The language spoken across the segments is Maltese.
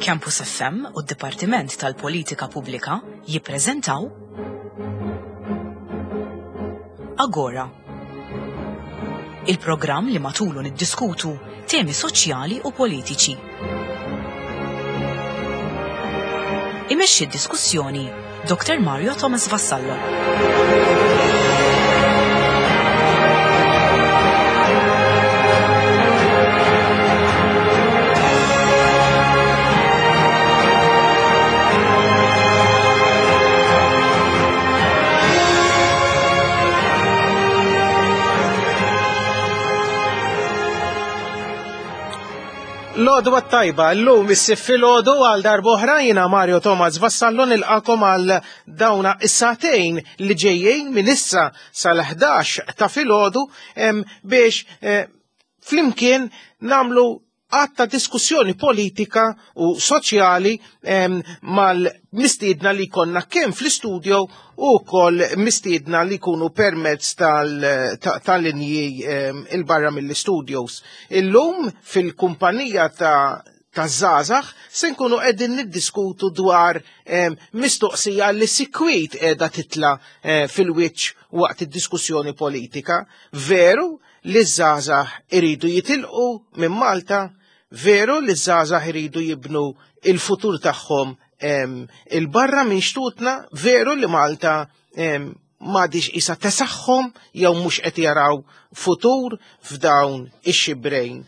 Campus FM u d-Dipartiment tal-Politika Pubblika jippreżentaw Agora. Il-programm li matulu niddiskutu temi soċjali u politiċi. Imexxi d-diskussjoni Dr. Mario Thomas Vassallo. L-għodwa tajba, l-lum issif fil-ħodu għal darboħra jina Mario Thomas Vassallo nilqakom għal dawna is-satejn li ġejjin minn issa sal-11 ta' filgħodu biex eh, flimkien namlu għatta diskussjoni politika u soċjali mal-mistiedna li konna kemm fl-istudio u kol mistiedna li kunu permezz tal-linji il-barra mill-studios. Illum fil-kumpanija ta' ta' zazax se nkunu qegħdin niddiskutu dwar mistoqsija li sikwit qiegħda titla eh, fil-wiċċ waqt id-diskussjoni politika. Veru li żgħażagħ iridu jitilqu minn Malta, veru li żgħażagħ iridu jibnu il-futur tagħhom il-barra minn xtutna, veru li Malta m'għadix isa tesaħħom jew mhux qed jaraw futur f'dawn ix-xibrejn.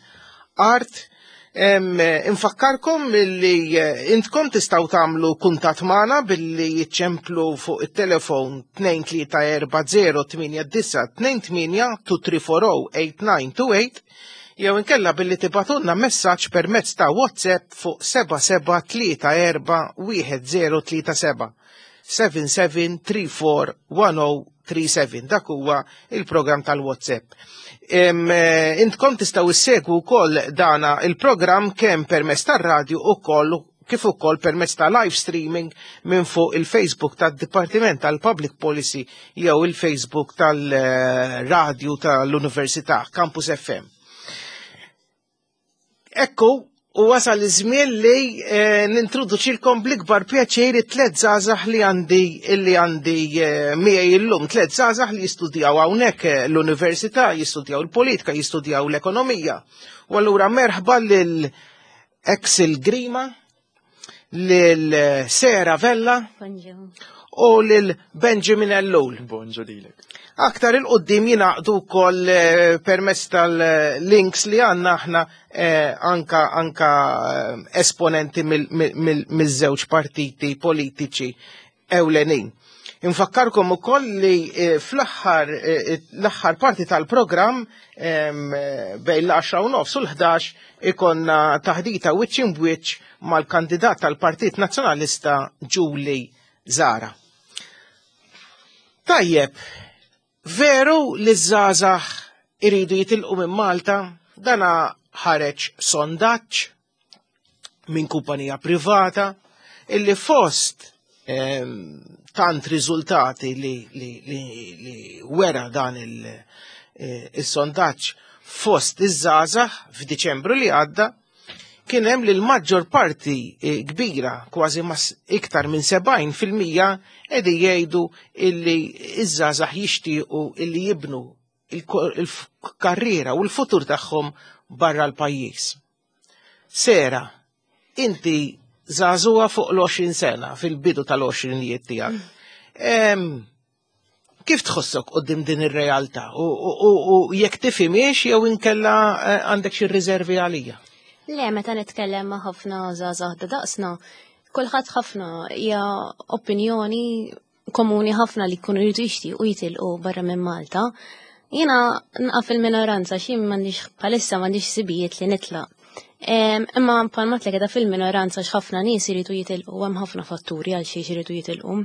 Art Infakkarkom li eh, intkom tistgħu tagħmlu kuntatt magħna billi jiċċemplu fuq it-telefon 23408928 23408928 jew inkella billi tibatunna messaġġ permezz ta' WhatsApp fuq 77341037. 77341037. Dak huwa il-programm tal-WhatsApp. Eh, intkom tistgħu issegwu wkoll dana il-programm kemm permezz tar-radju ukoll kif ukoll permezz ta' live streaming minn fuq il-Facebook tad-Dipartiment tal-Public Policy jew il-Facebook tal-Radju tal-Università Campus FM. Ekku, u wasal iż-żmien li eh, nintroduċilkom bl-ikbar pjaċir it-tlet żgħażagħ li għandi li għandi eh, miegħi illum, tliet żgħażagħ li jistudjaw hawnhekk eh, l-università, jistudjaw il-politika, jistudjaw l-ekonomija. U allura merħba lil Axel Grima, lil Sera Vella u lil Benjamin Ellul. Bonġu lilek. Aktar il-qoddim jinaqdu wkoll eh, permezz tal-links li għandna aħna eh, anka anka eh, esponenti mill-żewġ partiti politiċi ewlenin. Infakkarkom ukoll li fl-aħħar l-aħħar parti tal-programm bejn l-10 u nofs u l-11 ikonna taħdita wiċċ imbwiċċ mal-kandidat tal-Partit Nazzjonalista Julie Zara. Tajjeb, veru li żgħażagħ iridu jitilqu minn Malta, dana ħareġ sondaġġ minn kumpanija privata illi fost ehm, tant riżultati li, li, li, li wera dan eh, il-sondaġġ fost iż-żgħażagħ f'Diċembru li għadda kien hemm li l-maġġor parti eh, kbira, kważi mas iktar minn 70 fil-mija qegħdin jgħidu illi iż-żgħażagħ jixtiequ illi jibnu il-karriera u l-futur tagħhom barra l-pajjiż. Sera, inti żagħżugħa fuq l-20 sena, fil-bidu tal-20 tiegħek. Kif tħossok qoddim din ir-realtà u jekk tifhimiex jew inkella eh, għandek xi riservi għalija? Le, meta nitkellem ma' ħafna żgħażagħ ta' daqsna, kulħadd ħafna hija opinjoni komuni ħafna li jkunu jridu jixtiequ jitilqu barra minn Malta. Jiena nqa' fil-minoranza xi m'għandix bħalissa m'għandix sibijiet li nitlaq. Imma bħalma tlek fil-minoranza x'ħafna nies iridu jitilqu hemm ħafna fatturi għal xiex iridu jitilqu.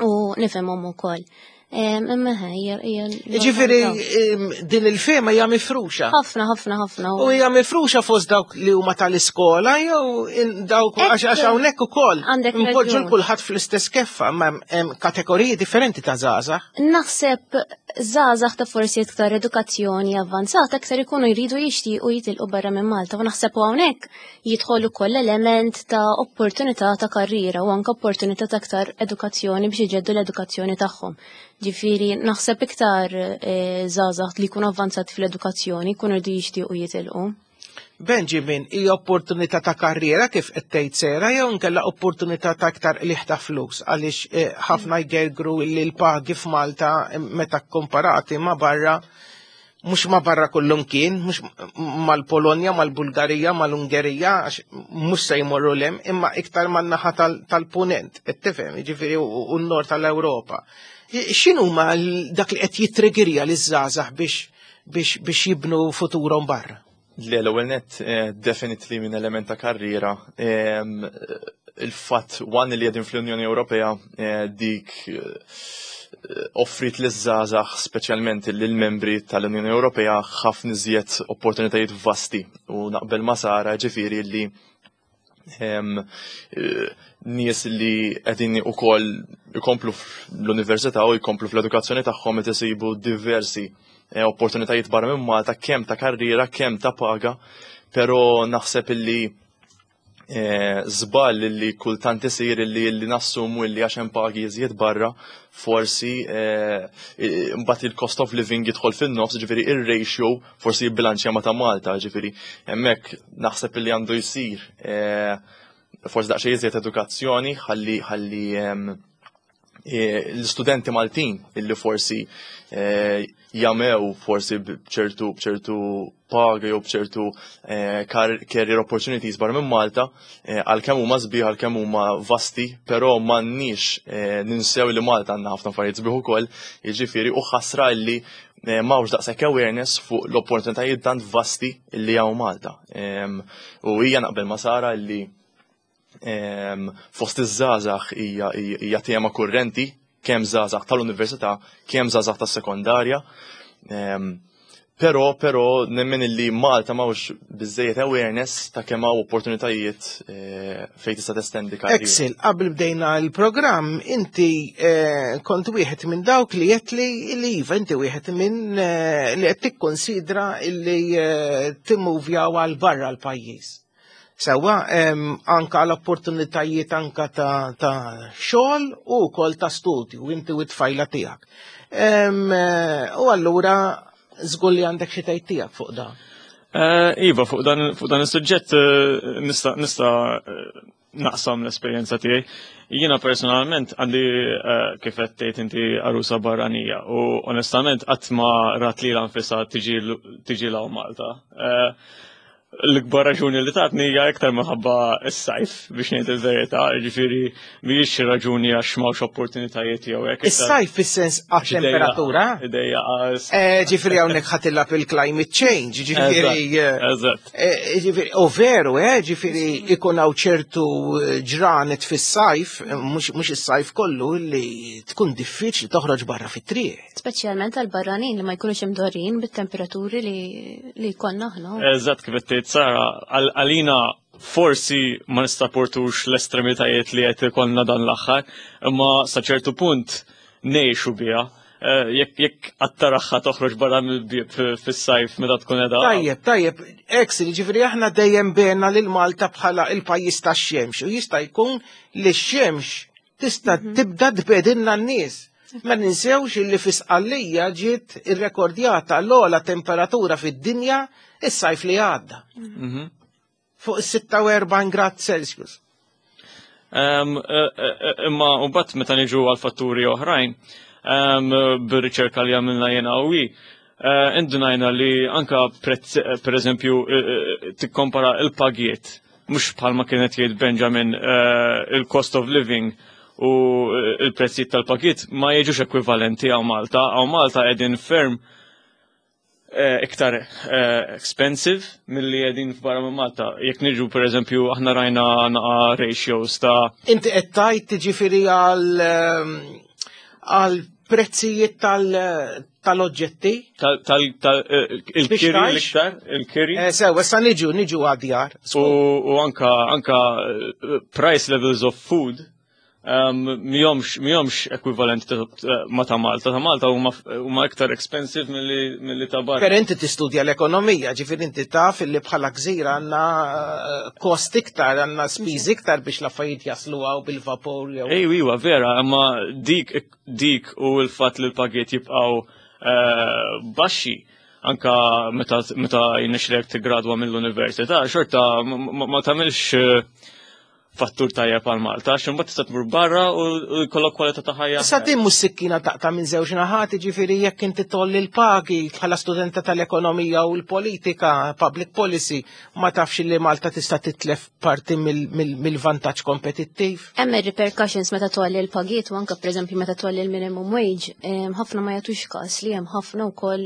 U nifhimhom ukoll. Imma hija hija. Ġifieri din il-fema hija mifruxa. Ħafna, ħafna, ħafna. U hija mifruxa fost dawk li huma tal-iskola jew dawk għax hawnhekk ukoll. Npoġġu l kulħadd fl-istess keffa, ma hemm kategoriji differenti ta' żgħażagħ. Naħseb. Żgħażagħ ta' forsi iktar edukazzjoni avvanzata aktar ikunu jridu jixtiequ jitilqu barra minn Malta u naħseb hawnhekk jidħol ukoll element ta' opportunità ta' karriera u anke opportunità ta' aktar edukazzjoni biex iġeddu l-edukazzjoni tagħhom. Ġifieri naħseb iktar żgħażagħ li jkunu avvanzati fl-edukazzjoni jkunu jridu jixtiequ jitilqu. Benjamin, hija opportunità ta' karriera kif qed tgħid Sera jew inkella opportunità ta' iktar qligħ ta' flus għaliex eh, ħafna jgergru li l-pagi f'Malta eh, meta komparati ma' barra mhux ma' barra kullum kien, mhux mal-Polonja, mal-Bulgarija, mal-Ungerija, għax mhux se jmorru lem, imma iktar man-naħa tal-punent, qed tifhem, jiġifieri u n-nord tal-Ewropa. X'inhuma dak li qed jitrigirja liż-żgħażagħ biex biex jibnu futurhom barra? Le, l-ewwel net eh, definitely minn element ta' karriera. Ehm, il-fatt one li qegħdin fl-Unjoni Ewropea eh, dik eh, offrit li żgħażagħ speċjalment lil membri tal-Unjoni Ewropea ħafna iżjed opportunitajiet vasti u naqbel ma' Sara ġifieri li ehm, nies li qegħdin ukoll ikomplu fl-università u jkomplu fl-edukazzjoni tagħhom qed isibu diversi eh, opportunitajiet barra minn Malta kemm ta' karriera, kemm ta' paga, però naħseb illi eh, żball li kultant isir illi li nassumu illi għax hemm pagi iżjed barra, forsi eh, mbagħad il-cost of living jidħol fin-nofs, ġifieri ir-ratio forsi jibbilanċja ma ta' Malta, ġifieri hemmhekk naħseb illi għandu jsir forsi daqsxejn iżjed edukazzjoni ħalli ħalli e, l-istudenti Maltin illi forsi e, jamew forsi bċertu bċertu paga jew bċertu e, career opportunities barra minn Malta għalkemm huma sbieħ għalkemm huma vasti, però m'għandniex ninsew li Malta għandna ħafna affarijiet sbieħ ukoll, jiġifieri u ħasra illi m'hawnx daqshekk awareness fuq l-opportunitajiet tant vasti illi hawn Malta. U hija naqbel ma' Sara illi fost iż-żgħażagħ hija tema kurrenti kemm żgħażagħ tal-università, kemm żgħażagħ tas-sekondarja. Però, però nemmen illi Malta m'hawnx biżejjed awareness ta' kemm hawn opportunitajiet eh, fejn tista' testendi karriera. Axel, qabel bdejna l-programm, inti eh, kont wieħed minn dawk li qed li li iva inti wieħed minn eh, li qed tikkonsidra li timmuvjaw għal barra l-pajjiż. Sewwa, anka għal opportunitajiet anka ta', ta xogħol u wkoll ta' studju inti u t-tfajla tiegħek. Eh, u allura żgur li għandek xi tgħid tiegħek fuq dan. Eh, iva, fuq dan, fuq dan is-suġġett eh, nista' nista' naqsam l-esperjenza tiegħi. Jiena personalment għandi kif qed tgħid inti arusa barranija u onestament qatt ma rat li nfisha tiġi law Malta. L-ikbar raġuni li tatni hija iktar minħabba s-sajf biex ngħid il-verità, jiġifieri mhijiex raġuni għax m'hawnx opportunitajiet jew hekk. Is-sajf fis-sens għat-temperatura? Idejja eh, Ġifieri hawnhekk ħatilab il-climate change, ġifieri. Eh, eżatt. Eh, ġifieri, u veru, eh, ġifieri ikun hawn ċertu ġranet fis-sajf, mhux is-sajf kollu li tkun diffiċli toħroġ barra fit-triq. Speċjalment għal barranin li ma jkunux imdorrin bit-temperaturi li li jkollna aħna. Eżatt kif qed tgħid Sara, għalina forsi ma nistaportux l-estremitajiet li qed ikollna dan l-aħħar, imma sa ċertu punt ngħixu biha. Eh, jekk jekk għattaraħħa toħroġ barra mill-bieb fis-sajf meta tkun qiegħda. Tajjeb, tajjeb, Exi, ġifieri aħna dejjem bena lil Malta bħala il-pajjiż tax-xemx u jista' jkun li x-xemx tista' mhm. tibda tbedilna n-nies. Ma ninsewx illi fi Sqallija ġiet irrekordjata l-ogħla temperatura fid-dinja is-sajf li għadda. Mhm. Fuq is-46 grad Celsius. E, e, e, imma mbagħad meta niġu għal fatturi oħrajn, bir-riċerka li għamilna jena u indunajna li anka per eżempju tikkompara il-pagiet mhux bħalma kienet jgħid Benjamin eh, il-cost of living u eh, il-prezzijiet tal-pakiet ma jiġux ekwivalenti għaw Malta. Għaw Malta qegħdin ferm eh, iktar expensive milli qegħdin f'barra minn Malta. Jekk niġu per eżempju aħna rajna naqa ratios ta' Inti qed tgħid tiġifieri għal għal prezzijiet tal-oġġetti? Il-kiri l-iktar, il-kiri. Eh, sew, issa niġu, niġu għadjar. U anka, anka eh, price levels of food Mhijomx ekwivalenti ma ta' Malta. Ta' Malta huma iktar expensive milli ta' barra. Per inti tistudja l-ekonomija, ġifieri inti taf li bħala gżira għandna kost iktar, għandna spiż iktar biex l-affarijiet jaslu hawn bil-vapur jew. Ej, iwa, vera, imma dik u l-fatt li l-pagiet jibqgħu baxxi anka meta jirnexxilek tiggradwa mill-università, xorta ma tagħmilx fattur tajjeb għal Malta, għax imbagħad tista' tmur barra u jkollok kwalità ta' ħajja. Issa din mhux sikkina taqta' minn żewġ naħat, jiġifieri jekk inti tolli l-pagi bħala studenta tal-ekonomija u l-politika, public policy, ma tafx li Malta tista' titlef parti mill-vantaġġ kompetittiv. Hemm repercussions meta tolli l-pagiet u anke pereżempju meta tolli l-minimum wage, ħafna ma jagħtux każ li hemm ħafna wkoll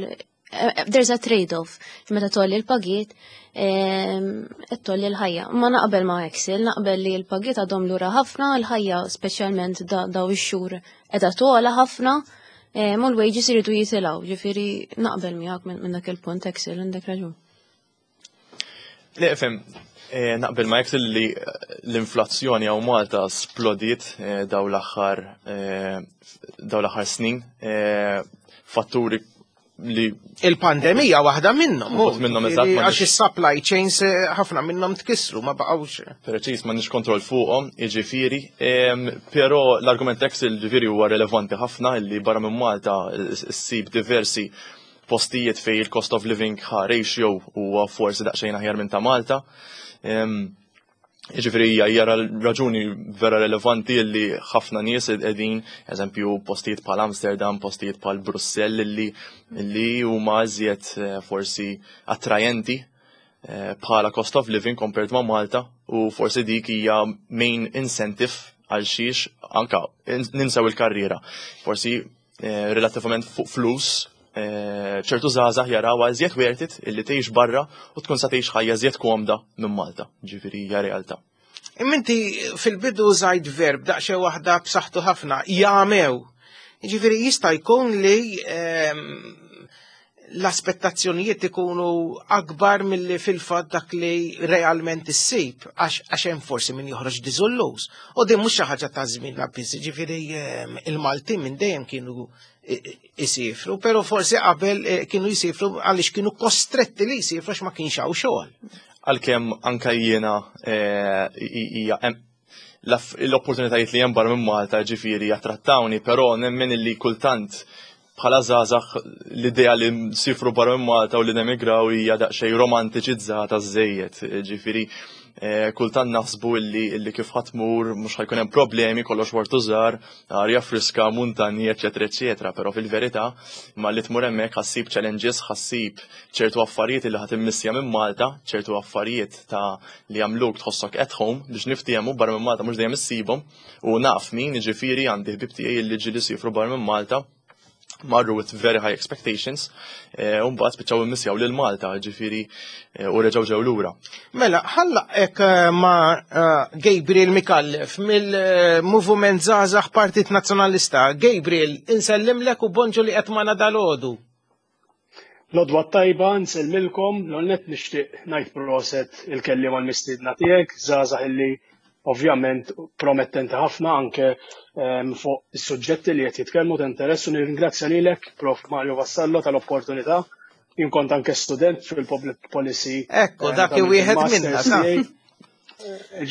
there's a trade-off. Meta tolli l-pagiet, qed tolli l-ħajja. Ma naqbel ma' Axel, naqbel li l-pagiet għadhom lura ħafna, l-ħajja speċjalment daw ix-xhur qiegħda togħla ħafna, u l-wages iridu jitilgħu, ġifieri naqbel miegħek minn dak il-punt Axel, għandek raġun. Le, fem, naqbel ma' Axel li l-inflazzjoni hawn Malta splodiet daw l-aħħar snin, fatturi li Il-pandemija waħda minnhom. Waħda minnhom, eżatt, ma Għax is-supply chains ħafna minnhom tkissru, ma baqgħux. Preċis, ma nix kontroll fuqhom, jiġifieri, però l-argument Axel ġifieri huwa relevanti ħafna li barra minn Malta ssib diversi postijiet fej il-cost of living ratio huwa forsi daqsxejn aħjar minn ta' Malta. Jiġifieri hija raġuni vera relevanti li ħafna nies qegħdin, eżempju, postijiet bħal Amsterdam, postijiet bħal Brussell li huma iżjed forsi attrajenti bħala cost of living compared ma' Malta u forsi dik hija main incentive għal xiex anka ninsaw il-karriera. Forsi relattivament fuq flus ċertu żgħażagħ jaraw iżjed worth it illi tgħix barra u tkun sa tgħix ħajja iżjed komda minn Malta. Ġifieri hija realtà. Imma inti fil-bidu użajt verb daqsxejn waħda b'saħħtu ħafna, jagħmew. Ġifieri jista' jkun li l-aspettazzjonijiet ikunu akbar milli fil-fatt dak li realment issib, għax hemm forsi min joħroġ diżilluż. U din mhux xi ħaġa ta' żmien biss, ġifieri il-Maltin minn dejjem kienu isifru, pero forsi qabel kienu jisifru għaliex kienu kostretti li jisifru għax ma kienx hawn xogħol. Għalkemm anka jiena hija l-opportunitajiet li hemm barra minn Malta ġifieri jattrattawni, però nemmen illi kultant bħala żgħażagħ l-idea li nsifru barra minn Malta u li nemigraw hija daqsxejn romantiċizzata żejjed. Ġifieri kultant naħsbu illi kif ħa tmur mhux ħa jkun hemm problemi, kollox wartu żgħar, arja friska, muntanji, eċetera, eċetera, però fil-verità ma li tmur hemmhekk ħa ssib challenges, ħa ssib ċertu affarijiet li ħa timmissja minn Malta, ċertu affarijiet ta' li jagħmluk tħossok at home biex niftiehmu barra minn Malta mhux dejjem issibhom u naf min ġifieri għandi ħbib tiegħi li ġieli sifru barra minn Malta marru with very high expectations, u mbagħad spiċċaw immissjaw lil Malta, ġifieri u reġgħu ġew lura. Mela, ħallaq ma' Gabriel Micallef mill-Movement Żgħażagħ Partit Nazzjonalista. Gabriel, insellimlek u bonġu li qed magħna dalgħodu. L-għodwa tajba, nsellmilkom, l-għonnet nixtieq ngħid proset il-kelliem għal-mistiedna tiegħek, żgħażagħ illi ovvjament promettenti ħafna anke fuq is-suġġetti li qed jitkellmu ta' interess u nirringrazzja lilek Prof Mario Vassallo tal-opportunità. Jien kont anke student fil-public policy. Ekku, dak wieħed minna.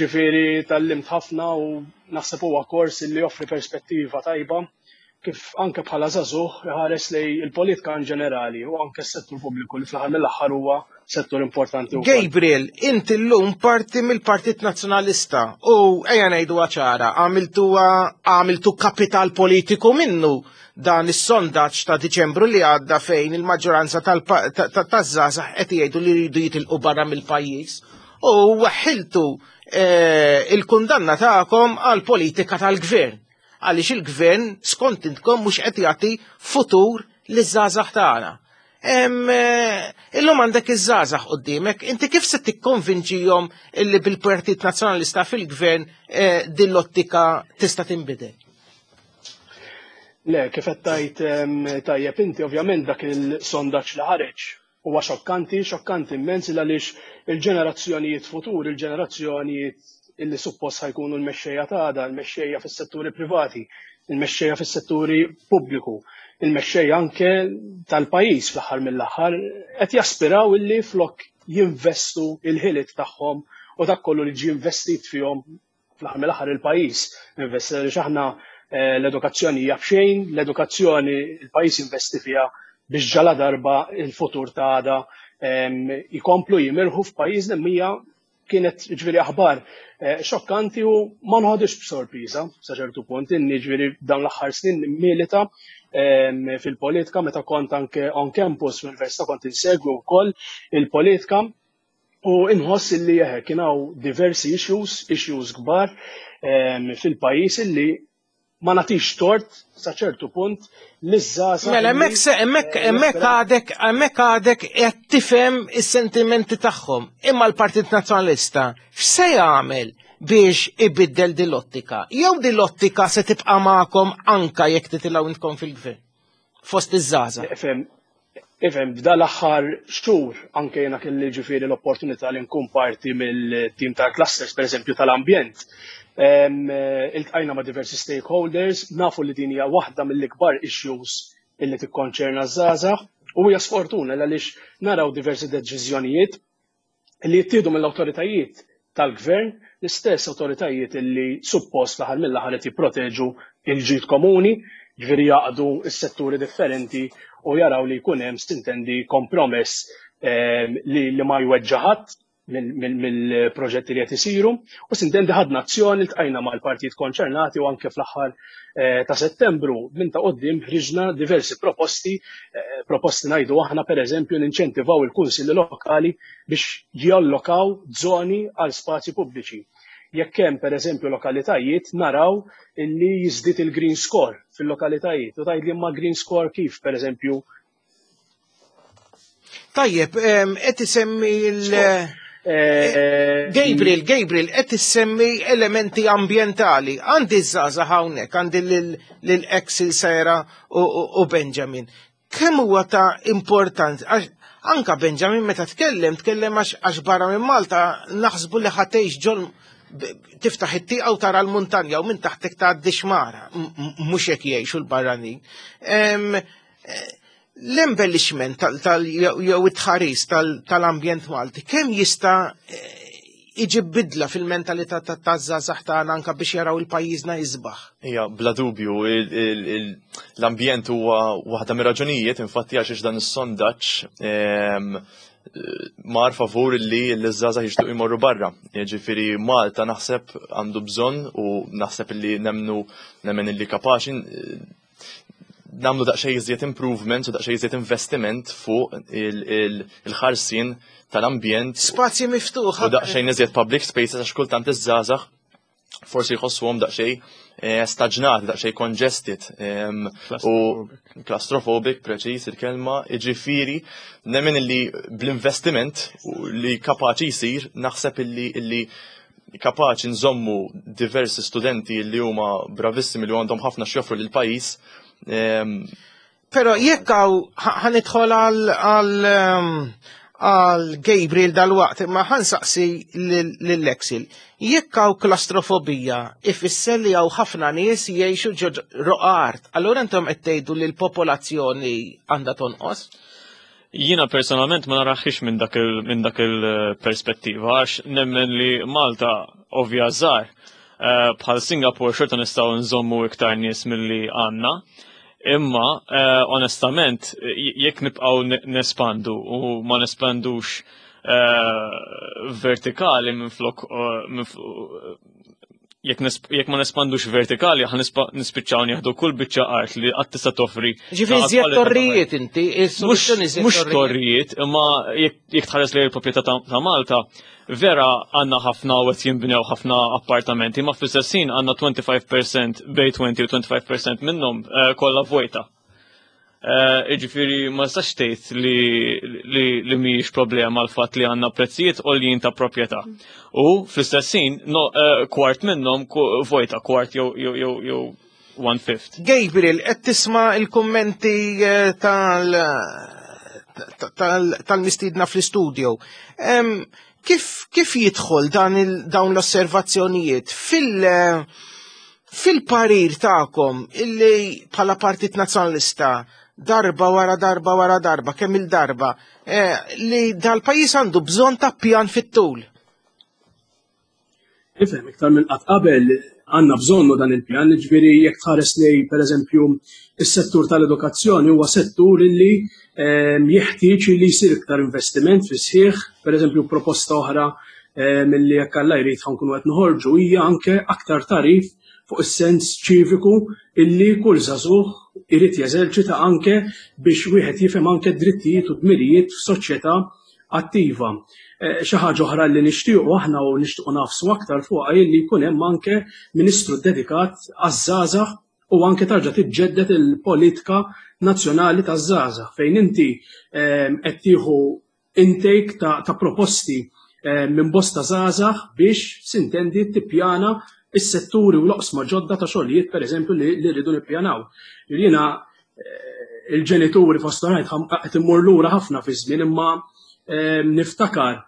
Ġifieri tgħallimt ħafna u naħseb huwa kors li joffri perspettiva tajba kif anke bħala żagħżugħ iħares lej il-politika in ġenerali u anke s-settur pubbliku li fl-aħħar mill-aħħar huwa settur importanti wkoll. Gabriel, inti llum parti mill-Partit Nazzjonalista u ejja ngħidu ċara, għamiltu kapital politiku minnu dan is-sondaġġ ta' Diċembru li għadda fejn il-maġġoranza taż-żgħażagħ qed jgħidu li jridu jitilqu barra mill-pajjiż u waħħiltu il-kundanna tagħkom għal politika tal-gvern. Għaliex il-gvern skont intkom mhux qed jagħti futur liż-żgħażagħ tagħna. Illum għandek iż-żgħażagħ quddiemek, inti kif se tikkonvinċihom illi bil-Partit Nazzjonalista fil-gvern din l-ottika tista' tinbidel? Le, kif qed tajt tajjeb inti, ovvjament dak il-sondaġġ li ħareġ huwa xokkanti, xokkanti immens għaliex il-ġenerazzjonijiet futur, il-ġenerazzjonijiet illi suppost ħa jkunu l-mexxejja ta' għada, l-mexxejja fis-setturi privati, il-mexxejja fis-setturi pubbliku, il-mexxejja anke tal-pajjiż fl-aħħar mill-aħħar qed jaspiraw illi flok jinvestu il-ħiliet tagħhom u dak kollu li ġie investit fihom fl-aħħar mill-aħħar il-pajjiż investi għaliex aħna eh, l-edukazzjoni hija b'xejn, l-edukazzjoni il-pajjiż investi fiha biex ġala darba il-futur ta' għada ikomplu jimirħu f'pajjiżna mija kienet ġviri aħbar eh, xokkanti u ma nħodix b'sorpriża sa ċertu punt inni ġviri dawn l-aħħar snin milita fil-politika meta kont anke on campus fl-università kont insegwi wkoll il-politika u inħoss illi eħe kien hawn diversi issues, issues kbar fil-pajjiż illi ma nagħtix tort sa ċertu punt li żgħażagħ. Mela hemmhekk se hemmhekk eh, hemmhekk għadek hemmhekk għadek qed tifhem is-sentimenti tagħhom. Imma l-Partit Nazzjonalista x'se jagħmel biex ibiddel din l-ottika? Jew din l-ottika se tibqa' magħkom anka jekk titilgħu intkom fil-gvern? Fost iż-żgħażagħ. Ifhem, f'dan l-aħħar xhur anke jiena kelli ġifieri l-opportunità li nkun parti mill-tim tal-clusters, pereżempju tal-ambjent. Iltqajna ma' diversi stakeholders, nafu li din hija waħda mill-ikbar issues illi tikkonċerna ż-żgħażagħ u hija sfortuna għaliex naraw diversi deċiżjonijiet li jittieħdu mill-awtoritajiet tal-gvern, l-istess awtoritajiet li suppost fl-aħħar mill-aħħar qed jipproteġu l-ġid komuni, ġifieri jaqdu s-setturi differenti u jaraw li jkun hemm sintendi kompromess eh, li, li ma jweġġa' ħadd mill-proġetti li qed isiru u sintendi ħadna azzjoni ltqajna mal-partijiet konċernati u anke fl-aħħar eh, ta' Settembru minn ta' qoddim ħriġna diversi proposti, eh, proposti ngħidu aħna pereżempju ninċentivaw il-kunsilli lokali biex jallokaw żoni għal spazji pubbliċi. Jekk hemm pereżempju lokalitajiet naraw illi jiżdied il-green score fil-lokalitajiet. U tgħidli imma green score kif pereżempju Tajjeb, qed isemmi l eh, Gabriel, Gabriel, qed issemmi elementi ambjentali. Għandi żgħażagħ hawnhekk, għandi lil Axel Sera u Benjamin. Kemm huwa ta' importanza, għax anka Benjamin meta tkellem, tkellem għax barra minn Malta naħsbu li ħatejx ġol tiftaħ it-tieqa u tara l-muntanja u minn taħtek tgħaddi xmara, mhux hekk jgħixu l-barranin. Eh, l-embellishment jew it-tħaris tal-ambjent Malti, kemm jista' eh, iġib bidla fil-mentalità taż-żgħażagħ tagħna anke biex jaraw il-pajjiżna jisbaħ. Ija, bla dubju, l-ambjent huwa waħda mir-raġunijiet, infatti għax dan is-sondaġġ ehm, mar favur li l-żgħażagħ jixtiequ jmorru barra. Jiġifieri Malta naħseb għandu bżonn u naħseb li nemnu nemmen li kapaċi namlu daqsxejn iżjed improvement u daqsxejn iżjed investiment fuq il-ħarsien tal-ambjent. Spazji miftuħa. U daqsxejn iżjed public spaces għax kultant iż-żgħażagħ forsi jħossuhom daqsxejn eh, staġnati, daqsxejn congested u claustrophobic preċiż il-kelma, jiġifieri nemmen illi bl-investiment li kapaċi jsir naħseb illi illi kapaċi nżommu diversi studenti li huma bravissimi li għandhom ħafna x'joffru lil pajjiż. Ehm, Però jekk hawn ħanidħol għal ehm, għal Gabriel dal-waqt, imma ħansaqsi lill-Exil. Jekk hawn klastrofobija, ifisser li hawn ħafna nies jgħixu ġo roqa art. Allura intom qed tgħidu li l-popolazzjoni għandha tonqos? Jiena personalment ma naraħħix minn dak minn dak il-perspettiva għax nemmen li Malta ovvja żgħar eh, bħal Singapore xorta nistgħu nżommu iktar nies milli għandna. Imma eh, onestament jekk nibqgħu nespandu u ma nespandux eh, vertikali minn flok jekk ma nespandux vertikali ħa nispiċċaw nieħdu kull biċċa art li qatt tista' toffri. Ġifieri żjed torrijiet inti, is-soluzzjoni żjed Mhux torrijiet, imma jekk tħares lejn il-proprjetà ta' Malta, vera għandna ħafna u qed jinbnew ħafna appartamenti, ma fl-istess ħin għandna 25% bej 20 u 25% minnhom eh, kollha vojta. Eh, jiġifieri ma nistax tgħid li li mhijiex problema l-fatt li għandna prezzijiet għoljin ta' proprjetà. U fl-istess ħin eh, kwart minnhom vojta, kwart jew jew one fifth. Gabriel, qed tisma' il-kummenti eh, tal tal-mistiedna fl-istudio. Kif, kif jidħol dan dawn l-osservazzjonijiet fil- fil-parir tagħkom illi bħala Partit Nazzjonalista darba wara darba wara darba kemm il-darba eh, li dal-pajjiż għandu bżonn ta' pjan fit-tul? Ifhem, iktar minn qatt qabel għandna bżonnu dan il-pjan, ġifieri jekk tħares li pereżempju is-settur tal-edukazzjoni huwa settur illi jeħtieġ li jsir iktar investiment fi sħiħ, pereżempju proposta oħra milli jekk Alla jrid ħankunu qed noħorġu hija anke aktar tarif fuq is-sens ċiviku illi kull żagħżugħ irid jeżerċita anke biex wieħed jifhem anke drittijiet u dmirijiet f'soċjetà attiva. Eh, xi ħaġa oħra li nixtiequ aħna u nixtiequ nafsu aktar fuqha li jkun hemm anke ministru dedikat għaż-żgħażagħ u anke tarġa' tiġġedded il-politika nazzjonali taż-żgħażagħ fejn inti ehm, qed tieħu intake ta', ta proposti ehm, minn bosta żgħażagħ biex sintendi tippjana is-setturi u l-oqsma ġodda ta' xogħlijiet pereżempju li, li rridu nippjanaw. Jiena il-ġenituri fost oħrajn qed immur lura ħafna fi żmien imma ehm, niftakar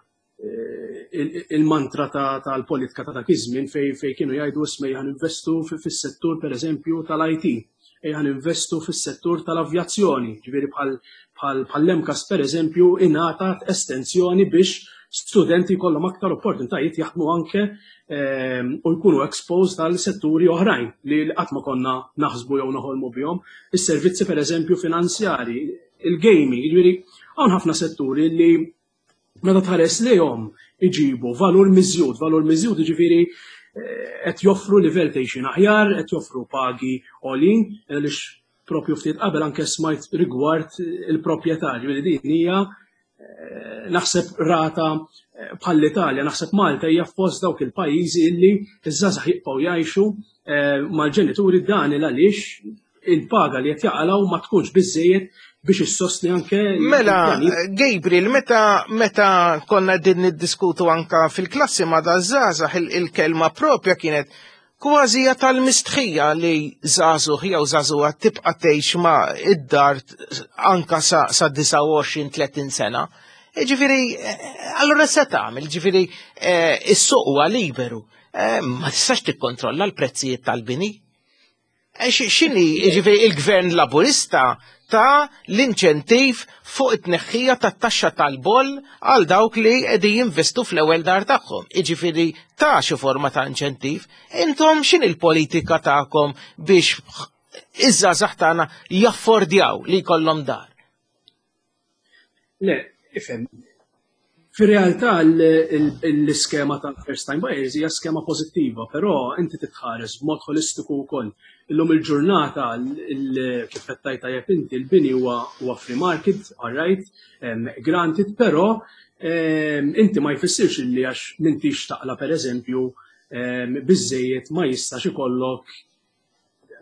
eh, il-mantra tal-politika ta' dak iż-żmien fejn kienu jgħidu isma' ejja investu fis-settur pereżempju tal-IT, ejja investu fis-settur tal-avjazzjoni, ġifieri bħal MCAST pereżempju ingħatat estensjoni biex studenti jkollhom aktar opportunitajiet jaħdmu anke u jkunu exposed għal setturi oħrajn li qatt ma konna naħsbu jew noħolmu bihom. Is-servizzi pereżempju finanzjari, il-gaming, jiġifieri hawn ħafna setturi li meta tħares lejhom iġibu valur miżjud, valur miżjud jiġifieri qed joffru livell t'għixien aħjar, qed joffru pagi għolin, għaliex propju ftit qabel anke smajt rigward il-proprjetà, ġifieri din hija naħseb rata bħall-Italja, naħseb Malta hija fost dawk il-pajjiżi illi iż-żgħażagħ jibqgħu jgħixu mal-ġenituri dan il għaliex il-paga li qed jaqalgħu ma tkunx biżejjed biex issostni anke Mela, Gabriel, meta meta konna din niddiskutu anka fil-klassi ma daż-żgħażagħ il-kelma propja kienet kważi tal-mistħija li żagħżugħ jew żagħżugħa tibqa' tgħix ma' id-dar anka sa, sa 29-30 sena. Ġifieri, allura se tagħmel, ġifieri is-suq huwa liberu. Ma tistax tikkontrolla l-prezzijiet tal-bini. X'inhi, ġifieri il-gvern laburista ta' l-inċentiv fuq it-tneħħija tat-taxxa tal-boll għal dawk li qegħdin jinvestu fl-ewwel dar tagħhom. Jiġifieri ta' xi forma ta' inċentiv. Intom x'inhi l-politika tagħkom biex iż-żgħażagħ tagħna jaffordjaw li jkollhom dar? Le, ifhem. Fir-realtà l-iskema ta' first time buyers hija skema pożittiva, però inti titħares b'mod holistiku wkoll. Illum il-ġurnata kif qed tgħid tajjeb inti l-bini huwa free market, all right, granted, però inti ma jfissirx li għax m'intix taqla pereżempju biżejjed ma jistax ikollok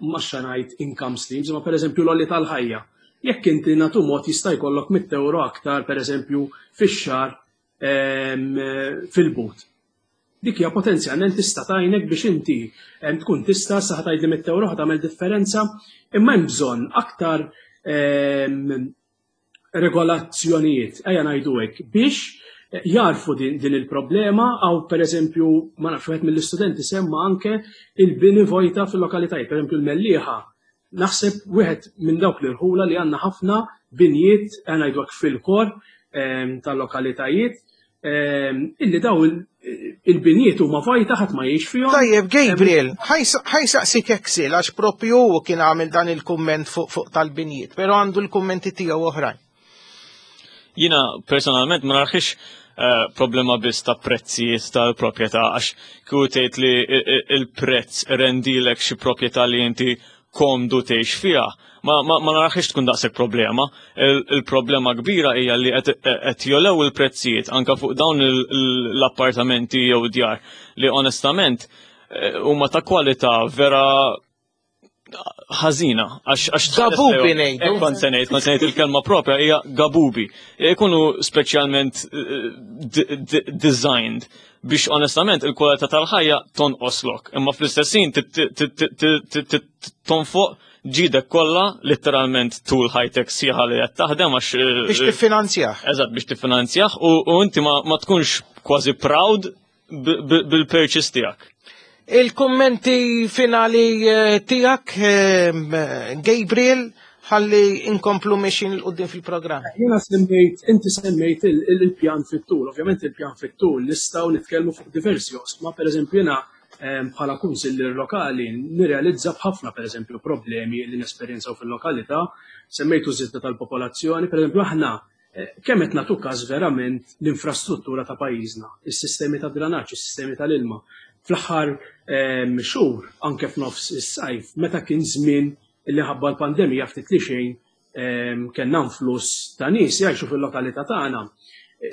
ma ngħid income streams, ma pereżempju l-għoli tal-ħajja. Jekk inti natu mod jista' jkollok 100 euro aktar pereżempju fix-xahar fil-but. Dik hija potenzjalment tista' tgħinek biex inti tkun tista' sa tgħidli 100 euro tagħmel differenza, imma hemm bżonn aktar regolazzjonijiet, ejja ngħidu hekk, biex jarfu din, din il-problema għaw per eżempju, ma nafx wieħed mill-istudenti semma anke il-bini vojta fil-lokalitajiet, per eżempju l-Mellieħa. Naħseb wieħed minn dawk l-irħula li għandna ħafna binjiet, ngħidu hekk fil-kor tal-lokalitajiet, illi daw il-binjiet huma vojta ħadd ma jgħix fihom. Tajjeb, Gabriel, ħa jsaqsik Eksil għax propju hu kien għamil dan il-kumment fuq tal-binjiet, però għandu l-kummenti tiegħu oħrajn. Jiena personalment ma narahiex problema biss ta' prezzijiet tal-proprjetà għax kieku tgħid li il-prezz rendilek xi proprjetà li inti komdu tgħix fiha, ma narahiex tkun daqshekk problema. Il-problema kbira hija li qed jogħlew il-prezzijiet anka fuq dawn l-appartamenti jew djar li onestament huma ta' kwalità vera ħażina għax Gabubi ngħidu. Kont se ngħid il-kelma propja hija gabubi. Ikunu speċjalment designed biex onestament il-kwalità tal-ħajja tonqoslok. Imma fl-istess ħin tonfoq ġidek kollha litteralment tul ħajtek sieħa li qed taħdem għax eh, biex tiffinanzjah. Eżatt biex tiffinanzjah u, u inti ma, ma tkunx kważi proud bil-purchase tiegħek. Il-kummenti finali eh, tiegħek eh, Gabriel ħalli inkomplu mexin l-qoddim fil-programm. Jena semmejt, inti semmejt il-pjan fit-tul, ovvjament il-pjan fit-tul nistgħu nitkellmu fuq diversi osma, per eżempju jena bħala kunsillier lokali nirrealizza b'ħafna pereżempju problemi li nesperjenzaw fil-lokalità, semmejtu żieda tal-popolazzjoni, pereżempju aħna eh, kemm qed nagħtu każ verament l-infrastruttura ta' pajjiżna, is-sistemi ta' dranaġġ, is-sistemi tal-ilma. Fl-aħħar xhur anke f'nofs is-sajf meta kien żmien li ħabba l-pandemija ftit li xejn kellna influss ta' nies jgħixu fil-lokalità tagħna.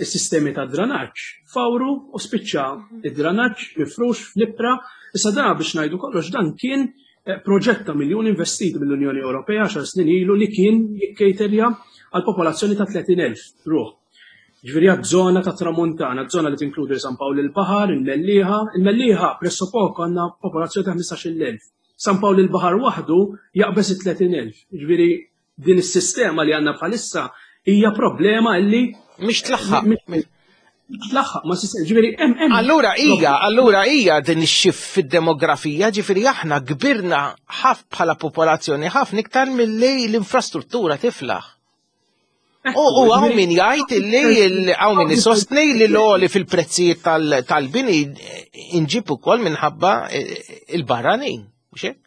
Is-sistemi ta' dranaġġ fawru u spiċċa id-dranaġġ mifrux fl-ibra. Issa da biex ngħidu kollox dan kien eh, proġett ta' miljun investiti mill-Unjoni Ewropea xar snin ilu li kien jikkejterja għal popolazzjoni ta' 30,000 ruħ. Ġifieri għad-żona ta' Tramuntana, żona li tinkludi San Pawl il-Baħar, il-Mellieħa, il-Mellieħa pressopoko għandna popolazzjoni ta' 15,000. San Pawl il-Baħar waħdu jaqbeż it-30,000. Ġifieri din is-sistema li għandna bħalissa hija problema illi mhix tlaħħaq. Tlaħħaq ma' sistema. Ġifieri hemm hemm. Allura hija, allura hija din ix-xift fid-demografija, ġifieri aħna kbirna ħaf bħala popolazzjoni ħafna iktar milli l-infrastruttura tiflaħ. U għaw min jgħid illi għaw min isostni li l-għoli fil-prezzijiet tal-bini inġib ukoll minħabba eh, il-barranin, mhux hekk?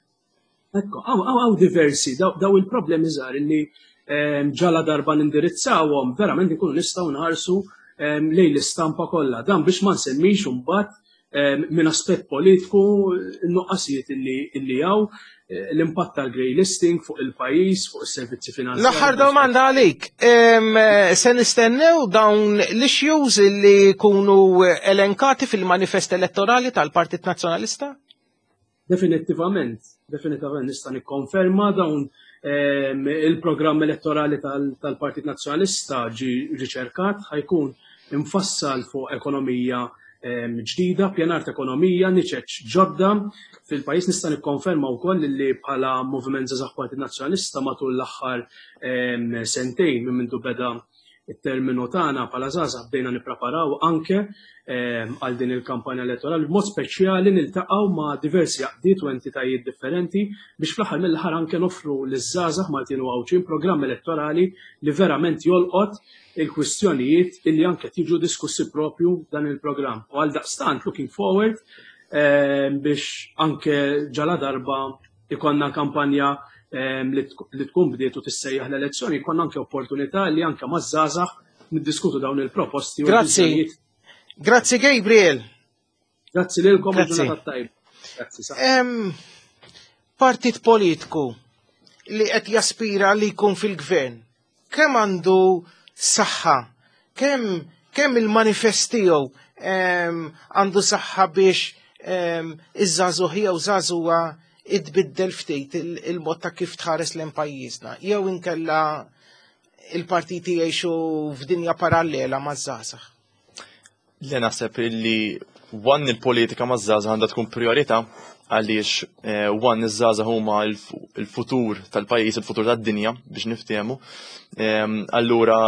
Ekku, għaw diversi, daw il-problemi żgħar illi ehm, ġala darba nindirizzawhom, verament ikunu nistgħu nħarsu ehm, lejn l-istampa kollha. Dan biex ma nsemmix imbagħad minn aspett politiku n-nuqqasijiet illi hawn, eh, l-impatt tal-grey listing fuq il-pajjiż, fuq is-servizzi finanzjarji. L-aħħar domanda għalik, se nistennew dawn l-issues li jkunu elenkati fil-manifest elettorali tal-Partit Nazzjonalista? Definittivament, definittivament nista' nikkonferma dawn ehm, il-programm elettorali tal-Partit Nazzjonalista ġi riċerkat ħajkun imfassal fuq ekonomija ehm, ġdida, pjanar ta' ekonomija, niċeċ ġodda fil-pajjiż nista' nikkonferma wkoll li bħala Moviment Żgħażagħ Partit Nazzjonalista matul l-aħħar ehm, sentejn minn mindu beda it-terminu tagħna bħala żgħażagħ bdejna nippreparaw anke ehm, għal din il-kampanja elettorali b'mod speċjali niltaqgħu ma' diversi għaqdiet u entitajiet differenti biex fl-aħħar mill-aħħar anke noffru liż-żgħażagħ Maltin u Għawdxin programm elettorali li verament jolqot il-kwistjonijiet illi anke tiġu diskussi propju dan il-programm. U għal daqstant looking forward ehm, biex anke ġala darba ikonna kampanja ehm, li tkun bdiet u tissejjaħ l-elezzjoni, jkollna anke opportunità li anke maż-żgħażagħ niddiskutu dawn il-proposti. Grazzi. Grazzi Gabriel. Grazzi lilkom Grazzi. tajba. Grazzi. Partit politiku li qed jaspira li jkun fil-gvern, kemm għandu saħħa, kemm kemm il-manifest tiegħu għandu saħħa biex iż-żagħżugħ jew żagħżugħa idbiddel ftit il-mod ta' kif tħares lejn pajjiżna jew inkella il-partiti jgħixu f'dinja parallela maż-żgħażagħ. Le naħseb illi one il-politika maż-żgħażagħ għandha tkun priorità għaliex eh, one iż-żgħażagħ huma il-futur tal-pajjiż, il-futur tad-dinja biex niftehmu. Ehm, allura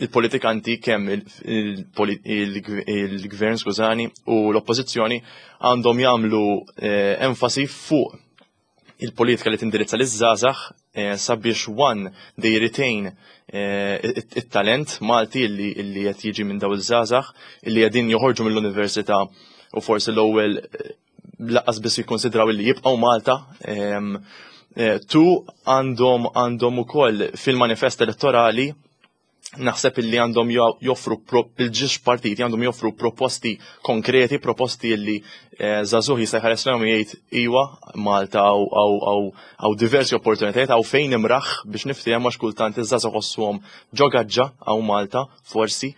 il-politikanti kemm il-gvern skużani u l-oppożizzjoni għandhom jagħmlu eh, enfasi fuq il-politika li tindirizza liż-żgħażagħ eh, sabiex one they retain eh, it-talent Malti illi qed jiġi minn daw iż-żgħażagħ illi qegħdin joħorġu mill-università u forsi l-ewwel eh, laqqas biss jikkonsidraw illi jibqgħu Malta. Ehm, tu għandhom għandhom ukoll fil-manifest elettorali naħseb illi għandhom joffru il-ġiex partiti għandhom joffru proposti konkreti, proposti illi eh, żagħżugħ jista' jħares lejhom jgħid iwa Malta għaw diversi opportunitajiet għaw fejn imraħ biex niftehom għax kultant iż-żagħżugħ ħossuhom ġogaġġa għaw Malta forsi.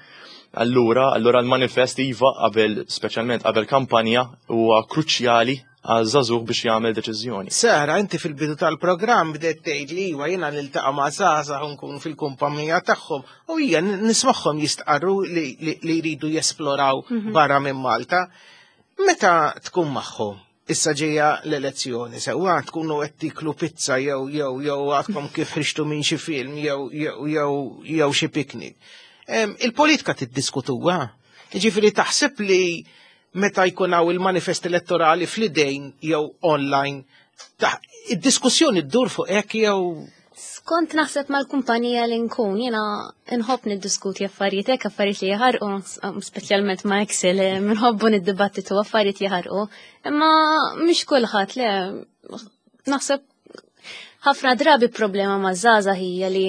Allura, allura l-manifest iva qabel speċjalment qabel kampanja huwa kruċjali għal żagħżugħ biex jagħmel deċiżjoni. Sara, inti fil-bidu tal-programm bdejt tgħid li iva jiena niltaqa' ma' żgħażagħ u nkun fil-kumpanija tagħhom u hija nismagħhom jistqarru li jridu jesploraw mhm. barra minn Malta. Meta tkun magħhom? Issa ġejja l-elezzjoni, sewwa tkunu qed tiklu pizza jew jew jew għadkom kif ħriġtu minn xi film jew jew jew jew xi picnic. Il-politika tiddiskutuha. Jiġifieri taħseb li meta jkun hawn il-manifest elettorali fl-idejn jew online, id-diskussjoni ddur fuq hekk jew Skont naħseb mal-kumpanija li nkun, jiena nħobb niddiskuti affarijiet hekk, affarijiet li jaħarqu, speċjalment ma' Excel, eh, nħobbu niddibattitu affarijiet jaħarqu, imma mhix kulħadd le naħseb ħafna drabi problema ma' żgħażagħ hija li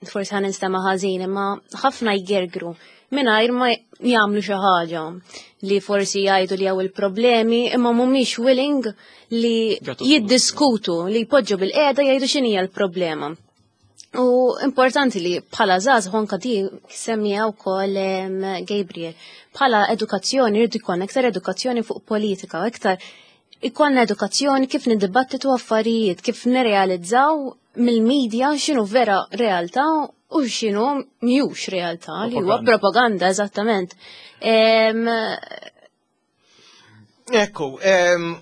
forsi ħa ninstema' ħażin, imma ħafna jgergru mingħajr ma jagħmlu xi ħaġa li forsi jgħidu li hawn il-problemi imma mhumiex willing li jiddiskutu, li jpoġġu bil-qiegħda jgħidu x'inhija l-problema. U importanti li bħala żgħażagħ anke di semmija wkoll Gabriel, bħala edukazzjoni rridu jkollna iktar edukazzjoni fuq politika, iktar ikollna edukazzjoni kif niddibattitu affarijiet, kif nirrealizzaw mill-medja x'inhu vera realtà u x'inhu mhux realtà li huwa propaganda eżattament. Ekku,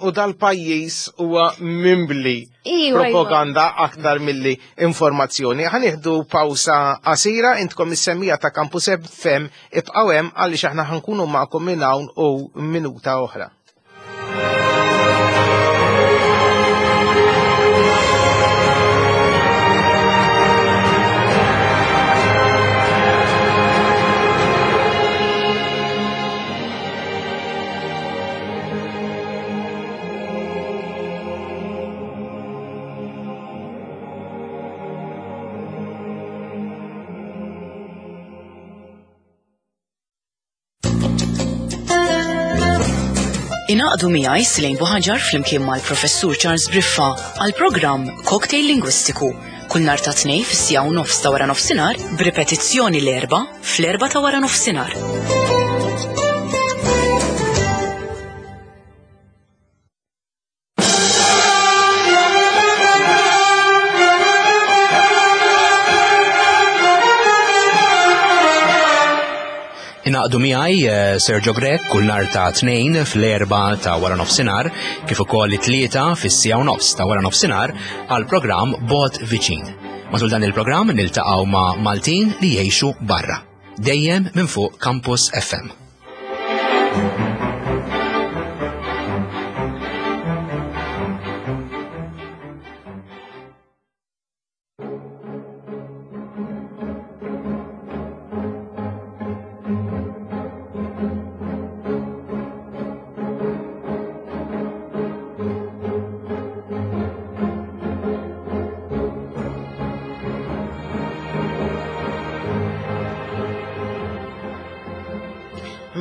u dal-pajjiż huwa mimbli iva, iva. propaganda aktar milli informazzjoni. Ħanieħdu pawsa qasira intkom is-semmija ta' Campus FM ibqgħu hemm għaliex aħna ħankunu magħkom minn hawn u minuta oħra. Inaqdu miegħi Slejn Buħaġar flimkien mal-Professur Charles Briffa għal programm Cocktail Lingwistiku kull nhar ta' tnej fis-sija u nofs ta' wara nofsinhar b'ripetizzjoni l-erba' fl-erba' ta' wara nofsinhar. Inaqdu miegħi eh, Sergio Grech kull nhar ta' tnejn fl-erba ta' wara nofsinhar kif ukoll it-tlieta fis-sija u nofs ta' wara nofsinhar għal programm Bot Viċin. Matul dan il-programm niltaqgħu ma' Maltin li jgħixu barra. Dejjem minn fuq Campus FM.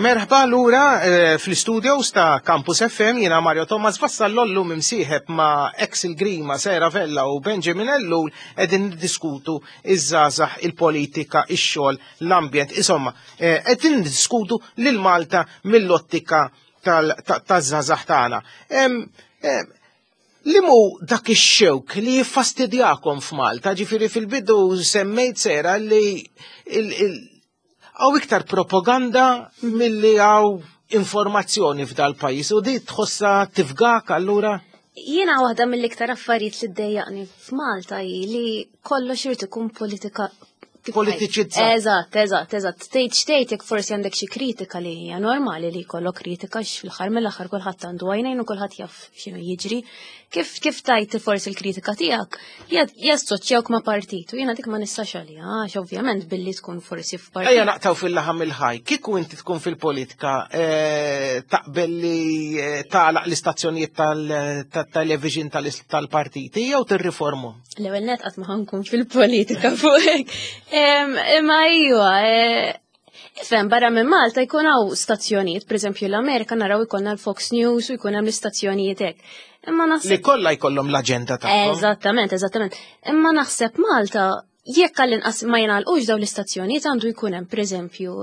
Merħba lura eh, fl-studios ta' Campus FM jiena Mario Thomas Vassallo llum imsieħeb ma' Axel Grima, Sera Vella u Benjamin Ellul qegħdin niddiskutu iż-żgħażagħ, il-politika, ix-xogħol, l-ambjent, insomma, eh, qegħdin niddiskutu lil Malta mill-ottika taż-żgħażagħ tagħna. Li mu dak ix-xewk li jiffastidjakom f'Malta, ġifieri fil-bidu semmejt sera li hawn iktar propaganda milli hawn informazzjoni f'dal pajjiż u di tħossha tifgak allura? Jiena waħda mill-iktar affarijiet li ddejjaqni f'Malta hi li kollox irid ikun politika Politiċizzat. Eżatt, eżatt, eżatt. Tgħid x'tgħid jekk forsi għandek xi kritika li hija normali li jkollok kritika fl-aħħar mill-aħħar kulħadd għandu għajnejn u kulħadd jaf x'inhu jiġri. Kif kif tajt forsi l-kritika tiegħek jassoċjawk ma' partit u jiena dik ma nistax għaliha għax ovvjament billi tkun forsi f'partit. Ejja naqtaw fil-laħam il-ħaj. Kieku inti tkun fil-politika eh, taqbel li eh, tagħlaq l-istazzjonijiet tal-television tal-partiti jew tirriformu? L-ewwel net qatt ma ħankun fil-politika fuq hekk. Imma iva, eh, Ifhem, barra minn Malta jkun hawn stazzjonijiet, pereżempju l-Amerika naraw ikollna l-Fox News u jkun hemm l-istazzjonijiet hekk. Imma naħseb Li kollha jkollhom l-aġenda tagħhom. Eżattament, eżattament. Imma naħseb Malta jekk għall-inqas ma jingħalqux dawn l-istazzjonijiet għandu jkun hemm pereżempju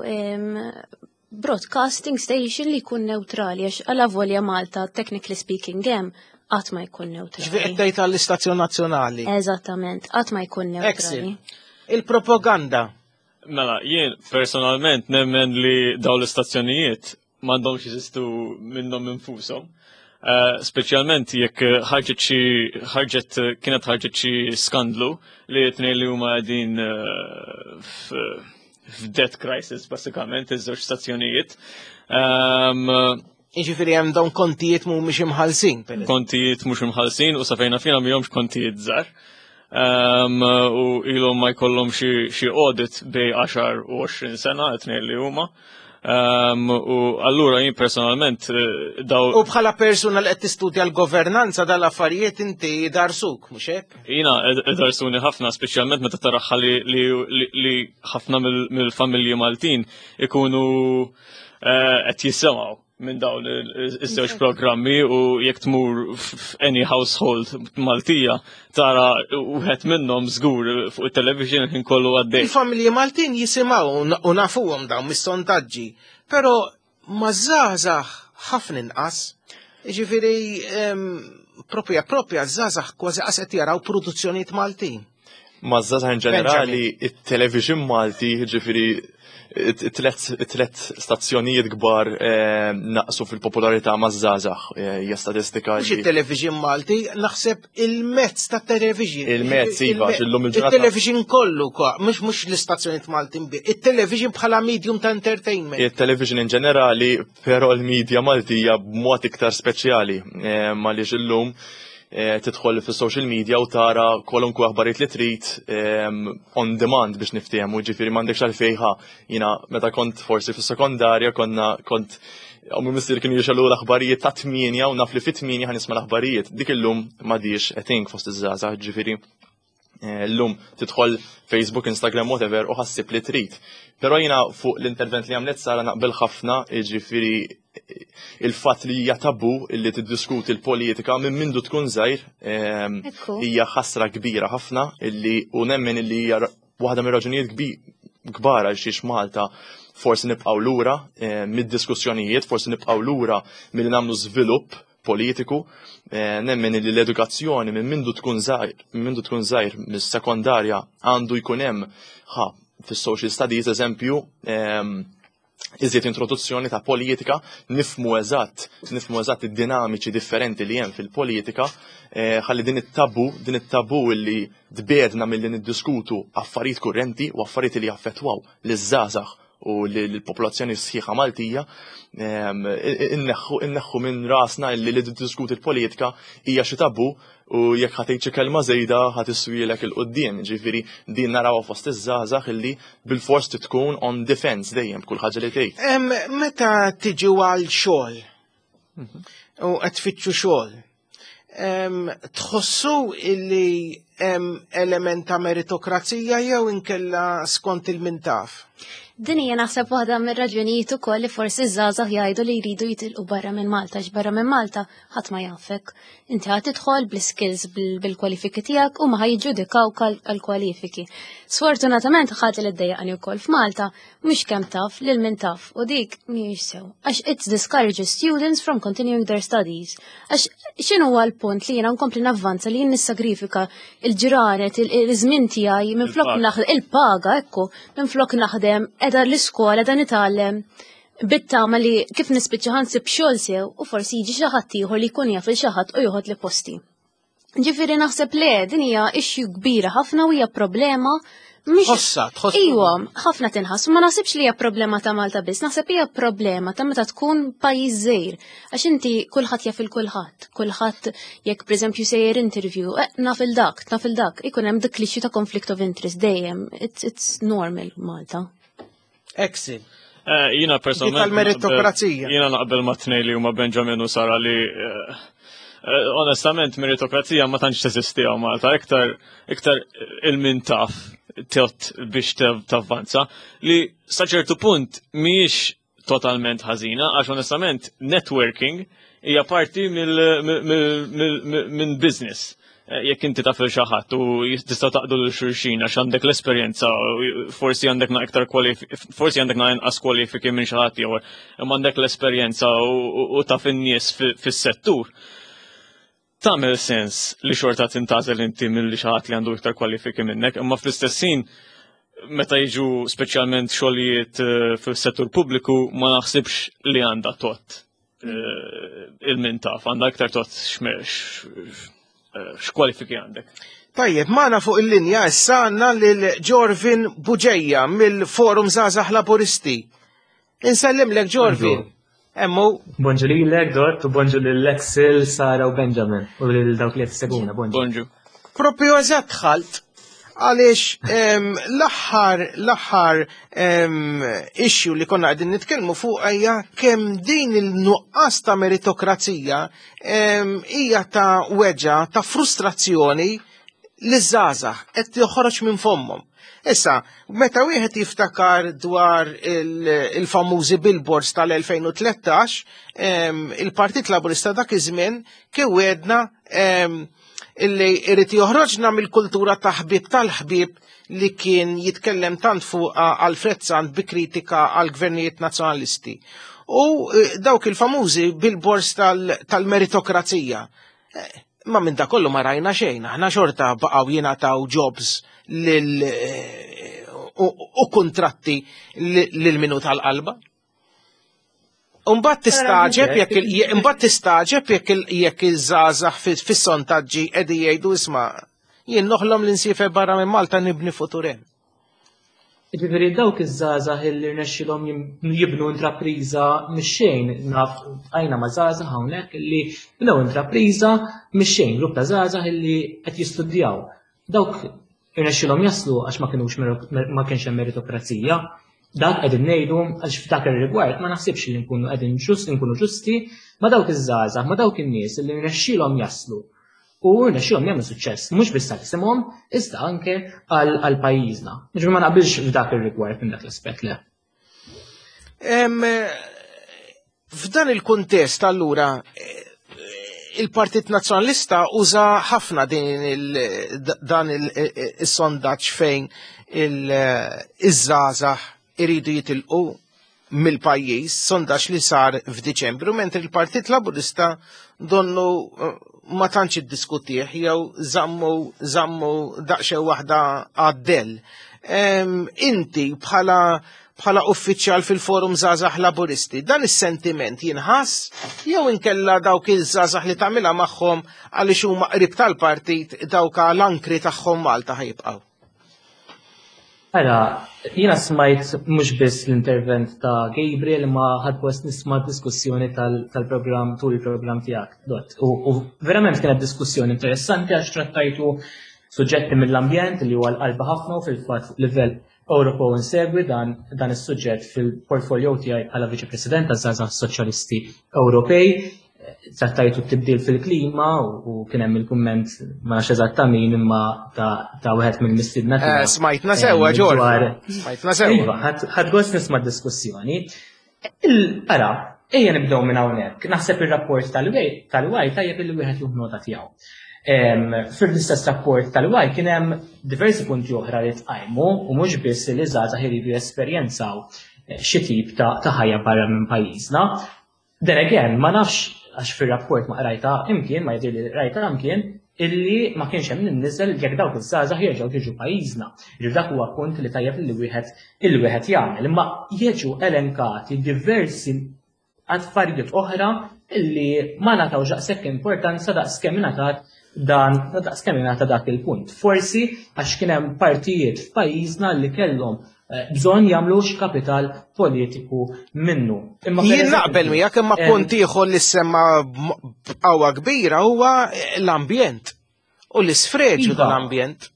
broadcasting station li jkun neutrali għax għala volja Malta technically speaking hemm qatt ma jkun neutrali. Ġifieri qed tgħid għall-istazzjon nazzjonali. Eżattament, qatt ma jkun neutrali. Il-propaganda Mela, jien personalment nemmen li dawn l-istazzjonijiet m'għandhomx jeżistu minnhom infushom. Speċjalment jekk ħarġet xi ħarġet kienet ħarġet xi skandlu li tnejn li huma qegħdin f'debt crisis basikament iż-żewġ stazzjonijiet. Jiġifieri hemm dawn kontijiet mhumiex imħallsin. Kontijiet mhux imħallsin u sa fejna fina mihomx kontijiet żgħar. U ilhom ma jkollhom xi audit bejn 10 u 20 sena qed li huma. U allura jien personalment daw. U bħala persuna li qed tistudja l-governanza dal-affarijiet inti darsuk, mhux hekk? Jiena darsuni ħafna, speċjalment meta taraħħa li ħafna mill-familji Maltin ikunu qed jisimgħu minn dawn iż-żewġ programmi u jekk tmur f'any household Maltija tara wieħed minnhom żgur fuq it-television ħin kollu għaddej. Il-familji Maltin jisimgħu u nafuhom dawn mis-sondaġġi, però ma żgħażagħ ħafna inqas. Jiġifieri propja propja żgħażagħ kważi qas qed jaraw produzzjonijiet Maltin. Ma żgħażagħ in ġenerali it-television Malti, ġifieri it-tlet stazzjonijiet kbar naqsu fil-popolarità ma' żgħażagħ, hija statistika. Mhux it-television Malti, naħseb il-mezz ta' television. Il-mezz, iva, illum il-ġurnata. Il-television kollu, mhux l-istazzjonijiet Maltin bi, it-television bħala medium ta' entertainment. Il-television in ġenerali, però l-media Maltija b'mod iktar speċjali, għaliex illum tidħol fis-social media u tara kwalunkwe aħbarijiet li trid on demand biex niftehmu, ġifieri m'għandekx għalfejn ħa. Jiena meta kont forsi fis-sekondarja konna kont ommi missier kienu jixgħelu l-aħbarijiet ta' 8 u naf li fit-8 ħa nisma' l-aħbarijiet. Dik illum m'għadix a thing fost iż-żgħażagħ, ġifieri llum tidħol Facebook, Instagram, whatever, u ħassib li trid. Però jiena fuq l-intervent li għamlet Sara naqbel ħafna, ġifieri il-fatt li hija tabu illi tiddiskuti l-politika minn mindu tkun żgħir hija ħasra kbira ħafna illi u nemmen illi hija waħda mir-raġunijiet kbar għal xiex Malta forsi nibqgħu lura mid-diskussjonijiet, forsi nibqgħu lura milli nagħmlu żvilupp politiku. Nemmen illi l-edukazzjoni minn mindu tkun żgħir, minn mindu tkun żgħir mis-sekondarja għandu jkun hemm ħa fis-social studies eżempju iżjed introduzzjoni ta' politika, nifmu eżatt id-dinamiċi differenti li hemm fil-politika, ħalli din it-tabu illi tbedna milli niddiskutu affarijiet kurrenti u affarijiet li jaffettwaw liż-żgħażagħ u lill-popolazzjoni sħiħa Maltija, inneħħu minn rasna illi li tiddiskuti l-politika hija xi tabu u jekk ħa tgħid xi kelma żejda ħa tiswielek 'il quddiem. Ġifieri din narawha fost iż-żgħażagħ illi bil-fors tkun on defense dejjem b'kull ħaġa li tgħid. Meta tiġu għal xogħol u qed tfittxu xogħol, tħossu illi hemm element ta' meritokrazija jew inkella skont il-mintaf? Din hija naħseb waħda mir-raġunijiet ukoll li forsi ż-żgħażagħ jgħidu li jridu jitilqu barra minn Malta, għax barra minn Malta ħadd ma jafek. Inti ħadd tidħol bl-skills bil-kwalifiki tiegħek u ma ħajġudikawk għall-kwalifiki. Sfortunatament ħadd li ddejjaqni wkoll f'Malta mhux kemm taf lil min taf u dik mhijiex sew. Għax it discourages students from continuing their studies. Għax x'inhu huwa l-punt li jiena nkompli navvanza li jien nissagrifika il-ġranet, il-żmien tiegħi minflok naħdem il-paga, ekku, minflok naħdem qiegħda l-iskola qiegħda nitgħallem bit-tama li kif nispiċċa ħansib xogħol sew u forsi jiġi xi ħadd ieħor li jkun jaf il xi ħadd u joħod li posti. Ġifieri naħseb le, din hija issue kbira ħafna u hija problema mhix Tħossha, tħossha. Iwa, ħafna tinħass, ma naħsibx li hija problema ta' Malta biss, naħseb hija problema ta' meta tkun pajjiż żgħir. Għax inti kulħadd jaf il kulħadd, kulħadd jekk pereżempju sejjer interview, naf il dak, naf il dak, ikun hemm dik li ta' conflict of interest dejjem, it's normal Malta. Excel. Jiena personalment Tal-meritokrazija. Jiena naqbel ma' tnej li huma Benjamin u Sara li onestament meritokrazija ma tantx teżisti hawn Malta, iktar il-min taf tot biex tavvanza li sa ċertu punt mhijiex totalment ħażina għax onestament networking hija parti minn business. Jekk inti taf il xi ħadd u tista' taqdu lil xulxin għax għandek l-esperjenza, forsi għandek na iktar forsi għandek na inqas kwalifiki minn xi ħadd ieħor, imma għandek l-esperjenza u taf in-nies fis-settur. Tagħmel sens li xorta tintgħażel inti milli xi ħadd li għandu iktar kwalifiki minnek, imma fl-istess ħin meta jiġu speċjalment xogħlijiet fis-settur pubbliku ma naħsibx li għandha tot. il-min taf, għandha iktar tot x'kwalifiki għandek. Tajjeb, magħna fuq il-linja issa għandna lil Jorvin Buġeja mill-Forum Żgħażagħ Laburisti. Insellimlek Jorvin. Emmu. Bonġu lilek, Dott, u bonġu lil Axel, Sara u Benjamin, u lil dawk li qed seguna, bonġu. Bonġu. Propju eżatt dħalt għaliex l-aħħar l-aħħar issue li konna qegħdin nitkellmu fuq hija kemm din il-nuqqas ta' meritokrazija hija ta' weġa ta' frustrazzjoni li żgħażagħ qed joħroġ minn fommhom. Issa, meta wieħed jiftakar dwar il-famużi billboards tal-2013, il-Partit Laburista dak iż-żmien kien wedna illi irid joħroġna mill-kultura ta' ħbieb tal-ħbieb li kien jitkellem tant fuq Alfred Sant bi kritika għal gvernijiet nazzjonalisti. U eh, dawk il-famużi billboards tal-meritokrazija. Eh, ma minn da kollu ma rajna xejn, aħna xorta baqgħu jingħataw jobs lil eh, u kontratti lil minu tal-qalba. Umbat tistaġeb jekk imbagħad tistaġeb jekk jekk iż-żgħażagħ fis-sontaġġi qegħdin jgħidu isma' jien noħlom li nsiefer barra minn Malta nibni futur hemm. Jiġifieri dawk iż-żgħażagħ illi rnexxilhom jibnu intrapriża mix-xejn, naf għajna ma' żgħażagħ hawnhekk illi bnew intrapriża mix-xejn, grupp ta' żgħażagħ illi qed jistudjaw. Dawk irnexxilhom jaslu għax ma kinux ma kienx hemm meritokrazija. Dak qegħdin ngħidu għax f'dak ir-rigward ma naħsibx li nkunu qegħdin ġust nkunu ġusti ma' dawk iż-żgħażagħ, ma' dawk in-nies li rnexxilhom jaslu u rnexxilhom jagħmlu suċċess mhux biss għal isimhom iżda anke għal pajjiżna. Ġifieri ma naqbilx f'dak ir-rigward minn dak l-aspett le. F'dan il-kuntest allura il-Partit Nazzjonalista uża ħafna din dan il-sondaġġ fejn iż-żgħażagħ iridu jitilqu mill-pajjiż, sondaġġ li sar f'Diċembru, mentri il-Partit Laburista donnu eh, ma tantx iddiskutih jew żammu żammu daqsxejn waħda għaddel. Inti bħala bħala uffiċjal fil-Forum Żgħażagħ Laburisti, dan is-sentiment jinħass jew inkella dawk iż-żgħażagħ li tagħmilha magħhom għaliex huma qrib tal-partit dawk l-ankri tagħhom Malta ħajibqgħu? Ara, jiena smajt mhux biss l-intervent ta' Gabriel imma ħadd gost nisma' diskussjoni tal-programm tul il-programm tiegħek. Dott. U verament kienet diskussjoni interessanti għax trattajtu suġġetti mill-ambjent li huwa l-qalba ħafna u fil-fatt fuq livell Ewropew insegwi dan dan is-suġġett fil-portfolio tiegħi bħala Viċi President taż-Żgħażagħ Soċjalisti Ewropej. Trattajtu t-tibdil fil-klima u kien hemm il-kumment ma nafx eżatt ta' min imma ta' wieħed mill-mistiedna eh, tiegħek. Smajtna sewwa Ġorġ. Smajtna sewwa. Iva, ħadd gost nisma' diskussjoni. Ara, ejja nibdew minn hawnhekk. Naħseb ir-rapport tal-WAI tajjeb illi wieħed jieħu nota tiegħu. Fil-istess rapport tal-WAI kien hemm diversi punti oħra li tqajmu u mhux biss li żgħażagħ iridu jesperjenzaw eh, xi tip ta' ħajja barra minn pajjiżna. Then again, ma nafx għax fir-rapport ma qrajta imkien, ma jidhirli li qrajta imkien, illi ma kienx hemm nimniżel jekk dawk iż-żgħażagħ jerġgħu jiġu pajjiżna. Jiġifieri dak huwa punt li tajjeb li wieħed illi wieħed jagħmel. Imma jiġu elenkati diversi affarijiet oħra illi ma ngħatawx daqshekk importanza daqskemm ingħatat dan daqskemm ingħata dak il-punt. Forsi għax kien hemm partijiet f'pajjiżna li kellhom eh, bżonn jagħmlu kapital politiku minnu. Imma Jien naqbel miegħek imma eh, punt ieħor li semma b'qawwa kbira huwa l-ambjent u l-isfreġu iva. tal-ambjent.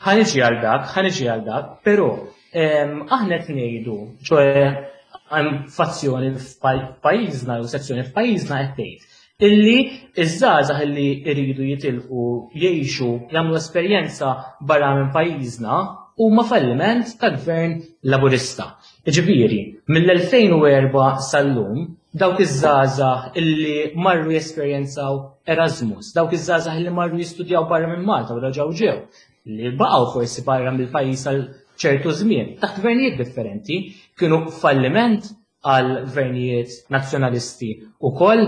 Ħaniġi għal dak, ħaniġi għal dak, però aħna qed ngħidu, ċoe hemm fazzjoni f'pajjiżna jew sezzjoni f'pajjiżna qed tgħid illi iż-żgħażagħ illi jridu jitilqu jgħixu jagħmlu esperjenza barra minn pajjiżna huma falliment ta' gvern Laburista. Jiġifieri, mill-2004 sal-lum, dawk iż-żgħażagħ illi marru jesperjenzaw Erasmus, dawk iż-żgħażagħ illi marru jistudjaw barra minn Malta u reġgħu ġew, li baqgħu forsi barra mill-pajjiż għal ċertu żmien, taħt gvernijiet differenti, kienu falliment għal gvernijiet nazzjonalisti wkoll.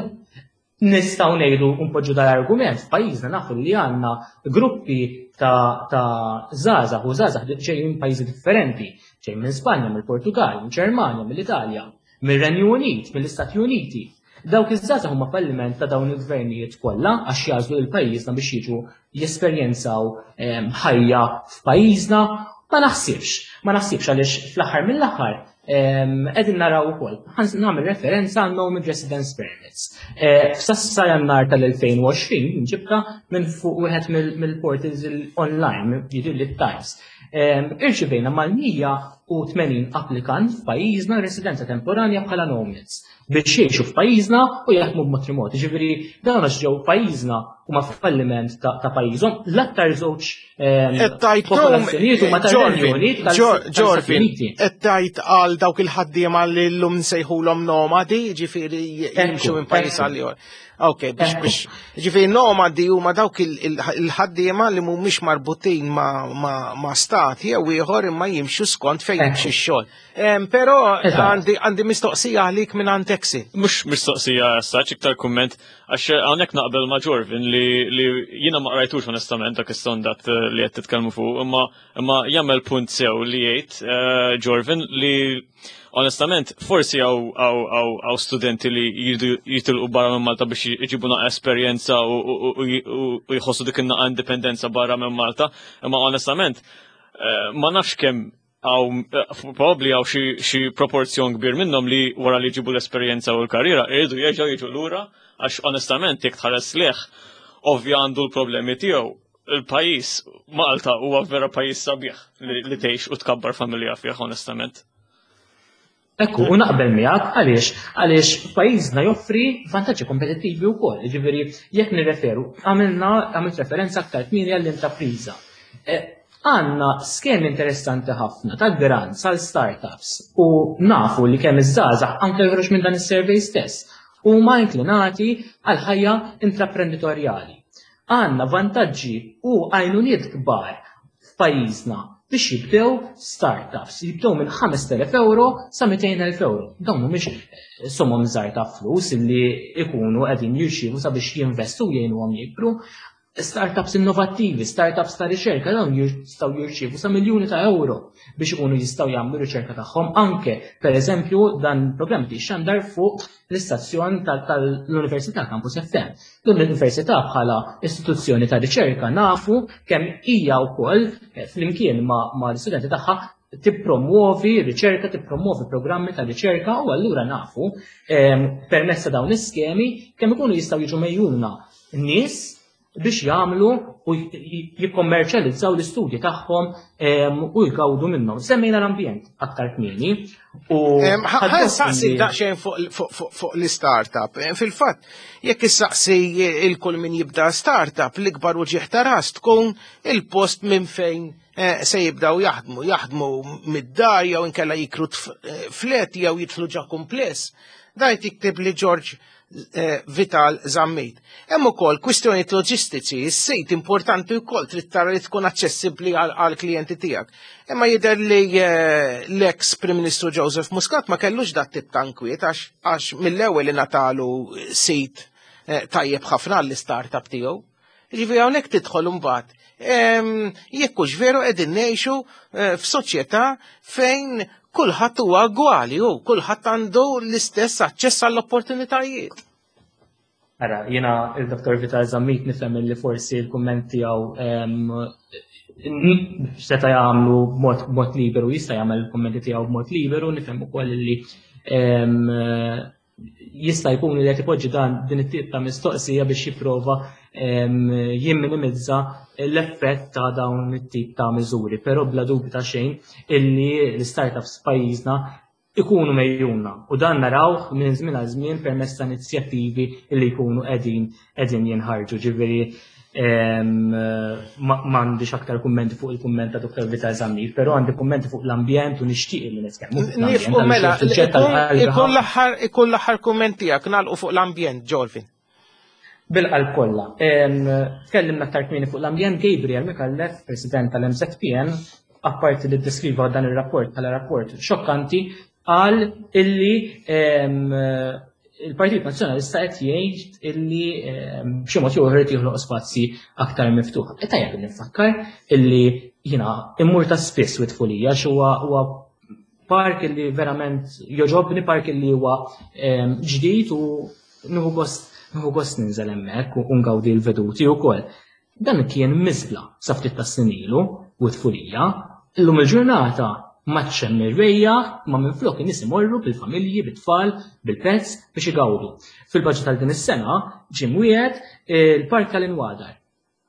Nistgħu ngħidu npoġġu dal-argument f'pajjiżna nafu li għandna gruppi ta' ta' żgħażagħ u żgħażagħ ġejjin minn pajjiżi differenti, ġejjin minn Spanja, mill-Portugal, mill-Ġermanja, mill-Italja, mir-Renju Unit, mill-Istati Uniti. Dawk iż-żgħażagħ huma falliment ta' dawn il-gvernijiet kollha għax jagħżlu lil pajjiżna biex jiġu jesperjenzaw ehm, ħajja f'pajjiżna. Ma naħsibx, ma naħsibx għaliex fl-aħħar mill-aħħar ehm, qegħdin naraw ukoll. Nagħmel referenza għal Nomad Residence Permits. Eh, f'sassa jannar tal-2020 ġibta minn fuq wieħed mill-portals online, jiġri li Times. Ehm, irċivejna mal-180 applikant f'pajjiżna residenza temporanja bħala nomads biex jgħixu f'pajjiżna u jaħdmu b'mod remot. Ġifieri dawn għax ġew pajjiżna huma falliment ta' pajjiżhom l-aktar żewġ ehm, popolazzjonijiet huma tar-Renju Unit tal-Stati Uniti. Qed tgħid għal dawk il-ħaddiema li llum nsejħulhom nomadi, ġifieri jimxu minn pajjiż għal ieħor. Ok, biex biex. Ġifieri nomadi huma dawk il-ħaddiema li mhumiex marbutin ma' stat jew ieħor imma jimxu skont fejn jimxi x-xogħol. Però għandi mistoqsija għalik minn għand Exi. Mhux mistoqsija saċ iktar kumment għax hawnhekk naqbel ma' Jorvin li jiena ma qrajtux onestament dak is-sondat eh, li qed titkellmu fuq, imma imma jagħmel punt sew li jgħid eh, Jorvin li Onestament, forsi għaw studenti li jridu jitilqu barra minn Malta biex jġibu naqa esperjenza u jħossu dik in-naqa indipendenza barra minn Malta, imma onestament, eh, ma nafx kemm għaw eh, probabli għaw xi proporzjon kbir minnhom li wara li jġibu l-esperjenza u l-karriera jridu jerġgħu jiġu lura għax onestament jekk tħares leħ ovvja għandu l-problemi tiegħu il-pajjiż Malta huwa vera pajjiż sabiħ li tgħix u tkabbar familja fih onestament. Ekku, u naqbel miegħek għaliex għaliex pajjiżna joffri vantaġġi kompetittivi wkoll. Jiġifieri jekk nirreferu, għamilna għamilt referenza aktar kmieni għall-intrapriża. E, għandna skemi interessanti ħafna ta' grants għal startups u nafu li kemm iż-żgħażagħ anke joħroġ minn dan is-survey stess huma inklinati għal ħajja intraprenditorjali. Għandna vantaġġi u għajnuniet kbar f'pajjiżna biex jibdew startups, jibdew minn 5,000 euro sa 200,000 euro. Dawn mhumiex eh, somom żgħar ta' flus li ikunu qegħdin jirċievu sabiex jinvestu jgħinuhom jikbru. Startups innovattivi, startups ta' riċerka, dawn jistgħu jirċievu sa miljuni ta' euro biex ikunu jistgħu jagħmlu riċerka tagħhom anke, pereżempju, dan il-programm xandar fuq l-istazzjon tal-Università Campus FM. L-Università bħala istituzzjoni ta' riċerka nafu kemm hija wkoll eh, flimkien ma' l-istudenti tagħha tippromuovi riċerka, tippromuovi programmi ta' riċerka u allura nafu ehm, permezz ta' dawn l-iskemi kemm ikunu jistgħu jiġu mejjuna nies biex jagħmlu u jikkommerċjalizzaw l-istudji tagħhom u jgawdu minnhom. Semmejna l-ambjent aktar kmieni u Ħa saqsi daqsxejn fuq l-startup. Fil-fatt, jekk issaqsi il-kull min jibda startup, l-ikbar uġigħ ta' ras tkun il-post minn fejn eh, se jibdaw jaħdmu, jaħdmu mid-dar jew inkella jikru eh, flet jew jidħlu ġa kumpless. Dajt jiktib li George Eh, Vital Zammit. Hemm ukoll kwistjonijiet loġistiċi, is-sejt importanti wkoll trid tara li tkun aċċessibbli għal klijenti tiegħek. Imma jidher li eh, l-eks Prim Ministru Joseph Muscat ma kellux dat tip ta' inkwiet għax mill-ewwel ingħatalu sit eh, tajjeb ħafna għall-istartup tiegħu. Ġifieri hawnhekk tidħol imbagħad. Jekk hux veru qegħdin ngħixu eh, f'soċjetà fejn kulħadd huwa gwali u kulħadd għandu l-istess aċċess għall-opportunitajiet. Ara, jiena il-Dr. Vital Zammit nifhem li forsi l-kumment tiegħu seta' jagħmlu b'mod liberu, jista' jagħmel il-kummenti tiegħu b'mod liberu, nifhem ukoll li jista' jkun li qed ipoġġi dan din it-tip ta' mistoqsija biex jipprova jimminimizza l-effett ta' dawn it-tip ta' miżuri, però bla dubju ta' xejn illi l-startups f'pajjiżna ikunu mejjuna u dan narawh minn żmien għal żmien permezz ta' inizjattivi li jkunu qegħdin qegħdin jinħarġu. Ġifieri m'għandix aktar kummenti fuq il-kumment ta' Dr. Vital Zammit, però għandi kummenti fuq l-ambjent u nixtieq li nitkellmu fuq l-ambjent. Mela, ikun l-aħħar ikun l-aħħar kumment tiegħek nagħlqu fuq l-ambjent, Jolvin. Bil-qalb kollha. Tkellimna aktar kmieni fuq l-ambjent Gabriel Micallef, President tal-MZPN, apparti li ddeskriva dan ir-rapport bħala rapport xokkanti, qal illi il-Partit Nazzjonalista qed jgħid illi ehm, b'xi mod jew ieħor joħloq spazji aktar miftuħ. E tajjeb li nfakkar illi jiena immur ta' spiss wit tfulija huwa huwa park illi verament joġobni, park illi huwa ehm, ġdid u Nieħu gost nieħu gost ninżel hemmhekk u ngawdi l-veduti wkoll. Dan kien miżbla sa ftit tas-snin ilu u t-tfulija. Illum il-ġurnata m'għadx hemm irwejjaħ imma minflok in-nies imorru bil-familji, bit-tfal, bil-pets biex igawdu. Fil-budget għal din is-sena ġie mwiegħed il-Park tal-Inwadar.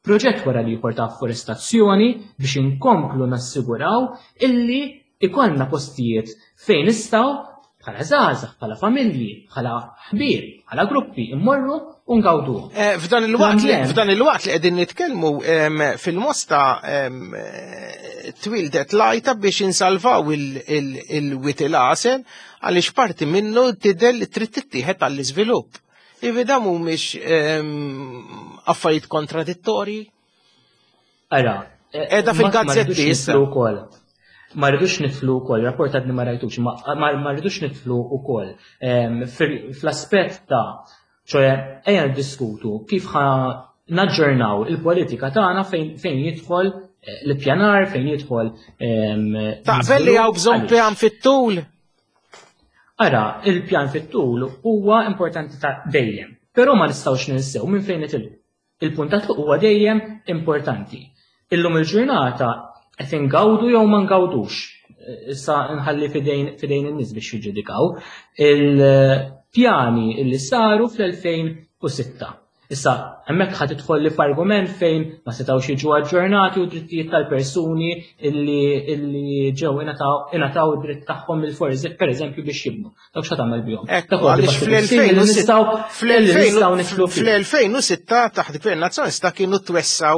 Proġett wara l-ieħor ta' afforestazzjoni biex inkomplu nassiguraw illi ikollna postijiet fejn nistgħu bħala żgħażagħ, bħala familji, bħala ħbieb, bħala gruppi immorru u ngawduhom. Eh, f'dan il-waqt li f'dan il-waqt li qegħdin nitkellmu fil-Mosta eh, twildet lajta biex insalvaw il-wit il-għasel għaliex parti minnu tidher li trid tittieħed għall-iżvilupp. Ivi da mhumiex affarijiet kontradittorji? Ara, Edha fil-gazzetti issa. wkoll. Ma rridux nidħlu wkoll, rapport għadni ma rajtux, ma rridux nidħlu wkoll fl-aspett ta' ċoe ejja niddiskutu kif ħa naġġornaw il-politika tagħna fejn jidħol eh, l-ippjanar, fejn jidħol. Taqbel li hawn bżonn pjan fit-tul? Ara, il-pjan fit-tul huwa importanti ta' dejjem, però ma nistgħux ninsew minn fejn nitilqu. Il-punt ta' tluq huwa dejjem importanti. Illum il-ġurnata qed ingawdu jew ma ngawdux. Issa nħalli fidejn fidejn in-nies biex jiġġudikaw il-pjani li saru fl-2006. Issa, hemmhekk ħa tidħol li f'argument fejn ma setgħux jiġu aġġornati u drittijiet tal-persuni illi illi ġew ingħataw id-dritt tagħhom mill-forzi pereżempju biex jibnu. Dawk x'ħa tagħmel bihom. Ekku, għaliex fl-2006 taħt Gvern Nazzjonalista kienu twessaw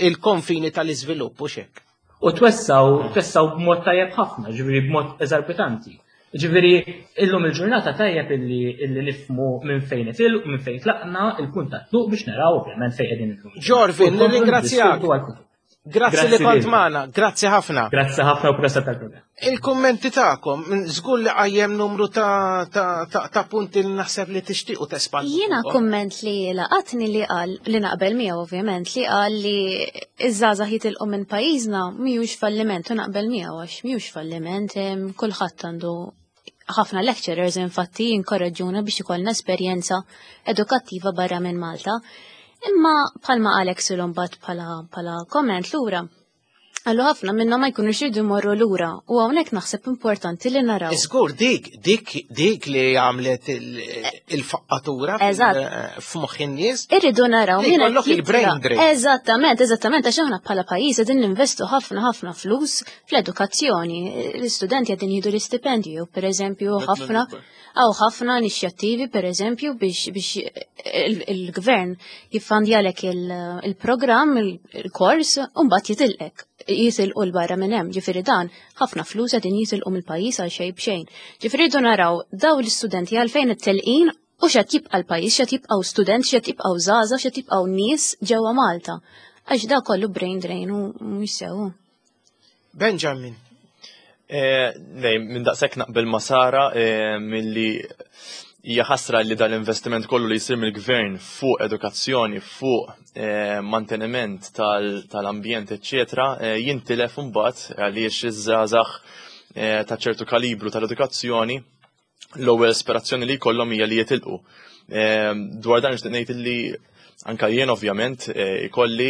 il-konfini tal-iżvilupp u xek. U twessaw, twessaw b'mod tajjeb ħafna, ġifieri b'mod eżorbitanti. Ġifieri illum il-ġurnata tajjeb illi illi nifhmu minn fejn itilqu, minn fejn tlaqna, il-punt ta' tluq biex naraw ovvjament fejn qegħdin illum. Ġorvin, nirringrazzjak. Grazzi li kont magħna, grazzi ħafna. Grazzi ħafna u proset tal-programm. Il-kummenti tagħkom, żgur li qajjem numru ta', ta, ta, ta punti li naħseb li tixtiequ tespandu. Jiena kumment li laqatni li qal li naqbel miegħu ovvjament li qal li iż-żgħażagħ jitilqu minn pajjiżna mhijiex falliment u naqbel miegħu għax mhijiex falliment kulħadd għandu ħafna lecturers infatti jinkoraġġuna biex ikollna esperjenza edukattiva barra minn Malta. Imma bħalma qal Axel mbagħad bħala bħala comment lura. Għallu ħafna minnhom ma jkunux jridu jmorru lura u hawnhekk naħseb importanti li naraw. Żgur dik dik dik li għamlet il-faqqatura f'moħħ in-nies. Irridu naraw min qed il-brain drain. Eżattament, eżattament għax aħna bħala pajjiż qegħdin ninvestu ħafna ħafna flus fl-edukazzjoni. L-istudenti qegħdin jieħdu l-istipendju, pereżempju ħafna Hawn ħafna inixjattivi pereżempju biex biex il-gvern jiffandjalek il-programm, il-kors, u mbagħad jitilqek, jitilqu 'l barra minn hemm. Ġifieri dan ħafna flus qegħdin jitilqu mill-pajjiż għal xejn b'xejn. Ġifieri rridu naraw dawn l-istudenti għalfejn it-telqin u x'qed jibqa' l-pajjiż, x'qed jibqgħu student, x'qed jibqgħu żgħażagħ, x'qed jibqgħu nies ġewwa Malta. Għax da kollu brain drain u mhux sew. Benjamin. Eh, nej, minn daqshekk naqbel ma' Sara eh, milli hija ħasra li dal-investiment kollu li jsir mill-gvern fuq edukazzjoni, fuq eh, manteniment tal-ambjent, eċċetera, jintilef imbagħad għaliex iż-żgħażagħ ta' ċertu kalibru tal-edukazzjoni l-ewwel aspirazzjoni li jkollhom hija li jitilqu. Ehm, dwar dan nixtieq ngħid li anka jien ovvjament eh, ikolli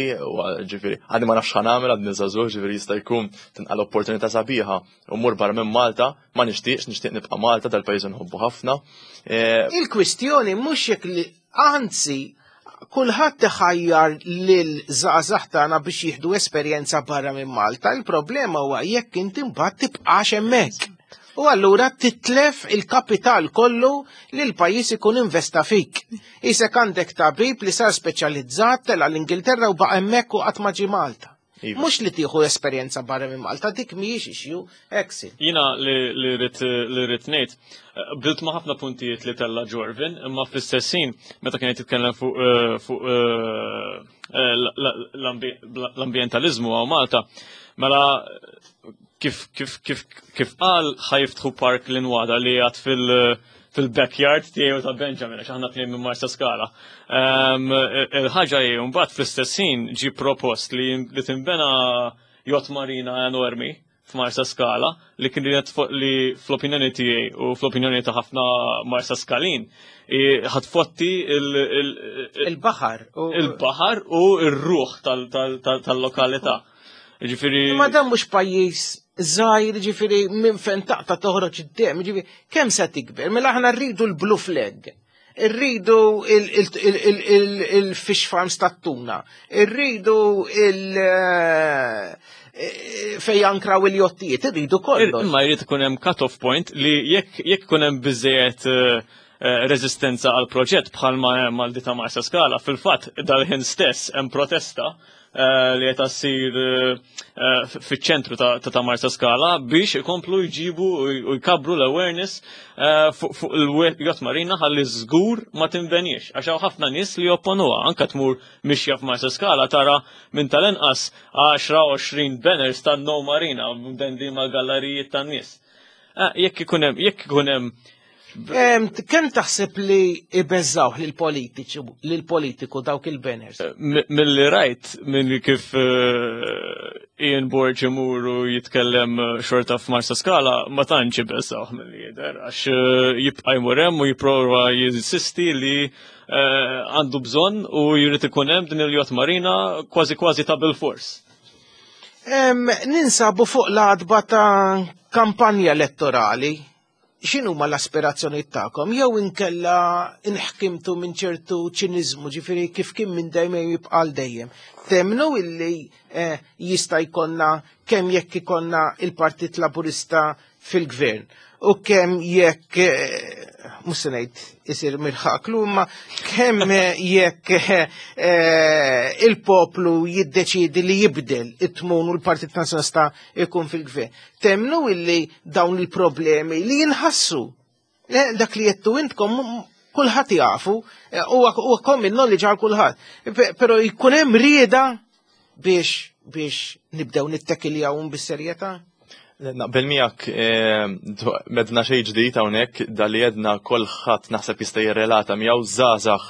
ġifieri għadni ma nafx nagħmel għadni żagħżugħ ġifieri jista' jkun tinqal opportunità sabiħa u mmur barra minn Malta, ma nixtieqx nixtieq nibqa' Malta dal-pajjiż nħobbu ħafna. Eh, Il-kwistjoni mhux jekk li anzi kulħadd iħajjar lil żgħażagħ tagħna biex jieħdu esperjenza barra minn Malta. Il-problema huwa jekk inti mbagħad tibqax hemmhekk. U allura titlef il-kapital kollu li l-pajjiż ikun investa fik. Isek għandek tabib li sar speċjalizzat tela l-Ingilterra u baqa' hemmhekk u qatt ma ġie Malta. Iva. Mhux li tieħu esperjenza barra minn Malta, dik mhijiex issue, exit. Jiena li rrid li rrid ngħid, bdilt ma' ħafna puntijiet li tella Jorvin, imma fl-istess ħin meta kien qed jitkellem fuq eh, fuq eh, l-ambjentaliżmu għaw Malta, mela kif kif kif kif qal ħajiftħu park l-inwada li għad fil- fil-backyard tiegħu ta' Benjamin għax aħna tnejn minn Marsa Skala. Ehm, il-ħaġa hi mbagħad fl-istess ħin ġie propost li li tinbena yacht marina enormi f'Marsa Skala li kienet li fl-opinjoni tiegħi u fl-opinjoni ta' ħafna Marsa Skalin ħatfotti il-baħar il-baħar u r-ruħ tal-lokalità. Ġifieri Ma dan mhux pajjiż żgħir, ġifieri minn fejn taqta' toħroġ id-dem, ġifieri kemm se tikber? Mela aħna rridu l-blue flag. Irridu il-fish farms tat-tuna, irridu il- eh, fej jankraw il-jottijiet, irridu kollox. Imma jrid ikun hemm cut-off point li jekk ikun hemm biżejjed eh, eh, reżistenza għal proġett bħalma hemm għal dita Marsa Skala, fil-fatt dal-ħin stess hemm protesta Eh, li qed ssir eh, eh, fiċ-ċentru ta' Marsa Skala biex ikomplu jġibu u jkabru l-awareness fuq il-jott marina ħalli żgur ma tinbenix għax hawn ħafna nies li jopponuha anke tmur mixja f'Marsa Skala tara minn tal-inqas 10-20 banners ta' No Marina mdendi mal-gallerijiet tan-nies. Jekk ikun hemm jekk ikun hemm Kemm taħseb li ibeżżawh lill-politiċi lill-politiku dawk il-banners? Eh, milli rajt minn kif eh, Ian Borg imur u jitkellem eh, xorta f'Marsa Skala ma tantx ibeżżawh milli jidher għax jibqa' jmur hemm u jipprova jinsisti li għandu bżonn u jrid ikun hemm din il-jott marina kważi kważi ta' bil-fors. Ninsabu fuq l-adba ta' kampanja elettorali x'inhuma l-aspirazzjonijiet tagħkom jew inkella inħkimtu minn ċertu ċiniżmu, ġifieri kif kien minn dejjem jibqa' għal dejjem. Temnu illi eh, jista' jkollna kemm jekk ikollna il-Partit Laburista fil-gvern u kemm jekk eh, mhux se ngħid isir mirħaklu imma kemm eh, jekk il-poplu jiddeċiedi li jibdel it-tmun u l-Partit Nazzjonalista ikun fil-gvern. Temnu illi dawn il-problemi li jinħassu. Eh, dak li jettu intkom kulħadd jafu, eh, huwa common knowledge għal kulħadd. Però jkun hemm rieda biex biex nibdew nittekiljawhom bis-serjetà. Naqbel miegħek eh, medna xejn ġdid hawnhekk dali jedna kulħadd naħseb jista' jirrelata miegħu żgħażagħ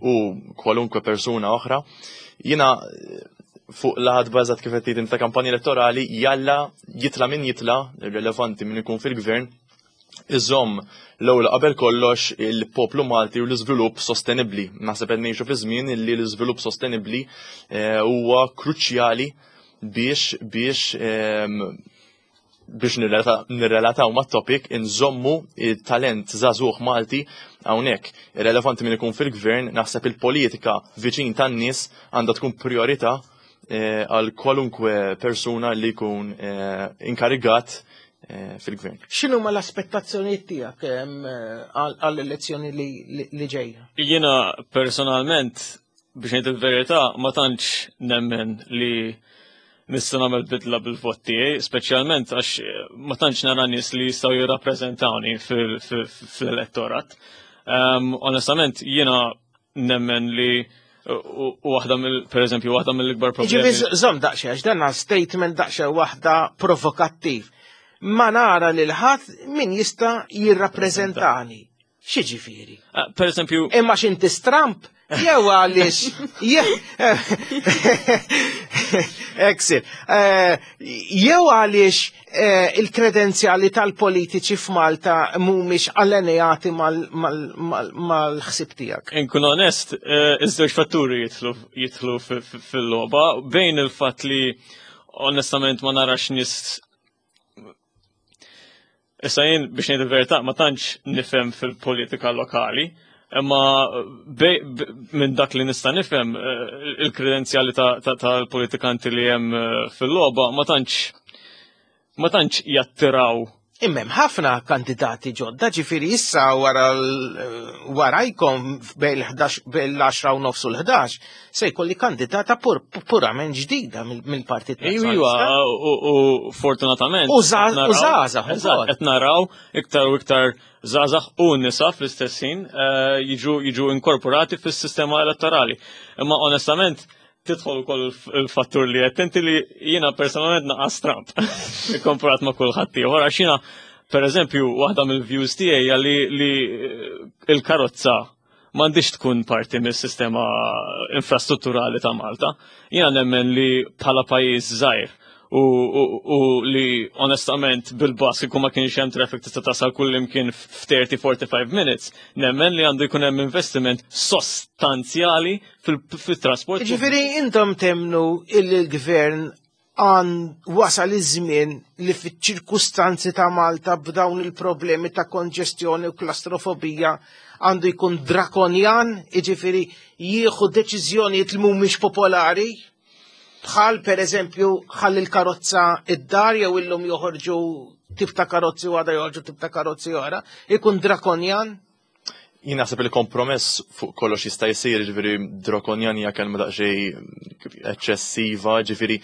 u kwalunkwe persuna oħra. Jiena fuq laħat bażat kif qed tgħid ta' kampanja elettorali jalla jitla' min jitla' irrelevanti min ikun fil-gvern iżomm l-ewwel qabel kollox il-poplu Malti u l-iżvilupp sostenibbli. Naħseb qed ngħixu fi żmien li l-iżvilupp sostenibbli eh, huwa kruċjali biex biex ehm, biex nirrelataw ma' topic inżommu il-talent żagħżugħ Malti hawnhekk. Irrelevanti min ikun fil-gvern, naħseb il-politika viċin tan-nies għandha tkun priorità eh, għal kwalunkwe persuna li jkun eh, inkarigat eh, fil-gvern. X'inhu ma l-aspettazzjonijiet tiegħek għall-elezzjoni li ġejja? Jiena personalment biex ngħid il-verità ma tantx nemmen li nista' nagħmel bidla bil-vot tiegħi, speċjalment għax eh, ma tantx nara nies li jistgħu jirrappreżentawni fil-elettorat. Ehm, onestament jiena nemmen li u waħda mill per eżempju waħda mill-ikbar problemi. Ġifieri żomm daqsxejn għax dan statement daqsxejn waħda provokattiv. Ma nara lil ħadd min jista' jirrappreżentani. X'jiġifieri? Ah, per eżempju. Imma x'inti stramp? Jew għaliex. Exit. Eh, jew għaliex eh, il-kredenzjali tal-politiċi f'Malta mhumiex allenejati mal-ħsib tiegħek. Inkun onest, eh, iż-żewġ fatturi jitlu fil-logħba bejn il-fatt li onestament ma narax nies Issa jien biex ngħid il-verità ma tantx nifhem fil-politika lokali, imma minn dak li nista' nifhem eh, il-kredenzjali tal-politikanti li hemm eh, fil-logħba ma tantx ma tantx jattiraw Immem ħafna kandidati ġodda ġifiri issa wara warajkom bejn l-10 u nofs u l-11 se jkolli kandidata purament ġdida mill-Partit Iwa, u fortunatament. U żgħażagħ. Qed naraw iktar u iktar żgħażagħ u nisa fl-istess ħin eh, jiġu inkorporati fis-sistema elettorali. Imma onestament, tidħol ukoll il-fattur li qed inti li jiena personalment naqas Trump ikkomparat ma' kulħadd ieħor għax jiena pereżempju waħda mill-views tiegħi li li il-karozza m'għandix tkun parti mis-sistema infrastrutturali ta' Malta. Jiena nemmen li bħala pajjiż żgħir u li onestament bil-bus kieku ma kienx hemm traffic tista' tasal kull imkien f'30-45 minutes, nemmen li għandu jkun hemm investiment sostanzjali fil-trasport. Ġifieri intom temnu illi l-gvern għan wasal iż-żmien li fiċ-ċirkustanzi ta' Malta b'dawn il-problemi ta' konġestjoni u klastrofobija għandu jkun drakonjan, jiġifieri jieħu deċiżjonijiet li mhumiex popolari, bħal per eżempju ħalli l-karozza id-dar jew illum joħorġu tip ta' karozzi u għada joħorġu tip ta' karozzi oħra, ikun drakonjan? Jien naħseb li kompromess fuq kollox jista' jsir, ġifieri drakonjan hija kelma daqsxejn eċċessiva, ġifieri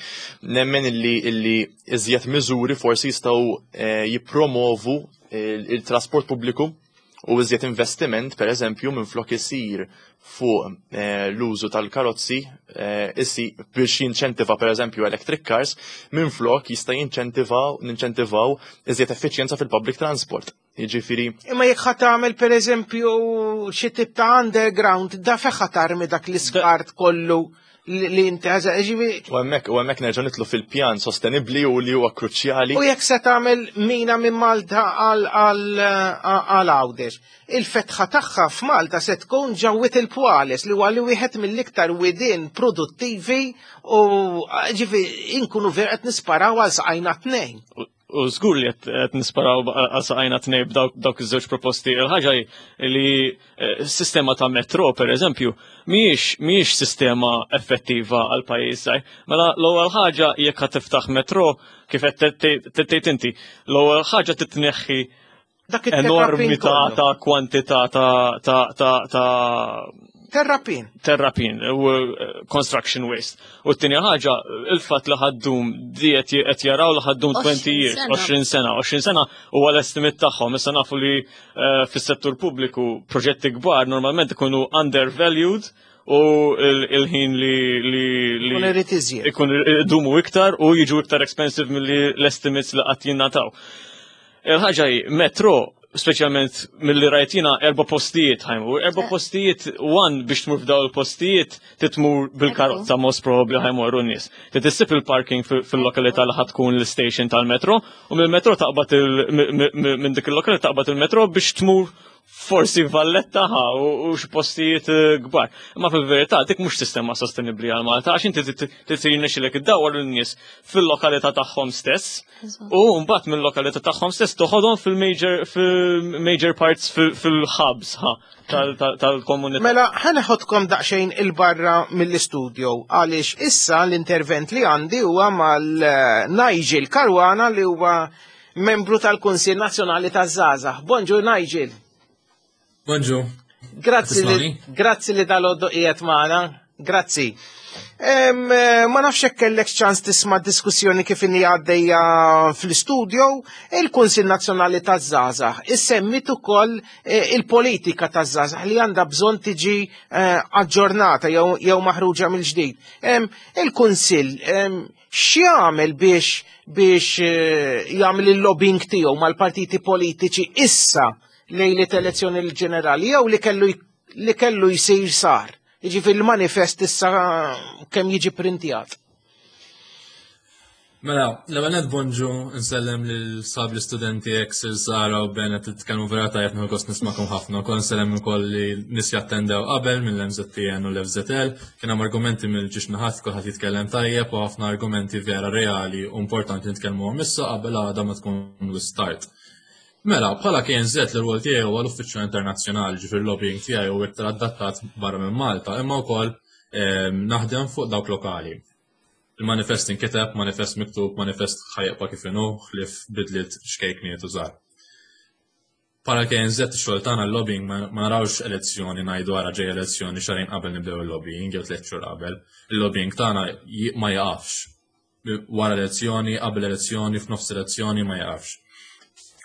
nemmen illi illi iżjed miżuri forsi jistgħu eh, jippromovu il-trasport pubbliku u iżjed investiment per eżempju minn flok isir fuq eh, l-użu tal-karozzi eh, issi biex jinċentiva per eżempju electric cars minn flok jista' jinċentivaw ninċentivaw iżjed effiċjenza fil-public transport. Jiġifieri. Imma jekk ħa tagħmel pereżempju xi tip ta' underground, da fejn ħa tarmi dak l-iskart kollu li inti ħaża, ġifieri. U hemmhekk u hemmhekk nerġa' nitlu fil-pjan sostenibbli u li huwa kruċjali. U jekk se tagħmel mina minn Malta għal Għawdex. Il-fetħa tagħha f'Malta se tkun ġawwit il-Pwales li huwa li wieħed mill-iktar widien produttivi u ġifieri inkunu vera qed nisparaw għal saqajna tnejn. U żgur li qed nisparaw għal saqajna tnej b'dawk iż-żewġ proposti. Il-ħaġa li eh, sistema ta' metro, per eżempju, mhijiex mhijiex sistema effettiva għal pajjiż żgħir. Mela l-ewwel ħaġa jekk ħa tiftaħ metro kif qed tgħid inti, l-ewwel ħaġa titneħħi Dak it-terrapin enormità ta' kwantità ta' ta' ta' ta' Terrapin. Terrapin u eh, construction waste. U t-tieni ħaġa, il-fatt li ħaddum di qed jaraw li ħaddum 20 years, 20 sena, 20 sena huwa l-estimate tagħhom. Issa nafu li eh, fis-settur pubbliku proġetti kbar normalment ikunu undervalued u il-ħin li li li ikun irid iżjed. Ikun idumu iktar u jiġu iktar expensive milli l-estimates li qatt jingħataw. Il-ħaġa hi, metro, speċjalment milli rajt jiena erba' postijiet ħajmur, erba' eh. postijiet one biex tmur f'daw il-postijiet titmur bil-karozza most probably ħajmorru n-nies. Trid issib il-parking fil-lokalità li ħatkun l-station tal-metro u mill-metro taqbad minn dik il-lokalità taqbad il-metro biex tmur forsi Valletta ħa u xi postijiet eh, kbar. Imma fil-verità dik mhux sistema sostenibbli għal Malta għax inti trid jirnexxilek iddawwar lin-nies fil-lokalità tagħhom stess u mbagħad mill-lokalità tagħhom stess toħodhom fil-major fil-major parts fil-hubs ħa tal-komunità. Mela ħaneħodkom daqsxejn il-barra mill-istudio għaliex issa l-intervent li għandi huwa mal-Nigel Caruana li huwa membru tal-Kunsill Nazzjonali taż-Żgħażagħ. Bonġu Nigel. Bonġu. Grazzi li, grazzi li dal-għoddu qiegħed magħna. Grazzi. Eh, ma nafx hekk kellek ċans tisma' diskussjoni kif inhi għaddejja fl-istudio, il-Kunsill Nazzjonali taż-Żgħażagħ issemmit ukoll eh, il-politika taż-żgħażagħ li għandha bżonn tiġi eh, aġġornata jew maħruġa mill-ġdid. Il-Kunsill X'jagħmel biex biex eh, jagħmel il-lobbying tiegħu mal-partiti politiċi issa lejliet elezzjoni ġenerali jew li kellu li kellu jsir sar. Jiġifieri il-manifest issa kemm jiġi printjat. Mela, l-ewwel nett bonġu nsellem lil sab l-istudenti ex il-Sara u Ben qed titkellmu vera tajjeb nieħu gost nismakom ħafna. Ukoll nsellem ukoll li nies jattendew qabel mill-MZTN u l-FZL. Kien hemm argumenti mill-ġiex naħat kulħadd jitkellem tajjeb u ħafna argumenti vera reali u importanti nitkellmuhom issa qabel għada ma tkun start. Mela, bħala KNZ l-rwol tiegħi huwa l-uffiċċju internazzjonali, ġifier lobbying tiegħi huwa iktar adattat barra minn Malta, imma wkoll ehm, naħdem fuq dawk lokali. Il-manifest inkiteb, manifest miktub, manifest ħajqpa kif inhu, ħlief bidliet xkejkniet u żgħar. Bħala KNZ ix-xogħol tagħna l-lobbying ma narawx elezzjoni ngħidu ara ġej elezzjoni xahrejn qabel nibdew il-lobbying jew tliet xhur qabel. Il-lobbying tagħna ma jaqafx. Wara elezzjoni, qabel elezzjoni, f'nofs elezzjoni ma jaqafx.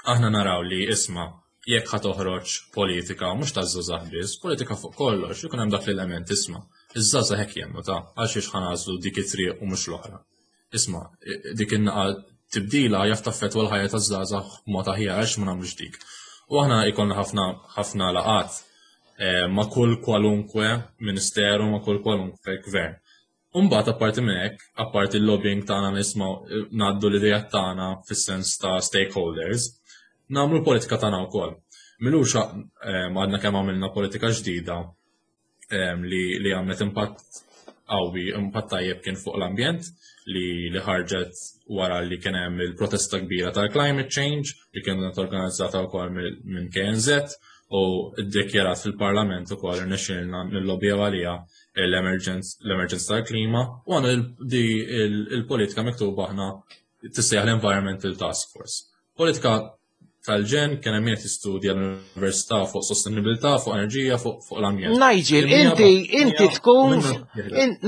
Aħna naraw li isma' jekk ħa toħroġ politika mhux taż-żgħażagħ biss, politika fuq kollox, ikun hemm dak l-element isma' Iż-żgħażagħ hekk jemmnu ta' għal xiex ħa nagħżlu dik it-triq u mhux l-oħra. Isma' dik in-naqa tibdila jaf taffettwa l-ħajja taż-żgħażagħ b'mod aħjar għaliex ma nagħmlux dik. U aħna jkollna ħafna ħafna laqgħat eh, ma' kull kwalunkwe ministeru, ma' kull kwalunkwe gvern. Umbagħad apparti minn hekk, apparti l-lobbying tagħna nisma' ngħaddu l-idejat tagħna fis-sens ta' stakeholders, nagħmlu l-politika tagħna wkoll. Milux eh, għadna kemm għamilna politika ġdida eh, li, li għamlet impatt qawwi, impatt tajjeb kien fuq l-ambjent li, li ħarġet wara li kien hemm il-protesta kbira tal-climate change li kienet organizzata wkoll minn KNZ u ddikjarat fil-Parlament ukoll irnexxielna nillobjaw għaliha l-emerġenza tal-klima u għandna di il-politika miktuba aħna tissejjaħ l-Environmental Task Force. Politika tal-ġen kien hemm qed jistudja l-università fuq sostenibilità, fuq enerġija, fuq l-ambjent. Nigel, inti inti tkun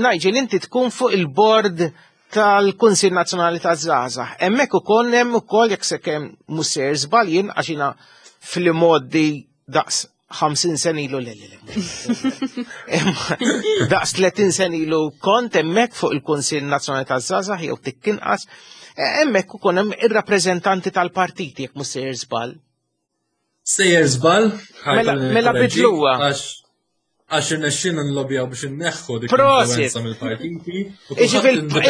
Nigel, inti tkun fuq il-bord tal-Kunsil Nazzjonali taż-Żgħażagħ. Hemmhekk ukoll hemm ukoll jekk se kemm mhux sejjer żball jien għax jiena fl-imgħoddi daqs 50 sen ilu le le le. Daqs 30 sen ilu kont hemmhekk fuq il-Kunsill Nazzjonali taż-Żgħażagħ jew tikkinqas, e, hemmhekk ukoll hemm ir-rappreżentanti tal-partiti jekk mhux sejjer żball. Sejjer żball? Mela, mela bidluha. Għax irnexxina nlobjaw biex inneħħu dik l-influenza mill-partiti.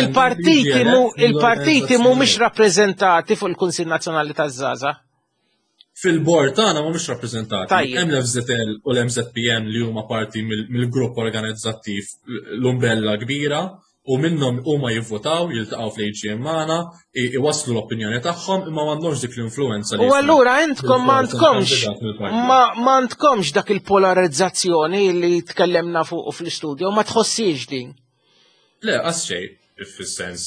Il-partiti il-partiti mhumiex rappreżentati fuq il-Kunsill Nazzjonali taż-Żgħażagħ. Fil-bord tagħna mhumiex rappreżentati. Hemm l-FZL u l-MZPN li huma parti mill-grupp organizzattiv l-umbrella kbira u minnhom huma jivvotaw, jiltaqgħu fl-AGM magħna, iwasslu l-opinjoni tagħhom imma m'għandhomx dik l-influenza. U allura intkom m'għandkomx m'għandkomx dak il-polarizzazzjoni li tkellemna fuq fl-istudju, ma tħossiex din. Le, qas xejn, fis-sens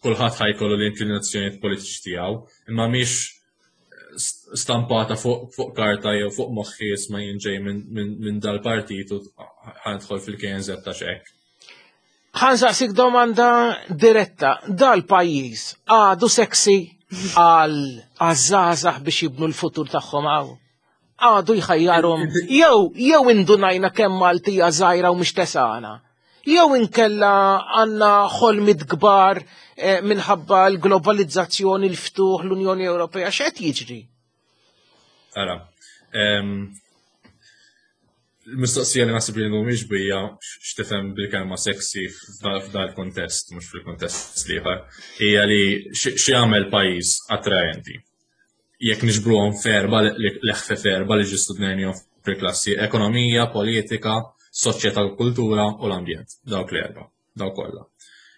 kulħadd ħajkollu l-inklinazzjonijiet politiċi tiegħu, imma mhix stampata fuq fuq karta jew fuq moħħi isma' jien ġej minn dal-partit u ħanidħol fil-KNZ ta' xek. Ħansaqsik domanda diretta, dal-pajjiż għadu sexy għal għażażaħ biex jibnu l-futur tagħhom hawn? Għadu jħajjarhom jew jew indunajna kemm Maltija żgħira u mhix tesana. Jew inkella għandna ħolmit kbar eh, minħabba l-globalizzazzjoni, l-ftuħ, l-Unjoni Ewropea, x'qed jiġri? Ara, il-mistoqsija li nasib li mhumiex bija x'tifhem bil-kelma sexy f'dal kontest, mhux fil-kontest liħor, hija li xi jagħmel pajjiż attraenti. Jekk niġbruhom ferba l-eħfef erba li ġistu dnejnihom fil-klassi, ekonomija, politika, soċjetà u kultura u l-ambjent, dawk l-erba, dawk kollha.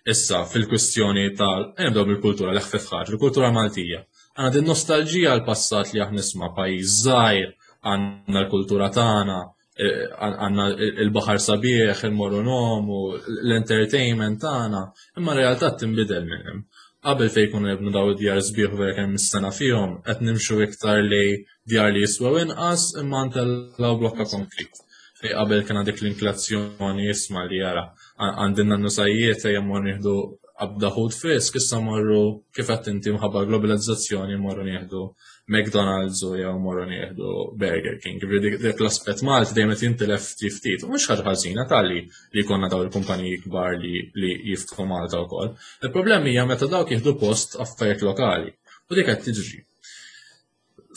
Issa, fil-kwistjoni tal, nibdew bil-kultura, l-eħfef ħaġa, il-kultura Maltija. Għandna din nostalġija għal passat li aħna nisma' pajjiż żgħir, għandna l-kultura tagħna, eh, għandna il-baħar sabiħ, il-morru nomu, l-entertainment tagħna, imma r-realtà tinbidel minn hemm. Qabel fejn kunu nibnu daw id-djar sbieħ vera kemm is-sena fihom, qed nimxu iktar li djar li jiswew inqas imma ntellgħu blokka konkrit. Fej qabel kien dik l-inflazzjoni isma' li jara għandin nannu sajjiet ejja mmorru nieħdu qabda ħut frisk, issa morru kif qed inti mħabba globalizzazzjoni morru nieħdu McDonald's u jew morru nieħdu Burger King. Ġifieri dik l-aspett Malti dejjem qed jintilef ftit ftit. U mhux ħaġa ħażina talli li jkollna daw il-kumpaniji kbar li, li jiftħu Malta wkoll. Il-problemi hija meta dawk jieħdu post affarijiet lokali. U dik qed tiġri.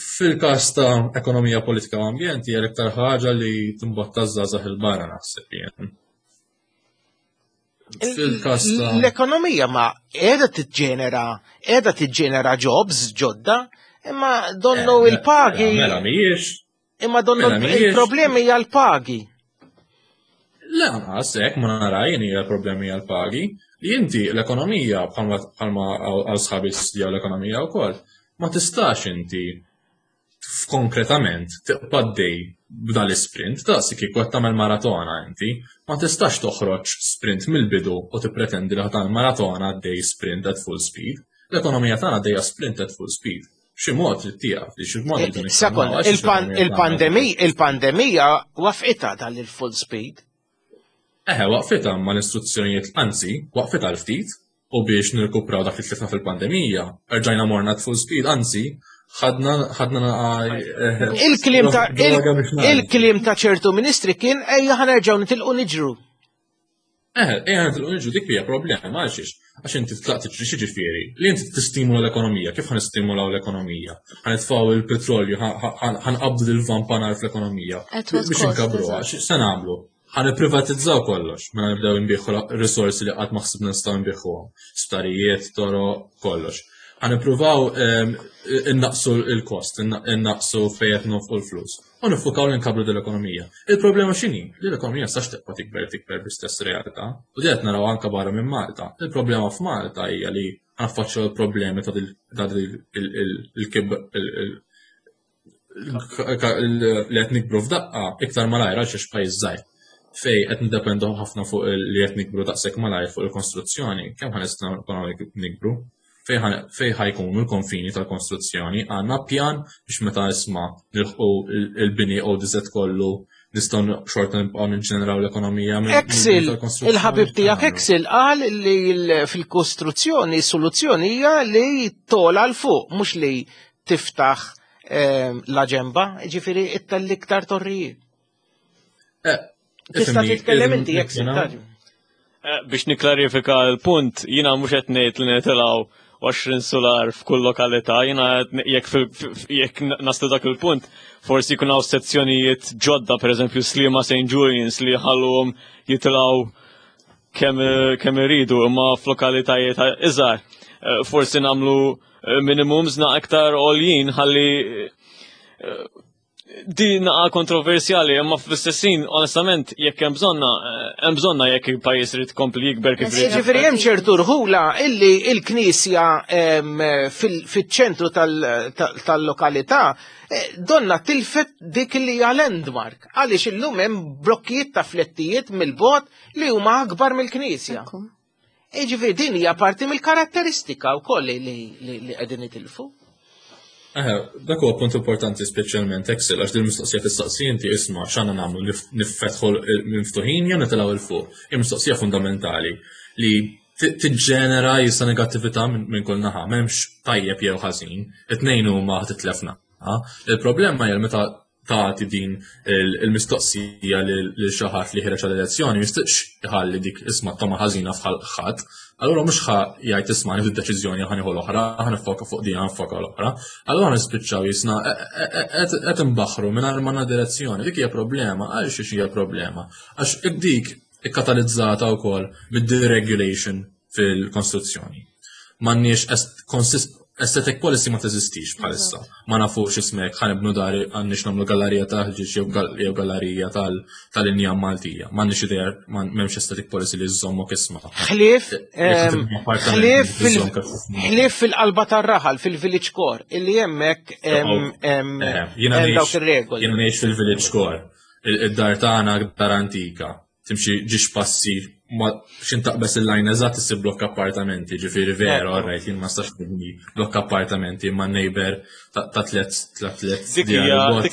Fil-każ ta' ekonomija politika u ambjent hija l-iktar ħaġa li timbotta żgħażagħ il-barra naħseb jien. Fil-każ ta' L-ekonomija ma qiegħda tiġġenera, qiegħda tiġġenera jobs ġodda, imma donnu eh, il-pagi. Mela mhijiex. Imma donnu mela il-problemi hija l-pagi. Le, anqas hekk ma nara jien hija l-problemi hija l-pagi. Li inti l-ekonomija bħalma għal sħabi studjaw l-ekonomija wkoll, ma tistax inti konkretament tibqa' dej b'dan l-isprint, daqs kieku qed tagħmel maratona inti, ma tistax toħroġ sprint mill-bidu u tippretendi li tagħmel maratona għaddej sprint at full speed. L-ekonomija tagħna għaddejja sprint at full speed. Xi mod trid tieqaf li xi mod eh, Sekond, il-pandemija waqfitha dan il-full speed. Eħe, waqfitha ma l-istruzzjonijiet, anzi, waqfitha l-ftit, u biex nirkupraw dak li tlifna fil-pandemija, rġajna morna at full speed, anzi, ħadna ħadna eh, il-kliem ta' il-kliem ta' ċertu ministri kien ejja ħanerġgħu nitilqu niġru. Eh, ejja nitilqu niġru dik hija problema għalxiex. Għax inti tlaq tiġri xi ġifieri li inti tistimula l-ekonomija, kif ħanistimulaw l-ekonomija? Ħanitfgħu il-petrolju, ħanqabdu lil vampanar fl-ekonomija. Biex inkabruha, x'se nagħmlu? Ħa nipprivatizzaw kollox, mela nibdew inbiħu risorsi li qatt ma ħsibna nistgħu nbiħuhom. Sptarijiet, toroq, kollox. Ħa nippruvaw ehm, innaqsu l-kost, innaqsu fejn qed nonfqu l-flus. U nifukaw li nkabbru l-ekonomija. Il-problema x'inhi? Li l-ekonomija sax tibqa' tikber tikber bl-istess realtà. U di qed naraw anke barra minn Malta. Il-problema f'Malta hija li ħanaffaċċjaw il-problemi ta' il-kib li qed nikbru f'daqqa iktar malajr għal xiex pajjiż żgħir fej qed niddependu ħafna fuq li qed nikbru daqshekk malajr fuq il-konstruzzjoni, kemm ħa nistgħu nikbru? Fej ħajkunu l-konfini tal-konstruzzjoni, għandna pjan biex meta isma' nilħqu il-bini ODZ kollu nistgħu xorta nibqgħu niġġeneraw l-ekonomija minn Excel, il-ħabib tiegħek Excel qal li fil-kostruzzjoni soluzzjoni hija li tola l fuq mhux li tiftaħ ehm, la ġemba, ġifiri it-tal-iktar torrijiet. Eh, Tista' titkellem inti jekk sittaġ. Eh, biex niklarifika l-punt, jina mhux qed ngħid li nitilgħu 20 solar f'kull lokalità, jina jekk naslu dak il-punt, forsi jkun hawn sezzjonijiet ġodda, pereżempju Sliema St. Julian's li ħalluhom jitilgħu kemm iridu, imma f'lokalitajiet iżgħar. Eh, forsi nagħmlu eh, minimums na aktar għoljin ħalli eh, di naqa kontroversjali, imma fl-istessin, onestament, jekk hemm bżonna, hemm bżonna jekk il-pajjiż irid kompli jikber kif irid. Ġifieri hemm ċertu rħula illi l-Knisja fiċ-ċentru tal-lokalità eh, donna tilfet dik li hija landmark għaliex illum hemm blokkijiet ta' flettijiet mill-bot li huma akbar mill-Knisja. Jiġifieri din hija parti mill-karatteristika wkoll li qegħdin itilfu. Eħe, dak huwa punt importanti speċjalment Excel għax din mistoqsija tistaqsi inti isma' x'għandna nagħmlu niffetħu miftuħin jew nitilgħu il fuq. Hija mistoqsija fundamentali li tiġġenera jista' negattività minn kull naħa, m'hemmx tajjeb jew ħażin, it-tnejn huma titlefna. Il-problema hija meta tagħti din il-mistoqsija lil xi ħadd li ħireġ għall-elezzjoni jistaqx iħalli dik isma' toma ħażina f'ħal ħadd, allura mhux ħa jgħid isma' nieħdu deċiżjoni ħa nieħu l-oħra, ħa nifoka fuq din ħa nifoka l-oħra. Allura nispiċċaw jisna qed imbaħħru mingħajr ma direzzjoni. Dik hija problema, għal xiex hija problema. Għax dik ikkatalizzata wkoll mid-deregulation fil-konstruzzjoni. M'għandniex aesthetic policy ma teżistix bħalissa. Ma nafux ismek ħanibnu dari għandniex nagħmlu gallerija ta' ħġieġ jew gallerija tal-injam Maltija. M'għandniex idea m'hemmx aesthetic policy li żommok isma'. Ħlief ħlief fil-qalba tar-raħal fil-village core illi hemmhekk hemm dawk ir-regoli. Jiena ngħix fil-village core. Id-dar tagħna dar antika. timxi ġiex passi ma xin taqbes il-lajn eżatt issib blokk appartamenti, ġifieri vera, alright, jien ma stax nibni blokk appartamenti ma neighbor ta' tlet ta' tlet. Dik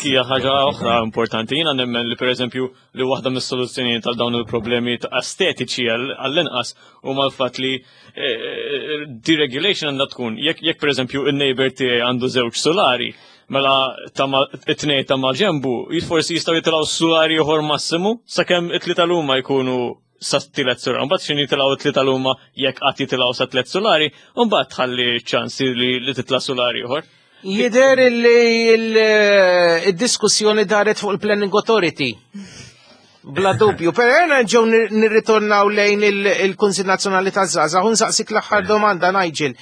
hija ħaġa oħra importanti. Jiena nemmen li pereżempju li waħda mis-soluzzjonijiet tal dawn il-problemi ta' estetiċi għall-inqas huma l-fatt li eh, eh, deregulation għandha tkun jekk pereżempju in-neighbor tiegħi għandu żewġ solari, Mela it-tnej ta' maġembu, forsi jistgħu jitilgħu sulari ieħor massimu sakemm it-tlieta l-huma jkunu sa tielet sular. Mbagħad x'in jitilgħu it-tlieta l-huma jekk qatt jitilgħu sa tliet sulari, u mbagħad tħalli ċansi li titla' sulari ieħor. Jider li il-diskussjoni daret fuq il-Planning Authority. Bla dubju, pero jena ġew nirritornaw lejn il-Kunsil Nazzjonali taż-Żgħażagħ u nsaqsik l-aħħar domanda Nigel.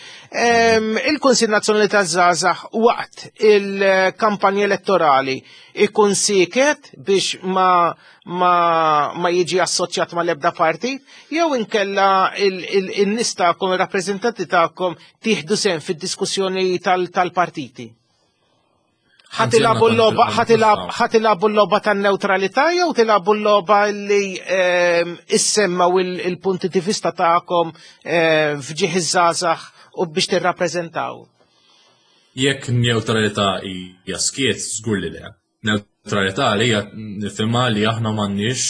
Il-Kunsil Nazzjonali taż-Żgħażagħ waqt il-kampanja elettorali ikun siket biex ma ma, ma jiġi assoċjat ma l-ebda partit, jew inkella il-nies tagħkom, ir-rappreżentanti tagħkom tieħdu sehem fid-diskussjoni tal-partiti. Ħatilabu l-logħba ħatilabu l-logħba tan-newtralità jew tilabu l-logħba li ehm, issemmaw il-punti di vista tagħkom ehm, f'ġieħ iż-żgħażagħ u biex tirrappreżentaw? Jekk newtralità hija skiet, żgur li le. Neutralità li hija nifhimha li aħna m'għandniex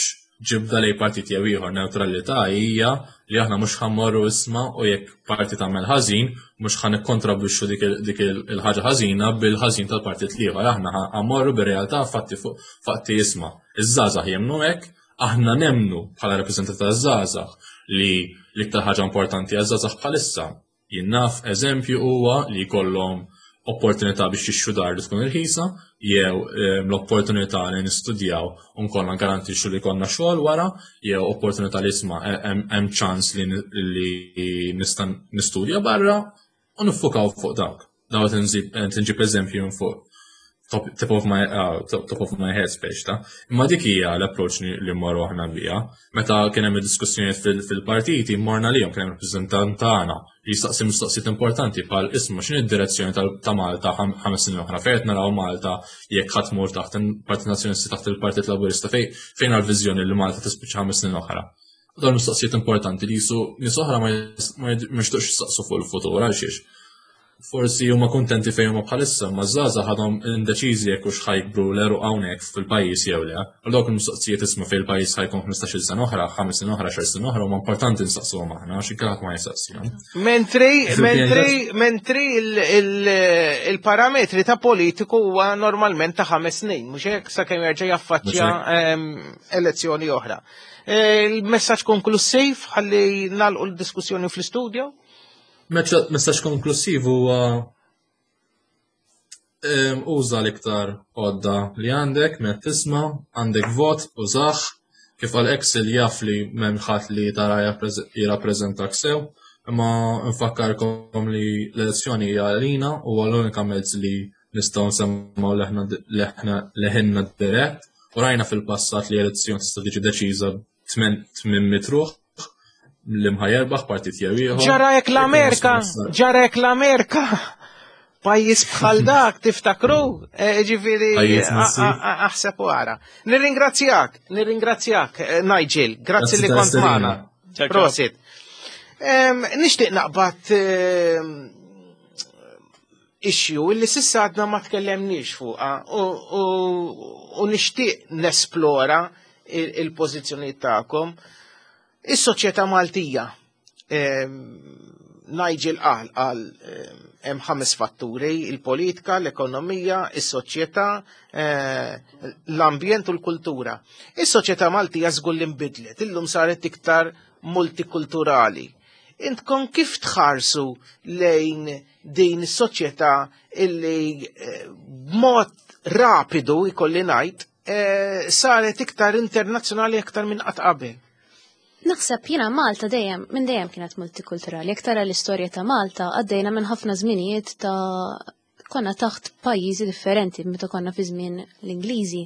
ġibda lej partit jew ieħor. Neutralità hija li aħna mhux ħammorru isma' u jekk partit tagħmel ħażin mhux ħa nikkontribwixxu dik il-ħaġa ħażina bil-ħażin tal-partit l-ieħor. Aħna ħammorru bir-realtà fatti fuq fatti isma'. Iż-żgħażagħ jemmnu hekk, aħna nemmnu bħala rappreżentanti taż-żgħażagħ li l-iktar ħaġa importanti għaż-żgħażagħ bħalissa Jien naf eżempju huwa li jkollhom Opportunità biex jixtru dar li tkun irħisa, jew l-opportunità li nistudjaw u nkollna garantixxu li jkollna xogħol wara, jew opportunità li isma' hemm ċans li nista' nistudja barra u niffukaw fuq dawk. Daw qed nġib eżempju minn fuq top, top of my uh, top, top of my head speċ ta' imma dik hija l-approach li mmorru aħna biha. Meta kien hemm id-diskussjonijiet fil-partiti, morna lihom kien hemm rappreżentant tagħna li jistaqsi mistoqsijiet importanti bħal isma' x'inhi d-direzzjoni ta' Malta 5 snin oħra, fejn qed naraw Malta jekk ħadd tmur taħt il-Partit Nazzjonista taħt il-Partit Laburista fejn fejn għall-viżjoni li Malta tispiċċa 5 snin oħra. Dawn mistoqsijiet importanti li jisu nies oħra ma jixtuqx jistaqsu fuq il-futur għal xiex. Forsi huma kuntenti fejn huma bħalissa, ma żgħażagħ għadhom indeċiżi jekk hux ħajkbru l-għeruq hawnhekk fil-pajjiż jew le. Għal dawk il-mistoqsijiet isma' fejn il-pajjiż ħajkun 15-il sena oħra, 5 snin oħra, 10 snin oħra huma importanti nsaqsuhom aħna għax inkella ħadd ma jistaqsihom. Mentri, mentri, mentri il-parametri ta' politiku huwa normalment ta' 5 snin, mhux hekk sakemm jerġa' jaffaċċja elezzjoni oħra. Il-messaġġ konklussiv ħalli nagħlqu l-diskussjoni fl-istudju? Messaġġ konklussiv huwa uża l-iktar għodda li għandek meta tisma', għandek vot, użah, kif għal Excel jaf li m'hemm ħadd li tara jirrappreżentak sew, imma nfakkarkom li l-elezzjoni hija għalina u l-unika mezz li nistgħu nsemmaw leħinna dirett u rajna fil-passat li elezzjoni tista' tiġi deċiża 800 ruħ li mħa jerbaħ partit jew ieħor. Ġara hekk l-Amerika, ġara hekk l-Amerika. Pajjiż bħal dak tiftakru, eh, ġifieri aħseb u ara. Nirringrazzjak, nirringrazzjak eh, Nigel, grazzi li kont magħna. Prosit. Nixtieq naqbad issue illi sissa għadna ma tkellemniex fuqha u nixtieq nesplora il-pożizzjoni tagħkom. Is-soċjetà Maltija Nigel qal qal hemm ħames fatturi, il-politika, l-ekonomija, is-soċjetà, eh, l-ambjent u l-kultura. Is-soċjetà Maltija żgur li nbidlet, illum saret iktar multikulturali. Intkom kif tħarsu lejn din is-soċjetà illi eh, b'mod rapidu jkolli ngħid eh, saret iktar internazzjonali aktar minn qatt qabel. Naħseb jiena Malta dejjem minn dejjem kienet multikulturali. Jekk tara l-istorja ta' Malta għaddejna minn ħafna żminijiet ta' konna taħt pajjiżi differenti meta konna fi żmien l-Ingliżi.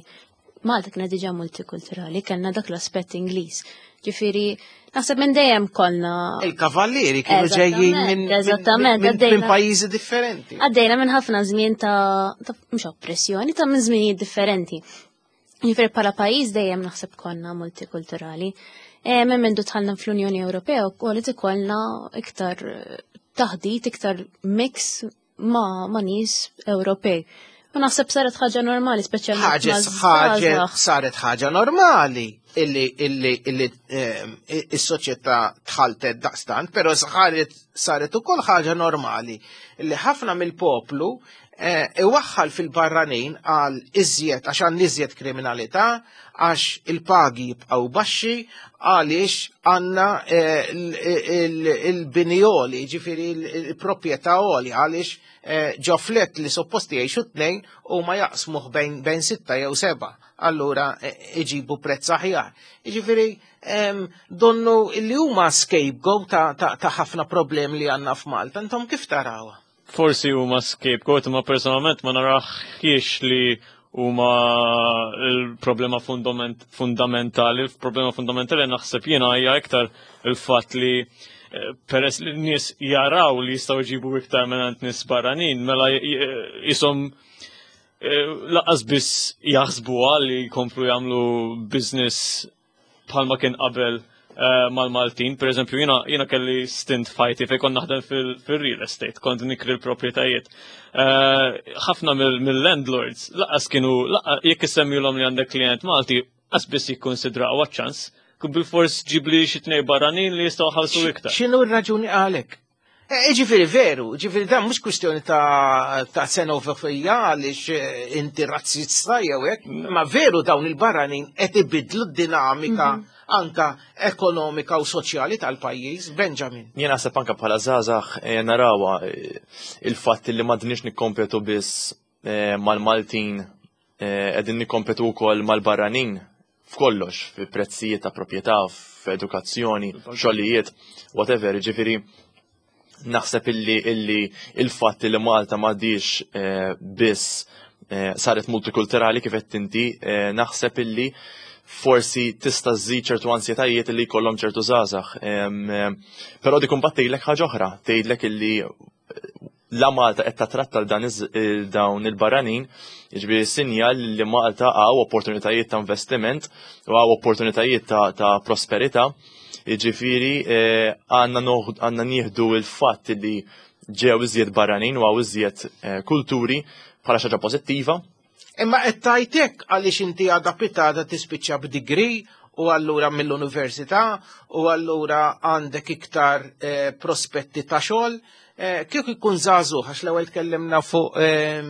Malta kienet diġà multikulturali, kellna dak l-aspett Ingliż. Ġifieri, naħseb minn dejjem konna. Il-kavallieri kienu ġejjin minn Eżattament, minn pajjiżi differenti. Għaddejna minn ħafna żmien ta' mhux oppressjoni, ta' minn żminijiet differenti. Ġifieri bħala pajjiż dejjem naħseb konna multikulturali. E, minn mindu dħalna fl-Unjoni Ewropea wkoll ikollna iktar taħdit, iktar mix ma, ma nies Ewropej. U naħseb saret ħaġa normali, speċjalment. Ħaġa ħaġa saret ħaġa normali illi illi illi ehm, is-soċjetà tħaltet daqstant, però saret saret ukoll ħaġa normali illi ħafna mill-poplu eh, iwaħħal fil-barranin għal iżjed għax għan iżjed kriminalità, għax il-pagi jibqgħu baxxi, għaliex għandna eh, il-bini għoli, ġifieri il-proprjetà għoli, għaliex eh, ġo flet li supposti jgħixu tnejn u ma jaqsmuh bejn sitta jew seba', allura eh, iġibu prezz aħjar. Ġifieri donnu li huma scapegoat ta' ħafna problemi li għandna f'Malta, intom kif tarawha? Forsi huma scapegoat, imma personalment ma naraħiex li huma l-problema fundamentali. Il-problema fundamentali naħseb jiena hija iktar il-fatt li eh, peress li n-nies jaraw li jistgħu jġibu iktar minn nies barranin, mela jisom eh, laqas biss jaħsbuha li jkomplu jagħmlu business bħalma kien qabel eh, mal-Maltin. Per eżempju, jina, jina kelli stint fajti fej kont naħdem fil-real estate, kont nikri l-proprjetajiet. Eh, ħafna mill-landlords, laqas kienu, jekk issemmilhom li għandek klient Malti, qas biss jikkonsidra ċans. Bil-fors ġibli xi tnej barranin li jistgħu ħalsu iktar. X'inhu r-raġuni għalek? Eh, ġifiri veru, ġifiri dan mhux kwistjoni ta' ta' xenofobija għaliex eh, inti razzista jew hekk, ma veru dawn il-barranin qed ibidlu d-dinamika mhm. anka ekonomika u soċjali tal-pajjiż. Benjamin. Jien naħseb anka bħala żgħażagħ eh, narawha eh, il-fatt li m'għadniex nikkompetu biss eh, mal-Maltin qegħdin nikkompetu wkoll mal-barranin f'kollox, fi prezzijiet ta' proprjetà, f'edukazzjoni, xogħlijiet, whatever, ġifieri naħseb illi illi il-fatt li Malta m'għadix eh, biss eh, saret multikulturali kif qed inti, eh, naħseb illi forsi tista' żżid ċertu ansjetajiet li jkollhom ċertu żgħażagħ. Però dik imbagħad tgħidlek ħaġa oħra, tgħidlek illi la Malta qed tatratta dan dawn il-barranin, jiġifieri sinjal li Malta għaw opportunitajiet ta' investiment u għaw opportunitajiet ta', ta prosperità. Jiġifieri eh, għandna nieħdu il-fatt li ġew iżjed barranin u għaw iżjed eh, kulturi bħala xi ħaġa pożittiva. Imma qed tajtek għaliex inti għadha pitada tispiċċa b'degree u allura mill-università u allura għandek iktar eh, prospetti ta' xogħol. Eh, kieku jkun żagħżugħ għax l-ewwel tkellimna fuq ehm,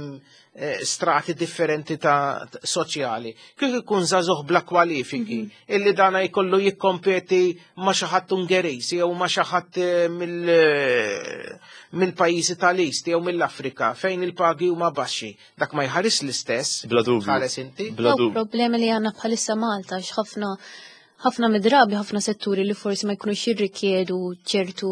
eh, strati differenti ta' soċjali. Kieku jkun żagħżugħ bla kwalifiki mhm. illi dana jkollu jikkompeti ma' xi ħadd Ungeriż jew ma' xi ħadd eh, mill-pajjiżi tal-East jew mill-Afrika fejn il-pagi huma baxxi. Dak ma jħares l-istess. Bla dubju. Ħares inti. Bla dubju. Problemi li għandna bħalissa Malta x'ħafna ħafna mid-drabi ħafna setturi li forsi ma jkunux jirrikjedu ċertu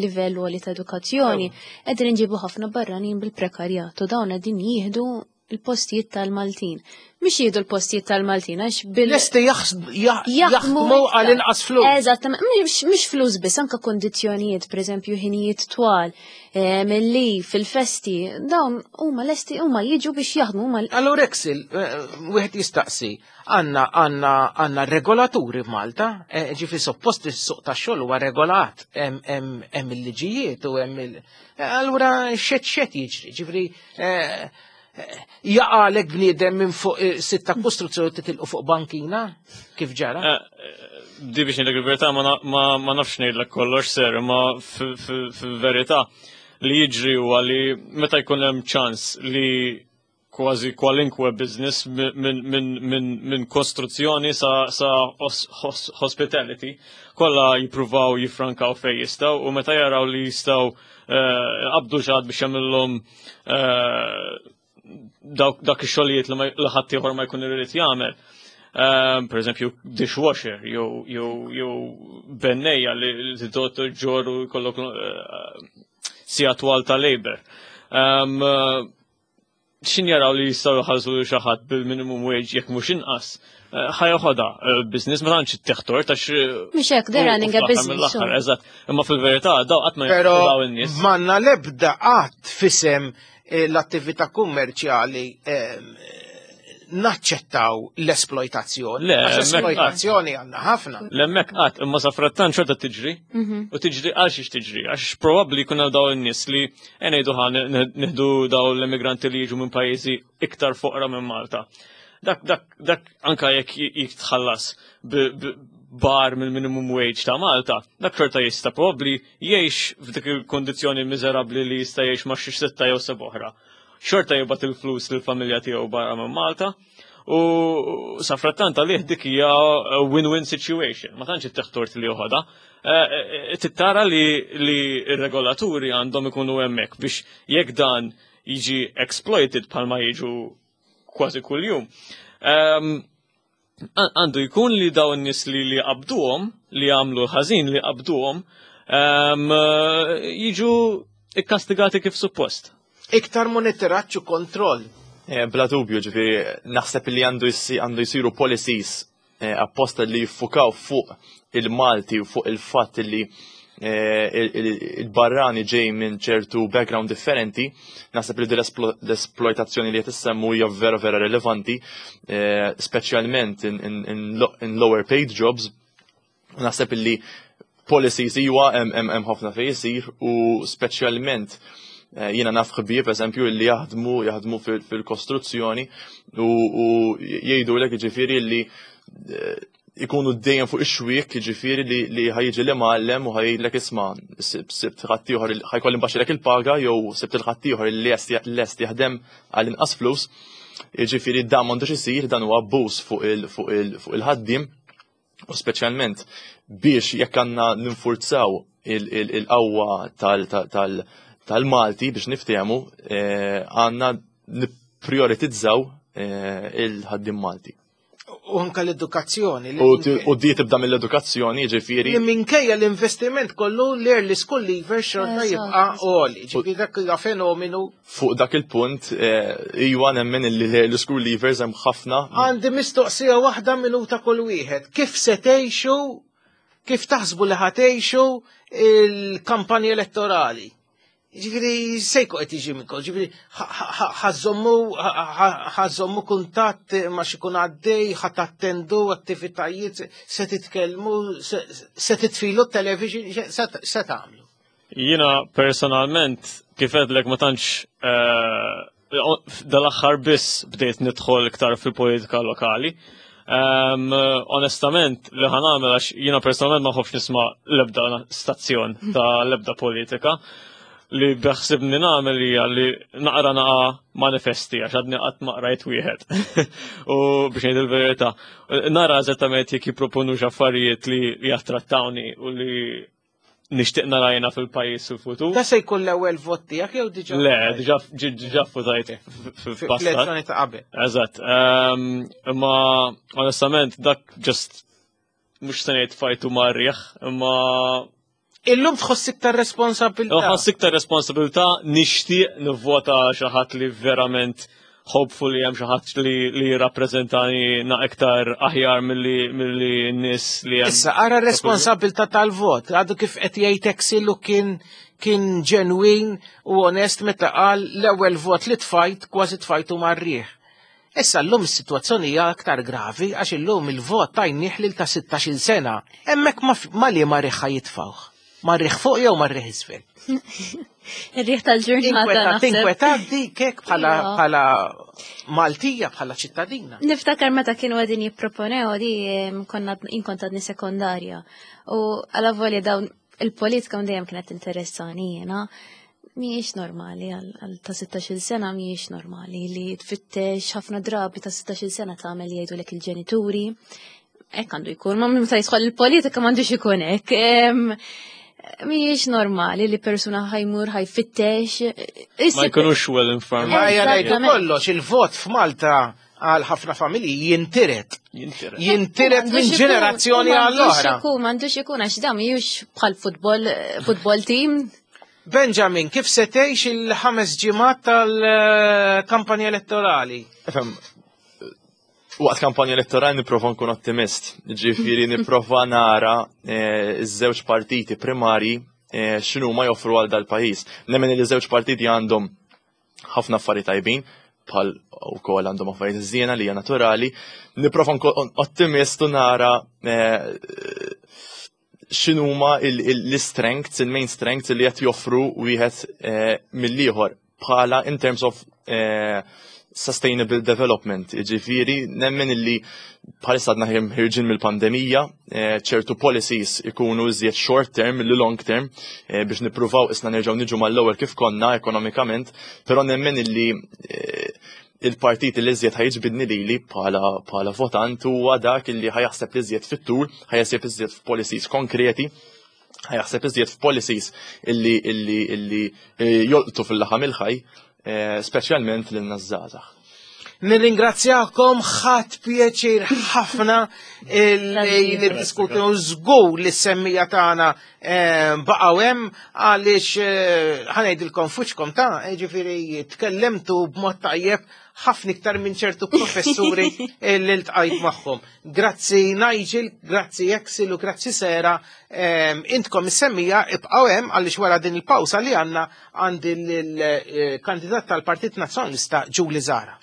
livell għoli ta' edukazzjoni, qegħdin inġibu ħafna barranin bil-prekarjat u dawn qegħdin jieħdu il-postijiet tal-Maltin. Mhux jieħdu l-postijiet tal-Maltin għax bil. Lesti jaħdmu għal inqas flus. Eżatt, mhux flus biss, anke kondizzjonijiet, pereżempju ħinijiet twal, eh, mill-li fil-festi, dawn huma lesti huma jiġu biex jaħdmu huma. Allura Exil, eh, wieħed jistaqsi, Għanna għanna għanna regolaturi f'Malta, eh, ġifi suppost is-suq tax-xogħol huwa regolat, hemm il-liġijiet u hemm il. Eh, allura xed xed jiġri, ġifri eh, jaqalek bniedem minn fuq sitta kostruzzjoni titilqu fuq bankina, kif ġara? Di biex ngħidlek il-verità ma nafx ngħidlek kollox ser, ma fil-verità li jiġri huwa li meta jkun hemm ċans li kważi kwalinkwe business minn kostruzzjoni sa, sa hospitality, kollha jippruvaw jifrankaw fej jistgħu u meta jaraw li jistgħu eh, qabdu ġad biex jagħmilhom eh, dak ix-xogħlijiet li ħadd ieħor ma jkun irid jagħmel. Eh, per eżempju, dishwasher, jew bennejja li tidot ġoru jkollok sija twal ta' labor. Ehm, xin jaraw li jistgħu jħallsu lil xi ħadd bil-minimum wage jekk mhux inqas, eh, ħajoħodha eh, business ma tantx teħtor tax. Eh, mhux hekk they're running a business. Eżatt, imma fil-verità daw qatt ma daw in-nies. Manna l-ebda qatt fisem l-attività kummerċjali naċċettaw l-esploitazzjoni. Le, esploitazzjoni għandna ħafna. L-emmek qatt, imma sa frattant xorta tiġri. Mhm. U tiġri għal xiex tiġri, għax probabbli jkun hemm dawn in-nies li E ngħidu ħa nieħdu daw l-immigranti li jiġu minn pajjiżi iktar foqra minn Malta. Dak dak dak anka jekk jitħallas bar mill-minimum wage ta' Malta, dak xorta jista' probabbli jgħix f'dik il-kondizzjoni miżerabbli li jista' jgħix ma' xi sitta jew seb oħra. Xorta jibgħat il-flus lill-familja tiegħu barra minn Malta u safrattant għalih dik hija win-win situation, ma tantx it-teħtort li joħodha. Eh, eh, tittara li r-regolaturi għandhom ikunu hemmhekk biex jekk dan jiġi exploited bħalma jiġu kważi kuljum. Ehm, għandu jkun li dawn nies li li qabduhom, li għamlu ħażin li qabduhom, ehm, jiġu ikkastigati kif suppost. Iktar monitoraġġ u kontroll. Eh, bla dubju, ġifieri naħseb li għandu jsiru policies Eh, apposta li jiffukaw fuq il-Malti u fuq il-fatt li eh, il-barrani ġej minn ċertu background differenti, naħseb li l-esploitazzjoni li qed issemmu hija vera vera rilevanti, eh, speċjalment in lower paid jobs. Naħseb li policies iwa hemm ħafna fejn isir u speċjalment eh, jiena naf ħbieb eżempju li jaħdmu jaħdmu fil-kostruzzjoni u jgħidu lek jiġifieri li eh, ikunu dejjem fuq ix-xwiek jiġifieri li ħajġi li mgħallem u ħajlek isma' sibt ħaddieħor ħajkolli nbaxxilek il-paga jew sibt il-ħaddieħor li lest jaħdem għal inqas flus. Jiġifieri dan m'għandux isir dan huwa abbuż fuq il-ħaddiem. U speċjalment biex jekk għandna ninfurzaw il-qawwa tal-Malti biex niftehmu eh, għandna nipprioritizzaw eh, il-ħaddim Malti. U anka l-edukazzjoni. U di tibda mill-edukazzjoni, ġifiri. Li minkejja l-investiment kollu l-early school leaver xorta jibqa' għoli. Ġifiri dak huwa fenomenu. Fuq dak il-punt, eh, iwa nemmen li l-early school leavers hemm ħafna. Għandi mistoqsija waħda minuta kull wieħed. Kif se tgħixu, kif taħsbu li ħatejxu il-kampanja elettorali? Ġifiri, sejku qed jiġi minn ġifiri, ħażommu kuntatt ma xikun għaddej, ħat attendu attivitajiet, se titkellmu, se titfilu t-television, se tagħmlu. Jiena personalment, kif għedlek ma tantx eh, dal-aħħar biss bdejt nidħol iktar fil-politika lokali. Um, onestament, li ħan għamel għax jiena personalment ma nħobbx nisma' l-ebda stazzjon ta' l-ebda politika li beħsibni nagħmel hija li naqra naqa manifesti għax għadni qatt ma qrajt wieħed. U biex ngħid il-verità, nara eżattament jekk jipproponu affarijiet li jattrattawni u li nixtieq nara jiena fil-pajjiż fil-futur. Da se jkun l-ewwel vot tiegħek jew diġà? Le, diġà diġà votajt fil-passat. Fl-elezzjoni ta' qabel. Eżatt. Ehm, imma onestament dak just mhux se ngħid fajtu marriħ, imma Illum tħoss iktar responsabilità. Tħoss iktar responsabilità nixtieq nivvota xi ħadd li verament hopefully hemm xi ħadd li li jirrappreżentani na iktar aħjar milli milli n-nies li hemm. Issa ara r-responsabilità tal-vot, għadu kif qed jgħid Exil u kien kien ġenwin u onest meta qal l-ewwel vot li tfajt kważi tfajtu mar-riħ. Issa llum is-sitwazzjoni hija aktar gravi għax illum il-vot tajnieh lil ta' 16-il sena. Hemmhekk ma liema riħ ħa jitfgħuh. Mar-riħ fuq jew mar-riħ isfel? Ir-riħ tal-ġurnata. Tinkwetat dik hekk bħala bħala Maltija bħala ċittadina. Niftakar meta kienu għedin jipproponew di konna inkont għadni sekondarja. U għala volja dawn il-politika dejjem kienet interessani jiena. Mhijiex normali għal ta' 16 sena mhijiex normali li tfittex ħafna drabi ta' 16 sena tagħmel jgħidulek il-ġenituri Hekk għandu jkun, ma meta jidħol il-politika m'għandux ikun hekk. Mhijiex normali li persuna ħajmur ħajfittex. Ma jkunux well informed. Ma ngħidu kollox, il-vot f'Malta għal ħafna familji jintiret. Jintiret minn ġenerazzjoni għall oħra. M'għandux ikun għax dan mhijiex bħal futbol futbol team. Benjamin, kif se tgħix il-ħames ġimgħat tal-kampanja elettorali? Waqt kampanja elettorali nipprova nkun ottimist, ġifieri nipprova nara eh, iż-żewġ partiti primarji eh, x'inhu ma joffru għal dal-pajjiż. Nemmen li żewġ partiti għandhom ħafna affarijiet tajbin, bħal ukoll għandhom affarijiet żiena li hija naturali. Nipprova nkun ottimist u nara eh, x'inhuma l-strengths, il-main strengths li qed joffru wieħed eh, mill-ieħor bħala in terms of eh, sustainable development. Ġifieri nemmen illi bħalissa għadna ħirġin mill-pandemija, eh, ċertu policies ikunu iżjed short term li long term biex nippruvaw isna nerġgħu niġu mal-ewwel kif konna ekonomikament, però nemmen illi il-partit li iżjed ħajġbidni lili bħala bħala votant huwa dak li ħajaħseb li iżjed fit-tul, ħajaħseb iżjed f'policies konkreti, ħajaħseb iżjed f'policies illi illi illi eh, jolqtu fil-laħam il-ħaj, eh, speċjalment lil żgħażagħ. Nirringrazzjakom ħadd pjaċir ħafna li niddiskutu żgur li s-semmija tagħna eh, baqgħu hemm għaliex eh, ħanejdilkom fuċkom ta' eh, ġifieri tkellemtu b'mod tajjeb ħafna iktar minn ċertu professuri li ltqajt magħhom. Grazzi Nigel, grazzi Exil u grazzi Sera, intkom is-semmija ibqgħu hemm għaliex wara din il-pawsa li għandna għandi l-kandidat tal-Partit Nazzjonalista Julie Zara.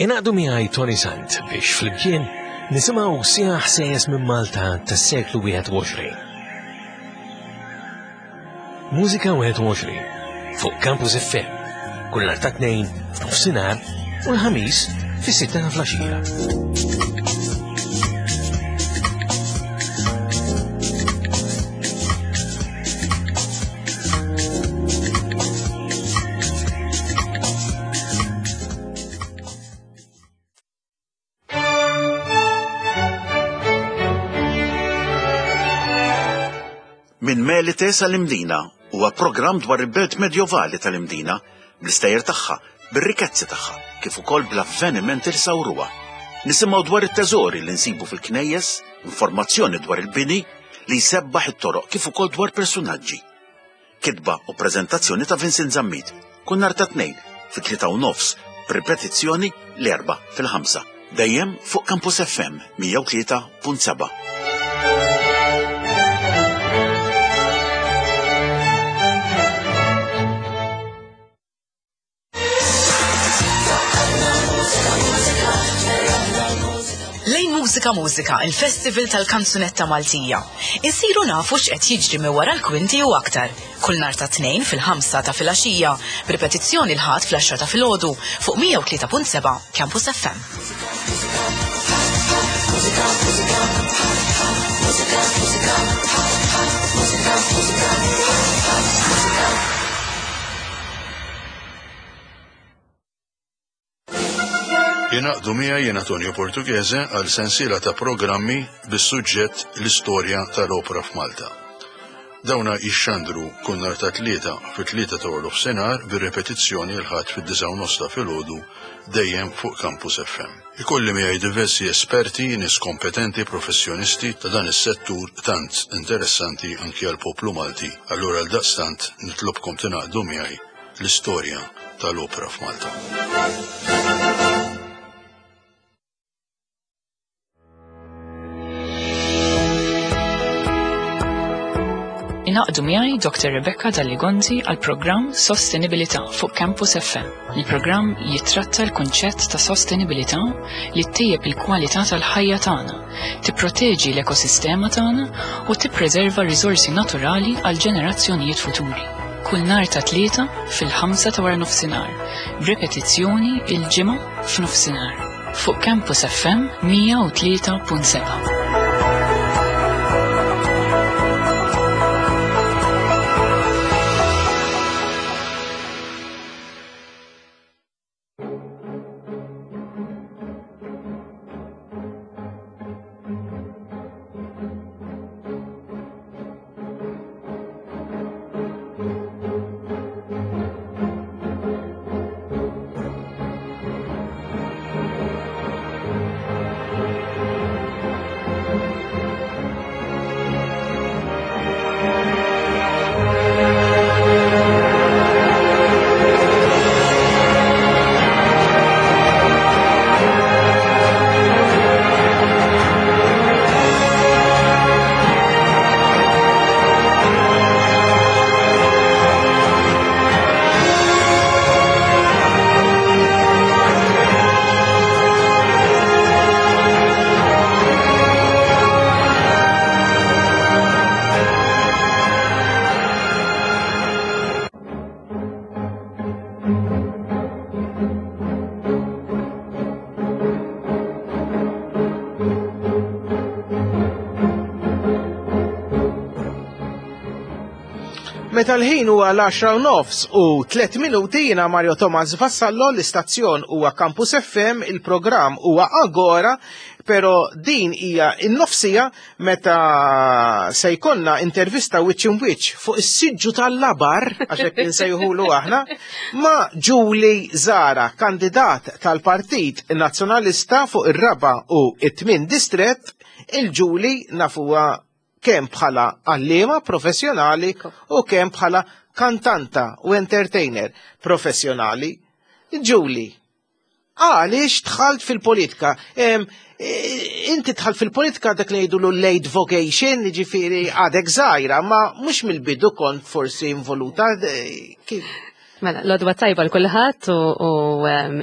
Ingħaqdu miegħi Tony Sant biex flimkien nisimgħu sija ħsejjes minn Malta tas-seklu 21. Mużika 21 fuq Campus FM kull nhar ta' tnejn f'nofsinhar u l-ħamis fis-sitta ta' flaxija. Minn Melite sal-Imdina huwa programm dwar il-belt medjovali tal-Imdina, bl-istejjer tagħha, bir-rikezzi tagħha, kif ukoll bl-avvenimenti li sawruha. Nisimgħu dwar it-teżori li nsibu fil-knejjes, informazzjoni dwar il-bini li jsebbaħ it-toroq kif ukoll dwar persunaġġi. Kitba u preżentazzjoni ta' Vincent Zammit. Kull nhar ta' Tnejn fit-tlieta u nofs, b'ripetizzjoni l-Erbgħa fil-ħamsa. Dejjem fuq Campus FM 103.7. Lejn Mużika Mużika, il-Festival tal-Kanzunetta Maltija. Insiru nafu x'qed jiġri minn wara l-kwinti u aktar. Kull nhar ta' Tnejn fil-ħamsa ta' filgħaxija, b'ripetizzjoni l-Ħadd fl-għaxra ta' filgħodu fuq 103.7 Campus FM. Ingħaqdu miegħi jien Antonio Portughese għal sensiela ta' programmi bis-suġġett l-istorja tal-opra f'Malta. Dawna jixxandru kull nhar ta' Tlieta fit-tlieta ta' waranofsinhar bir-repetizzjoni l-Ħadd fid-disgħa u nofs ta' filgħodu dejjem fuq Campus FM. Ikolli miegħi diversi esperti, nies kompetenti, professjonisti ta' dan is-settur tant interessanti anki għall-poplu Malti. Allura għaldaqstant nitlobkom tingħaqdu miegħi l-istorja tal-opra f'Malta. Ingħaqdu miegħi Dr. Rebecca Dalli Gonzi għal programm Sostenibilità fuq Campus FM. Il-programm jittratta l-kunċett ta' sostenibilità li ttejjeb il-kwalità tal-ħajja tagħna, tipproteġi l-ekosistema tagħna u tippreserva r-riżorsi naturali għal ġenerazzjonijiet futuri. Kull nhar ta' Tlieta fil-ħamsa ta' waranofsinhar, b'ripetizzjoni il-Ġimgħa f'nofsinhar. Fuq Campus FM 103.7. Meta l-ħin huwa l-10 nofs u 3 minuti jiena Mario Thomas Vassallo l-istazzjon huwa Campus FM, il-programm huwa Agora, pero din hija n-nofsija meta se jkollna intervista wiċċ in wiċċ fuq is-siġġu tal-labar, għax hekk insejħulu aħna, ma' Julie Zara, kandidat tal-Partit Nazzjonalista fuq ir-raba' u it-tmien distrett, il-Julie nafuha kemm bħala għalliema professjonali u kemm bħala kantanta u entertainer professjonali. Julie, Għaliex dħalt fil-politika? Inti dħalt fil-politika dak li jgħidulu late vocation, ġifieri għadek żgħira, ma mhux mill-bidu kont forsi involuta. Kif? Mela, l-odwa tajba l-kulħadd u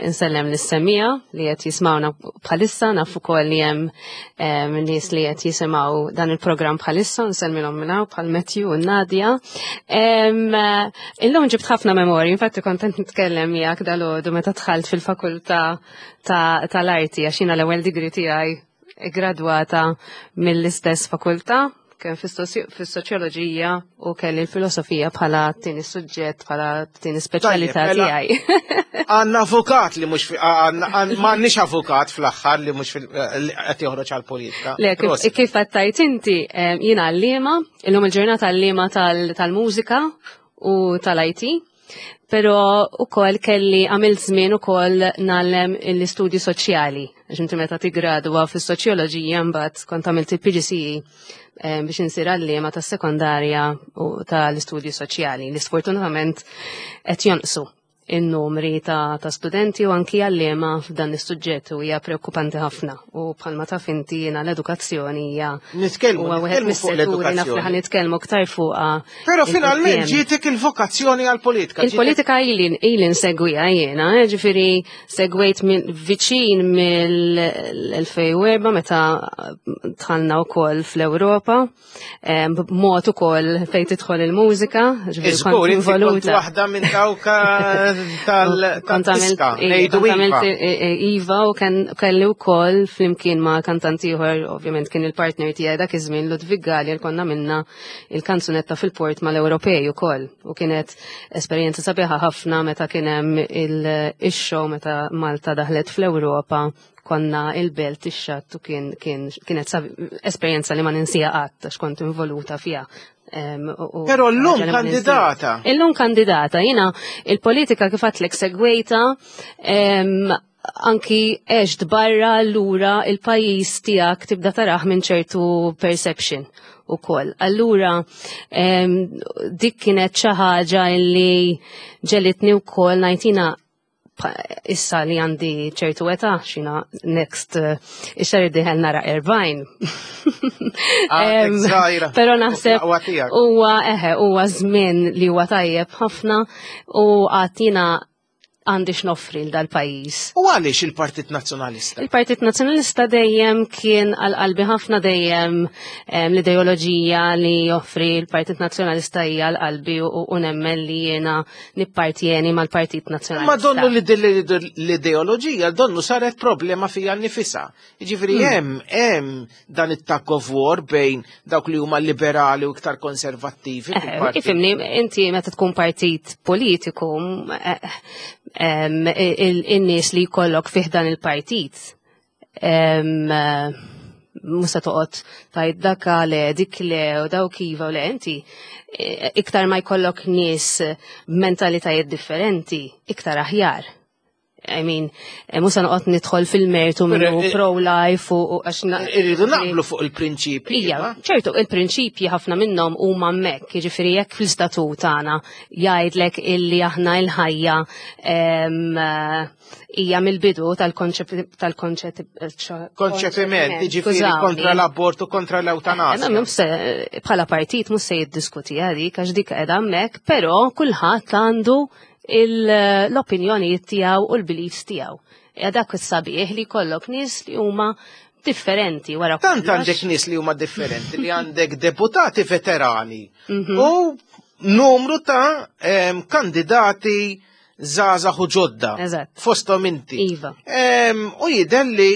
insellem lis-semija li qed jismawna bħalissa, naf ukoll li hemm nies li qed jisimgħu dan il-programm bħalissa, nsellmilhom minn hawn bħal Matthew u Nadia. Illum ġibt ħafna memorji, infatti kont qed nitkellem miegħek dalgħodu meta dħalt fil-fakultà tal-arti għax jiena l-ewwel degree tiegħi gradwata mill-istess fakultà kemm fis-soċjoloġija u kelli l-filosofija bħala tieni suġġett bħala tieni speċjalità mela, tiegħi. Għandna avukat li mhux m'għandniex avukat fl-aħħar li mhux qed joħroġ għall-politika. Le, kif qed tajt inti jiena għalliema, illum il-ġurnata għalliema tal-mużika u tal-IT. Pero ukoll kelli għamilt żmien ukoll nagħllem l-istudji soċjali. Għax inti meta tigradwa fis-soċjoloġija mbagħad kont għamilt il-PGCE eh, biex insir għalliema tas-sekondarja u tal-istudji soċjali li sfortunatament qed jonqsu in-numri ta', ta studenti u anki għalliema f'dan is-suġġett u hija preokkupanti ħafna. U bħalma taf inti jiena l-edukazzjoni hija Nitkellmu huwa wieħed nitkellmu fuq mis-setturi naf li l-edukazzjoni. ħa nitkellmu aktar fuqha. Però finalment il-quddiem. ġietek il-vokazzjoni għall-politika. Il-politika ili ili nsegwiha jiena, eh, ġifieri segwejt viċin mill-2004 meta dħalna wkoll fl-Ewropa, eh, b'mod ukoll fejn tidħol il-mużika, ġifieri Iżgur, kont inti kont involuta. waħda minn dawk eh, Kont għamilt tal-diska, ngħidu kont għamilt iva. Iva u kelli wkoll flimkien ma' kantant ieħor, ovvjament kien il-partner tiegħi dak iż-żmien Ludwig Galli li konna minna il-kanzunetta fil-port mal-Ewropej ukoll. U kienet esperjenza sabiħa ħafna meta kien hemm il-show meta Malta daħlet fl-Ewropa konna il-belt ix-xatt u kien kienet esperjenza li ma ninsija qatt għax kont involuta fiha. Però llum ħaġa li ma ninsija. kandidata. Illum kandidata, jina il-politika kif għatlek segwejta, anki għext barra allura il-pajjiż tiegħek tibda taraħ minn ċertu perception ukoll. Allura dik kienet xi ħaġa li ġelitni wkoll ngħid issa li għandi ċertu età, xina next ix-xahar id-dieħel nara 40. Għadek żgħira. Però naħseb Aqwa tiegħek. huwa eħe huwa żmien li huwa tajjeb ħafna u għad jiena għandi x'noffri l dal-pajjiż. U għaliex il-Partit Nazzjonalista? Il-Partit Nazzjonalista dejjem kien għal qalbi ħafna dejjem l-ideoloġija li joffri l-Partit Nazzjonalista hija għal qalbi u nemmen li jiena nippartjeni mal-Partit Nazzjonalista. Ma donnu li din l-ideoloġija donnu saret problema fija nnifisha. Jiġifieri hemm dan it-tug of war bejn dawk li huma liberali u iktar konservattivi fil-partit. Ifhimni, inti meta tkun partit politiku, in-nies li jkollok fih dan il-partit, mhux se toqgħod tgħid dak le, dik le, u dawk iva u le, inti iktar ma jkollok nies b'mentalitajiet differenti, iktar aħjar. I mean, mhux se noqgħod nidħol fil-mertu minnu pro-life u għax Irridu naqblu fuq il-prinċipji. Ija, ma? ċertu, il-prinċipji ħafna minnhom huma hemmhekk, jiġifieri jekk fl-istatut tagħna jgħidlek illi aħna l-ħajja hija mill-bidu Konċepiment, konċepiment, jiġifieri skużawni. kontra l-abortu, kontra l-eutanasja. Bħala partit mhux se jiddiskuti dik għax dik qiegħda hemmhekk, però kulħadd għandu l-opinjonijiet tiegħu u l-beliefs tiegħu. Ja dak is-sabiħ li jkollok nies li huma differenti wara Tant kollox. għandek nies li huma differenti li għandek deputati veterani u numru ta' kandidati żgħażagħ u ġodda. Fosthom inti. Iva. U jidher li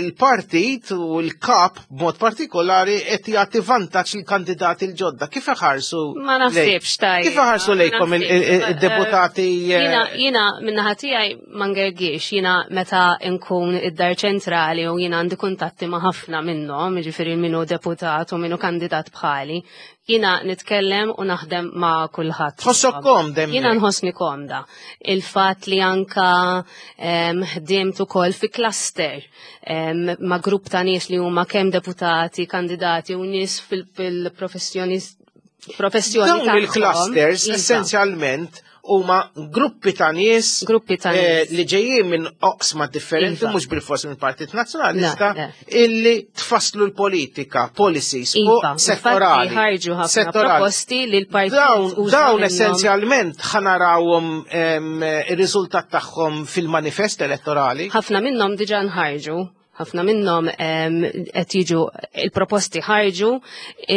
l-partit u l-kap b'mod partikolari qed jagħti vantaġġ lill-kandidati l-ġodda. Kif iħarsu Ma naħsibx tajjeb. Kif iħarsu Ma lejkom naħsibx. il-deputati? Jiena min-naħa tiegħi ma ngergix, jiena meta nkun id-dar ċentrali u jiena għandi kuntatti ma' ħafna minnhom, jiġifieri minnu deputat u minnu kandidat bħali, jiena nitkellem u naħdem ma' kulħadd. Tħossok komda hemmhekk? Jiena nħossni komda. Il-fatt li anka ħdimt ukoll fi cluster ma' grupp ta' nies li huma kemm deputati, kandidati u nies fil-professjoni professjoni Dawn tagħhom. il-clusters Iva. essenzjalment huma gruppi ta' nies gruppi ta' eh, nies li ġejjin minn oqsma differenti iva. mhux bil-fors minn Partit Nazzjonalista illi tfasslu l-politika, policies iva, settorali. ħarġu ħafna proposti li l-partit dawn essenzjalment ħanarawhom ir-riżultat tagħhom fil-manifest elettorali. Ħafna minnhom diġà nħarġu ħafna minnhom qed jiġu il-proposti ħarġu,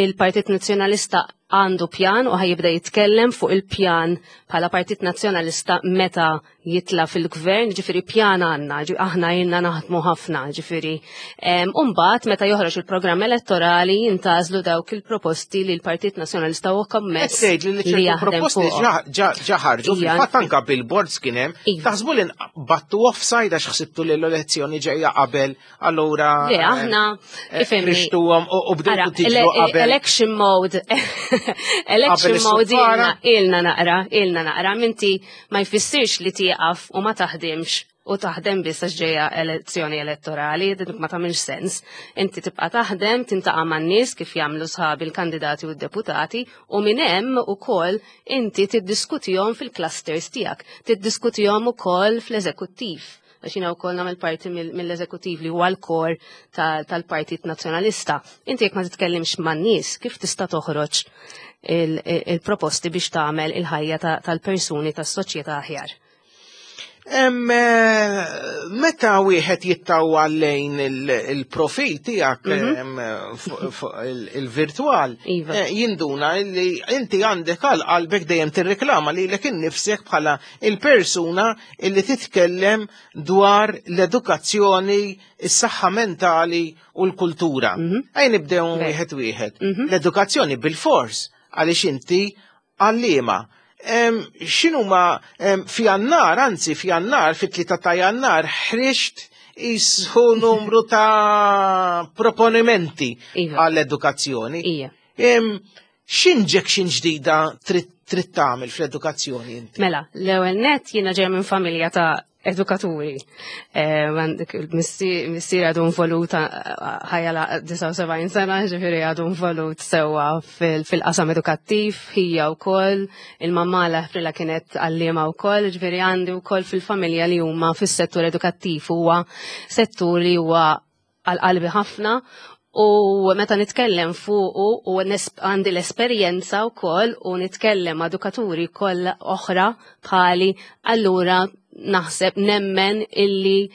il-Partit Nazzjonalista għandu pjan u ħajibda jitkellem fuq il-pjan bħala Partit Nazzjonalista meta jitla fil-gvern, ġifiri pjan għanna, aħna jenna naħdmu ħafna, ġifiri. Umbat, meta joħroġ il-programm elettorali, jintażlu dawk il-proposti li l-Partit Nazzjonalista u kommess. li ċertu proposti ġaħarġu, fil-fatt anka billboards kien hemm, iva. taħsbu li battu offside għax ħsibtu li l-elezzjoni ġejja qabel, allura. Le, eh, aħna, eh, ifemni. Rixtuhom u bdejtu tiġru qabel. Election mode, election mode ilna naqra, ilna naqra, minti ma jfissirx li tieqaf u ma taħdimx u taħdem biss għax ġejja elezzjoni elettorali, dik ma tagħmilx sens. Inti tibqa' taħdem, tintaqa' man-nies kif jagħmlu sħabi l-kandidati u d-deputati u minn hemm ukoll inti tiddiskutihom fil-clusters tiegħek, tiddiskutihom ukoll fl-eżekuttiv għax jiena wkoll nagħmel parti mill-eżekuttiv li huwa l-kor tal-Partit Nazzjonalista. Inti jekk ma titkellimx man-nies, kif tista' toħroġ il-proposti biex tagħmel il-ħajja tal-persuni tas-soċjetà aħjar? Eh, meta wieħed jittawwa lejn il-profil tiegħek mhm. il-virtwal, iva. eh, jinduna li inti għandek għal qalbek dejjem tirreklama lilek innifsek bħala il-persuna illi titkellem dwar l-edukazzjoni, is-saħħa mentali u l-kultura. Mhm. Ejn nibdew wieħed wieħed. Mhm. L-edukazzjoni bil-fors għaliex inti għalliema. X'inhuma f'Jannar, anzi f'Jannar, fit-3 ta' Jannar ħriġt jisħu numru ta' proponimenti iva. għall-edukazzjoni. X'injection ġdida trid tagħmel fl-edukazzjoni inti? Mela, l-ewwel net jiena ġej minn familja ta' edukaturi. Eh, missier għadu involut eh, ħajja la 79 sena, ġifieri għadu involut sewwa fil-qasam edukattiv, hija wkoll, il-mamma l kienet għalliema wkoll, ġifieri għandi wkoll fil-familja li huma fis-settur edukattiv huwa settur li huwa għal qalbi ħafna u meta nitkellem fuqu u għandi l-esperjenza wkoll u nitkellem ma' edukaturi kollha oħra bħali, allura naħseb nemmen illi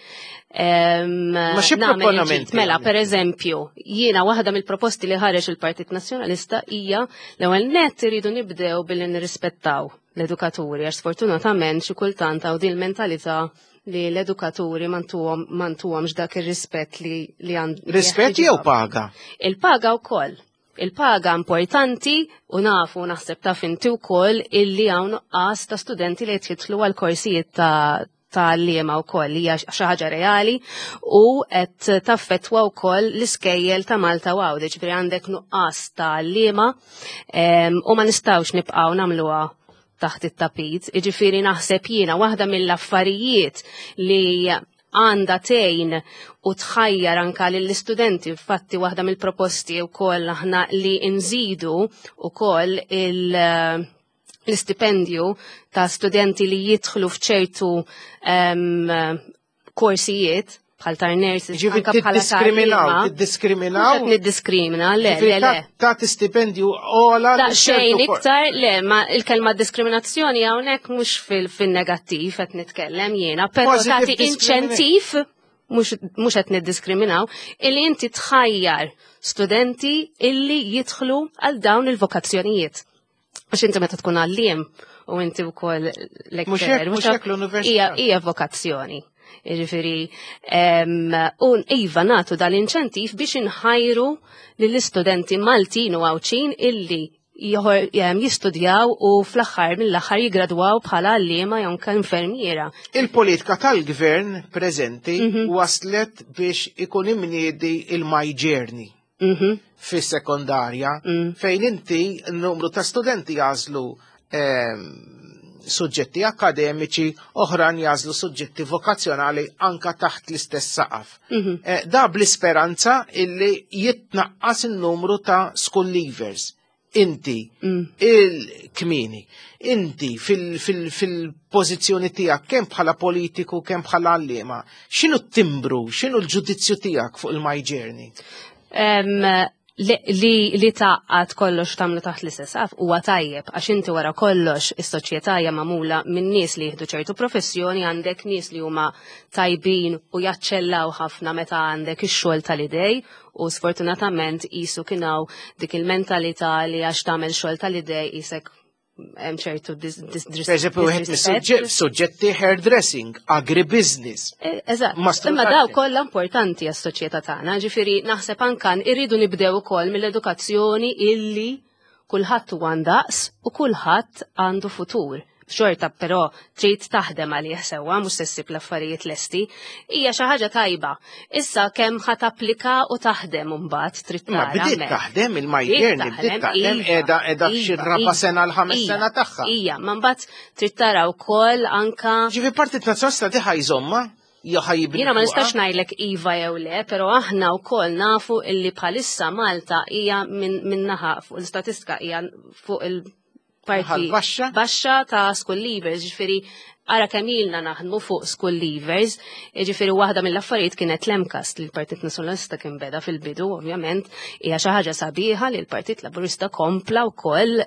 Ma xi proponiment? Mela, per eżempju, jiena waħda mill-proposti li ħareġ il-Partit Nazzjonalista hija l-ewwel nett iridu nibdew billi nirrispettaw l-edukaturi għax sfortunatament xi kultant hawn din il-mentalità li l-edukaturi mantuhomx dak ir-rispett li li għand. Rispett jew paga? Il-paga wkoll. Il-paga importanti u nafu naħseb taf inti wkoll illi hawn nuqqas ta' studenti li jitħitlu għal korsijiet ta' ta' liema wkoll li hija xi ħaġa reali u qed taffettwa wkoll l-iskejjel ta' Malta u Għawdex, ġifieri għandek nuqqas ta' liema u ma nistgħux nibqgħu nagħmluha taħt it-tapit. Iġifieri naħseb jiena waħda mill-affarijiet li għanda tgħin u tħajjar anka lill-istudenti, infatti waħda mill-proposti wkoll aħna li nżidu wkoll il- l-istipendju ta' studenti li jidħlu f'ċertu um, korsijiet bħal tar nurses, Ġifieri anka bħala tiddiskriminaw, tiddiskriminaw. Niddiskrimina, le, le, le. Ta' stipendju ola. Ta' xejn iktar, le, ma il-kelma diskriminazzjoni hawnhekk mhux fil-negattiv qed nitkellem jiena, però tagħti inċentiv mhux qed niddiskriminaw, illi inti tħajjar studenti illi jidħlu għal dawn il-vokazzjonijiet. Għax inti meta tkun għalliem u inti wkoll lecturer. Mhux hekk l-università. Hija vokazzjoni. Jiġifieri u iva nagħtu dal-inċentiv biex inħajru lill-istudenti Maltin u Għawdxin illi jistudjaw u fl-aħħar mill-aħħar jigradwaw bħala għalliema jew anke infermiera. Il-politika tal-gvern preżenti mhm. waslet biex ikun imniedi il-My Journey. Mhm. fis-sekondarja mm. fejn inti n-numru ta' studenti jażlu ehm, suġġetti akademiċi, oħran jażlu suġġetti vokazzjonali anka taħt l-istess saqaf. Mhm. Eh, da bl-isperanza illi jitnaqqas il-numru ta' school leavers. Inti il-kmini, inti fil-pożizzjoni tiegħek kemm bħala politiku kemm bħala għalliema, x'inhu t-timbru, x'inhu l-ġudizzju tiegħek fuq il-My Journey? Li taqqat kollox tagħmlu taħt l-istess saqaf huwa tajjeb għax inti wara kollox is-soċjetà hija magħmula minn nies li jieħdu ċertu professjoni għandek nies li huma tajbin u jaċċellaw ħafna meta għandek ix-xogħol tal-idej u sfortunatament qisu kien hawn dik il-mentalità li għax tagħmel xogħol tal-idej qisek hemm ċertu Per eżempju, wieħed mis-suġġetti hairdressing, agribusiness. E, eżatt. Imma daw kollha importanti għas-soċjetà tagħna, ġifieri naħseb anke irridu nibdew ukoll mill-edukazzjoni illi kulħadd huwa ndaqs u kulħadd għandu futur. Xorta però trid taħdem għalih sewwa mhux se ssib l-affarijiet lesti. Hija xi ħaġa tajba. Issa kemm ħa tapplika u taħdem imbagħad trid tara. Ma bdiet taħdem il-majjerni, bdiet taħdem iva, qiegħda qiegħda f'xi iva, raba' iva, sena l-ħames sena tagħha. Ija, ma mbagħad trid tara wkoll anka. Ġifi Partit Nazzjonalista diħa jżomma? Jiena ma nistax ngħidlek iva jew le, però aħna wkoll nafu illi bħalissa Malta hija minn naħa fuq l-istatistika hija fuq il- parti baxxa baxxa ta' school leavers, ġifieri ara kemm ilna naħdmu fuq school leavers, ġifieri waħda mill-affarijiet kienet l-MCAST li l-Partit Nazzjonalista kien beda fil-bidu, ovvjament, hija xi ħaġa sabiħa li l-Partit Laburista kompla wkoll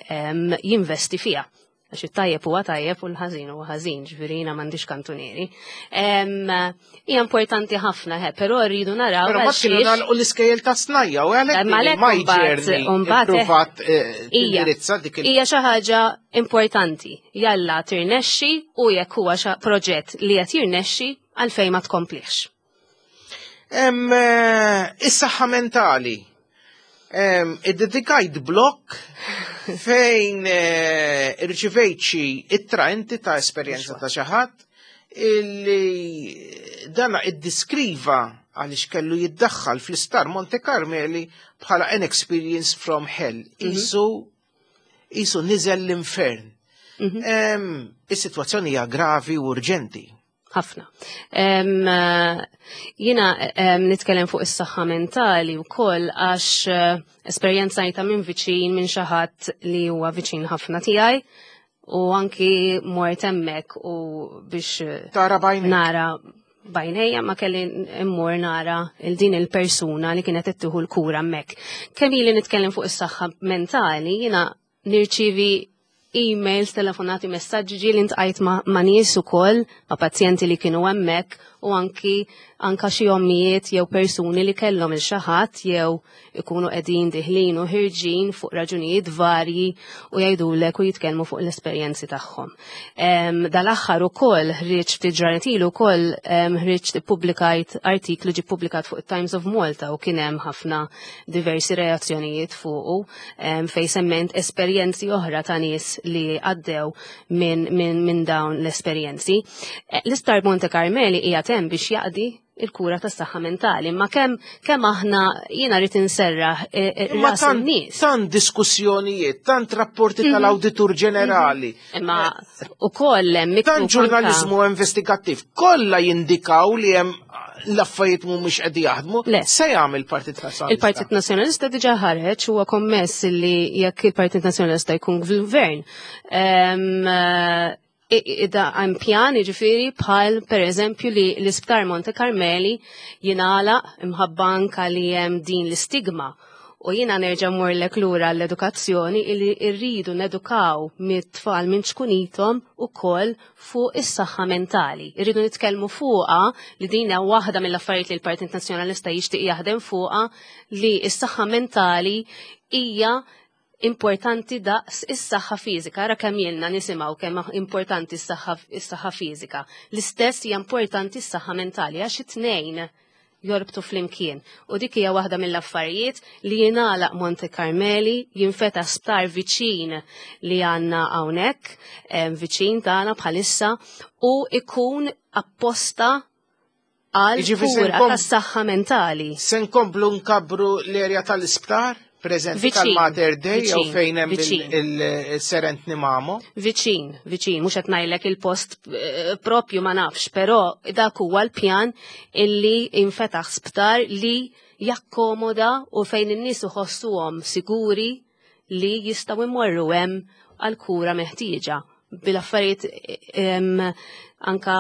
jinvesti fiha. Għax it-tajjeb huwa tajjeb u l-ħażin huwa ħażin, ġifieri jiena m'għandix kantunieri. Hija importanti ħafna, he, però rridu naraw. Però ma kienu nagħlqu l-iskejjel ta' snajja u għalhekk ma jġerni eh, eh, tindirizza dik il- Hija xi ħaġa importanti. Jalla tirnexxi u jekk huwa proġett li qed jirnexxi għalfejn ma tkomplix. Eh, is-saħħa mentali. Id-dedikajt blok fejn eh, irċivejt xi ittra inti ta' esperjenza ta' xi ħadd illi dana iddiskriva għaliex kellu jiddaħħal fl-isptar Monte Carmeli bħala an experience from hell. Mhm. Isu isu niżel l-infern. Mhm. Is-sitwazzjoni hija gravi u urġenti. ħafna. Jina nitkellem fuq is-saħħa mentali wkoll għax eh, esperjenzajta minn viċin minn xi ħadd li huwa viċin ħafna tiegħi u anki mort hemmhekk u biex eh, tara bajnejk. Nara bajnejja ma kelli immur nara il din il-persuna li kienet qed tieħu l-kura hemmhekk. Kemm ili nitkellem fuq is-saħħa mentali, jiena nirċivi emails, telefonati, messaġġi ġieli ntqajt ma', ma nies ukoll, ma' pazjenti li kienu hemmhekk u anki anka xi ommijiet jew persuni li kellhom il xi ħadd jew ikunu qegħdin diħlin u ħirġin fuq raġunijiet varji u jgħidulek u jitkellmu fuq l-esperjenzi tagħhom. Dal-aħħar ukoll ħriġ ftit ġranet ilu wkoll ħriġt ippubblikajt artiklu ġie ppubblikat fuq it-Times of Malta u kien hemm ħafna diversi reazzjonijiet fuqu fej semment esperjenzi oħra ta' nies li għaddew minn min, min dawn l-esperjenzi. Eh, l-Isptar Monte Carmeli hija hemm biex jaqdi il-kura tas saħħa mentali, ma kemm kemm aħna jiena rrid inserraħ eh, eh, ras in-nies. Tant diskussjonijiet, tant rapporti mhm. tal-Awditur Ġenerali. Mhm. Imma ukoll hemm Tant ġurnaliżmu investigattiv, kollha jindikaw li hemm l-affarijiet mhumiex qed jaħdmu, se jagħmel il-Partit Nazzjonalista. Il-Partit Nazzjonalista diġà ħareġ huwa kommess li jekk il-Partit Nazzjonalista jkun fil-gvern. Ida hemm pjan jiġifieri bħal pereżempju li l-Isptar Monte Carmeli jingħalaq imħabba anka li hemm din l-istigma U jiena nerġa' mmurlek lura l-edukazzjoni illi rridu nedukaw mit-tfal minn ċkunithom ukoll fuq is-saħħa mentali. Irridu nitkellmu fuqha li din hija waħda mill-affarijiet li l-Partit Nazzjonalista jixtieq jaħdem fuqha li s-saħħa mentali hija importanti daqs is-saħħa fiżika. Ara kemm ilna nisimgħu kemm importanti s-saħħa fiżika. L-istess hija importanti s-saħħa mentali għax it-tnejn jorbtu flimkien. U dik hija waħda mill-affarijiet li jingħalaq Monte Carmeli, jinfetaħ sptar viċin li għandna hawnhekk, viċin tagħna bħalissa, u ikun apposta għal kura tas-saħħa mentali. Se nkomplu nkabbru l-erja tal-isptar? Preżenti tal-Mater Dei jew fejn hemm il-Serent Nimamo? Viċin, viċin, mhux qed ngħidlek il-post eh, propju ma nafx, però dak huwa l-pjan illi infetaħ sptar li jakkomoda u fejn in-nies iħossuhom siguri. li jistgħu jmorru hemm għal kura meħtieġa bil-affarijiet anka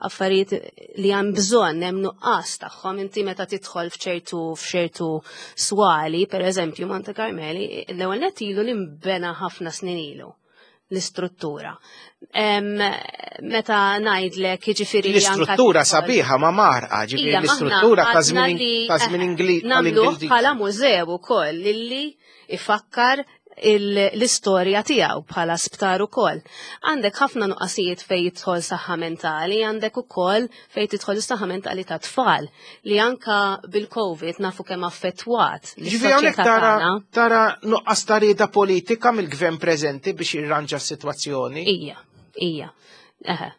affarijiet li hemm bżonn hemm nuqqas tagħhom inti meta tidħol f'ċertu f'ċertu swali, pereżempju Monte Carmeli, l-ewwel nett ilu li nbena ħafna snin ilu l-istruttura. Meta ngħidlek jiġifieri L-istruttura sabiħa ma marqa, ġifieri l-istruttura ta' żmien ta' żmien Ingliż. Nagħmluh bħala mużew ukoll illi ifakkar l-istorja tiegħu bħala sptar ukoll. Għandek ħafna nuqqasijiet fejn jidħol saħħa mentali, għandek ukoll fejn tidħol is-saħħa mentali ta' tfal li anka bil-COVID nafu kemm affettwat. Ġifieri hawnhekk tara tara nuqqas ta' rieda politika mill-gvern preżenti biex jirranġa s-sitwazzjoni. Ija, ija. Eħe.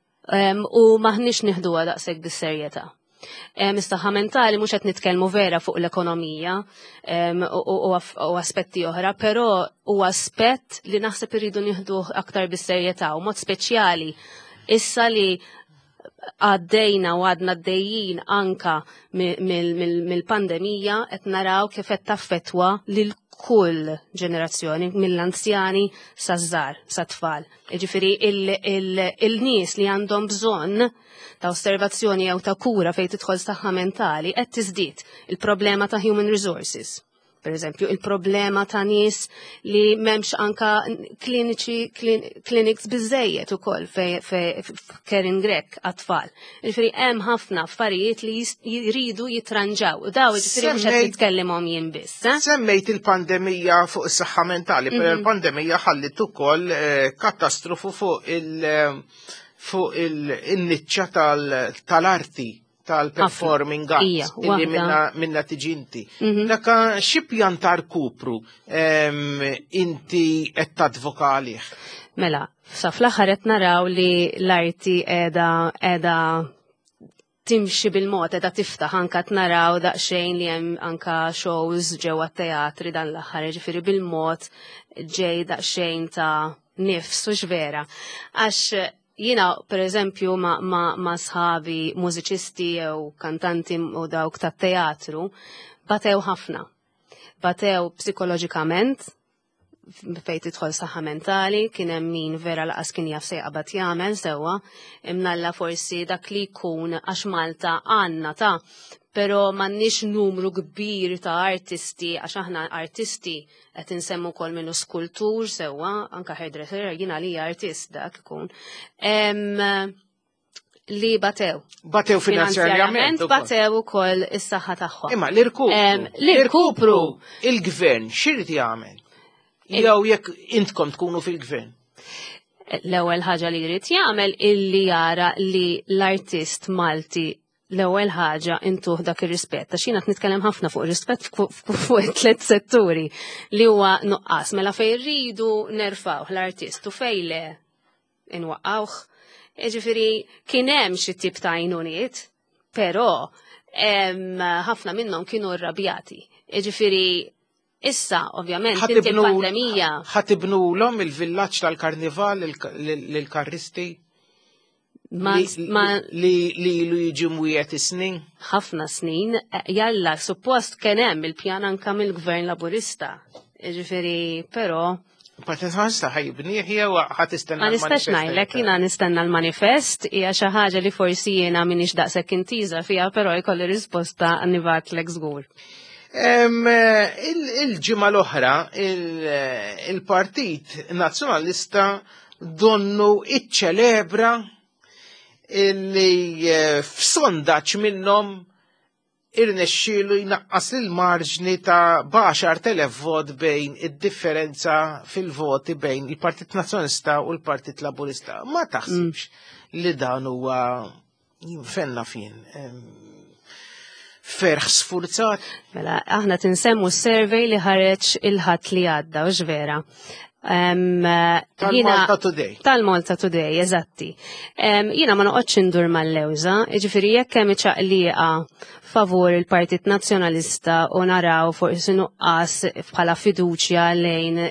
U maħniex nieħduha daqshekk bis-serjetà. Is-saħħa mentali mhux qed nitkellmu vera fuq l-ekonomija u aspetti oħra, però huwa aspett li naħseb irridu nieħduh aktar bis-serjetà u mod speċjali issa li għaddejna u għadna għaddejjin anka mill-pandemija qed naraw kif qed taffettwa lil kull ġenerazzjoni mill-anzjani saż-żgħar, sat-tfal. Jiġifieri il-nies li għandhom bżonn ta' osservazzjoni jew ta' kura fejn tidħol saħħa mentali qed tiżdied il-problema ta' human resources. Per eżempju, il-problema ta' nies li m'hemmx anka kliniċi clinics biżejjed ukoll f'Kerin Grech għat-tfal. Jiġifieri hemm ħafna affarijiet li jridu jitranġaw. U daw jiġifieri mhux qed nitkellimhom jien biss. Eh? Semmejt il-pandemija fuq is-saħħa mentali, però il-pandemija ħallit ukoll eh, katastrofu fuq il- fuq il-niċċa tal-arti tal-performing arts illi minna tiġi inti. Daka xi pjan ta' rkupru inti qed tadvoka għalih? Mela, sa fl-aħħar qed naraw li l-arti qiegħda qiegħda timxi bil-mod qiegħda tiftaħ anka qed naraw daqsxejn li hemm anka shows ġewwa teatri dan l-aħħar, jiġifieri bil-mod ġej daqsxejn ta' nifs u vera. Għax jiena per eżempju ma, ma, ma sħabi mużiċisti jew kantanti u dawk tat-teatru batew ħafna. Batew psikoloġikament, fejn tidħol saħħa mentali, kien hemm min vera laqas kien jaf se jaqbad jagħmel sewwa, imnalla forsi dak li jkun għax Malta għandna ta' però m'għandniex numru kbir ta' artisti għax aħna artisti qed insemmu wkoll minnu skultur sewwa, anka hairdresser jiena li artist dak ikun. Li batew. Batew finanzjarjament. Batew ukoll is-saħħa tagħhom. Imma l-irkupru. L-irkupru. Il-gvern x'irid jagħmel? Jew jekk intkom tkunu fil-gvern? L-ewwel ħaġa li jrid jagħmel illi jara li l-artist Malti l-ewwel ħaġa intuh dak ir-rispett. Għax jiena qed nitkellem ħafna fuq rispett fuq it-tliet setturi li huwa nuqqas. Mela fejn rridu nerfgħuh l-artist u fejn le inwaqqawh. Jiġifieri kien hemm xi tip ta' għajnuniet, però ħafna minnhom kienu rrabjati. Jiġifieri issa ovvjament il-pandemija. Ħatibnulhom il-villaġġ tal-karnival lill-karristi? Li ilu jiġi mwiegħed is-snin? Ħafna snin, jalla, suppost kien hemm il-pjan anka mill-Gvern Laburista. Jiġifieri, però Partit Nazzjonalista ħajibnieh jew ħa tistenna Ma nistax ngħidlek, jiena nistenna l-manifest, hija xi ħaġa li forsi jiena m'iniex daqshekk intiża fiha, però jkolli risposta nibgħatlek żgur. Il-ġimgħa l-oħra il-Partit Nazzjonalista donnu iċċelebra li eh, f'sondaġġ minnhom irnexxielu jnaqqas il-marġni ta' b'10,000 vot bejn id-differenza fil-voti bejn il-Partit Nazzjonalista u l-Partit Laburista. Ma taħsibx mm. li dan huwa fenna fin ferħ sfurzat? Mela, aħna tinsemmu survey li ħareġ il-ħadd li għadda, u vera. Tal-Malta Today. Tal-Malta Today, eżatti. Jiena ma noqgħodx indur mal-lewża, jiġifieri jekk hemm iċaqliqa favur il-Partit Nazzjonalista u naraw forsi nuqqas bħala fiduċja lejn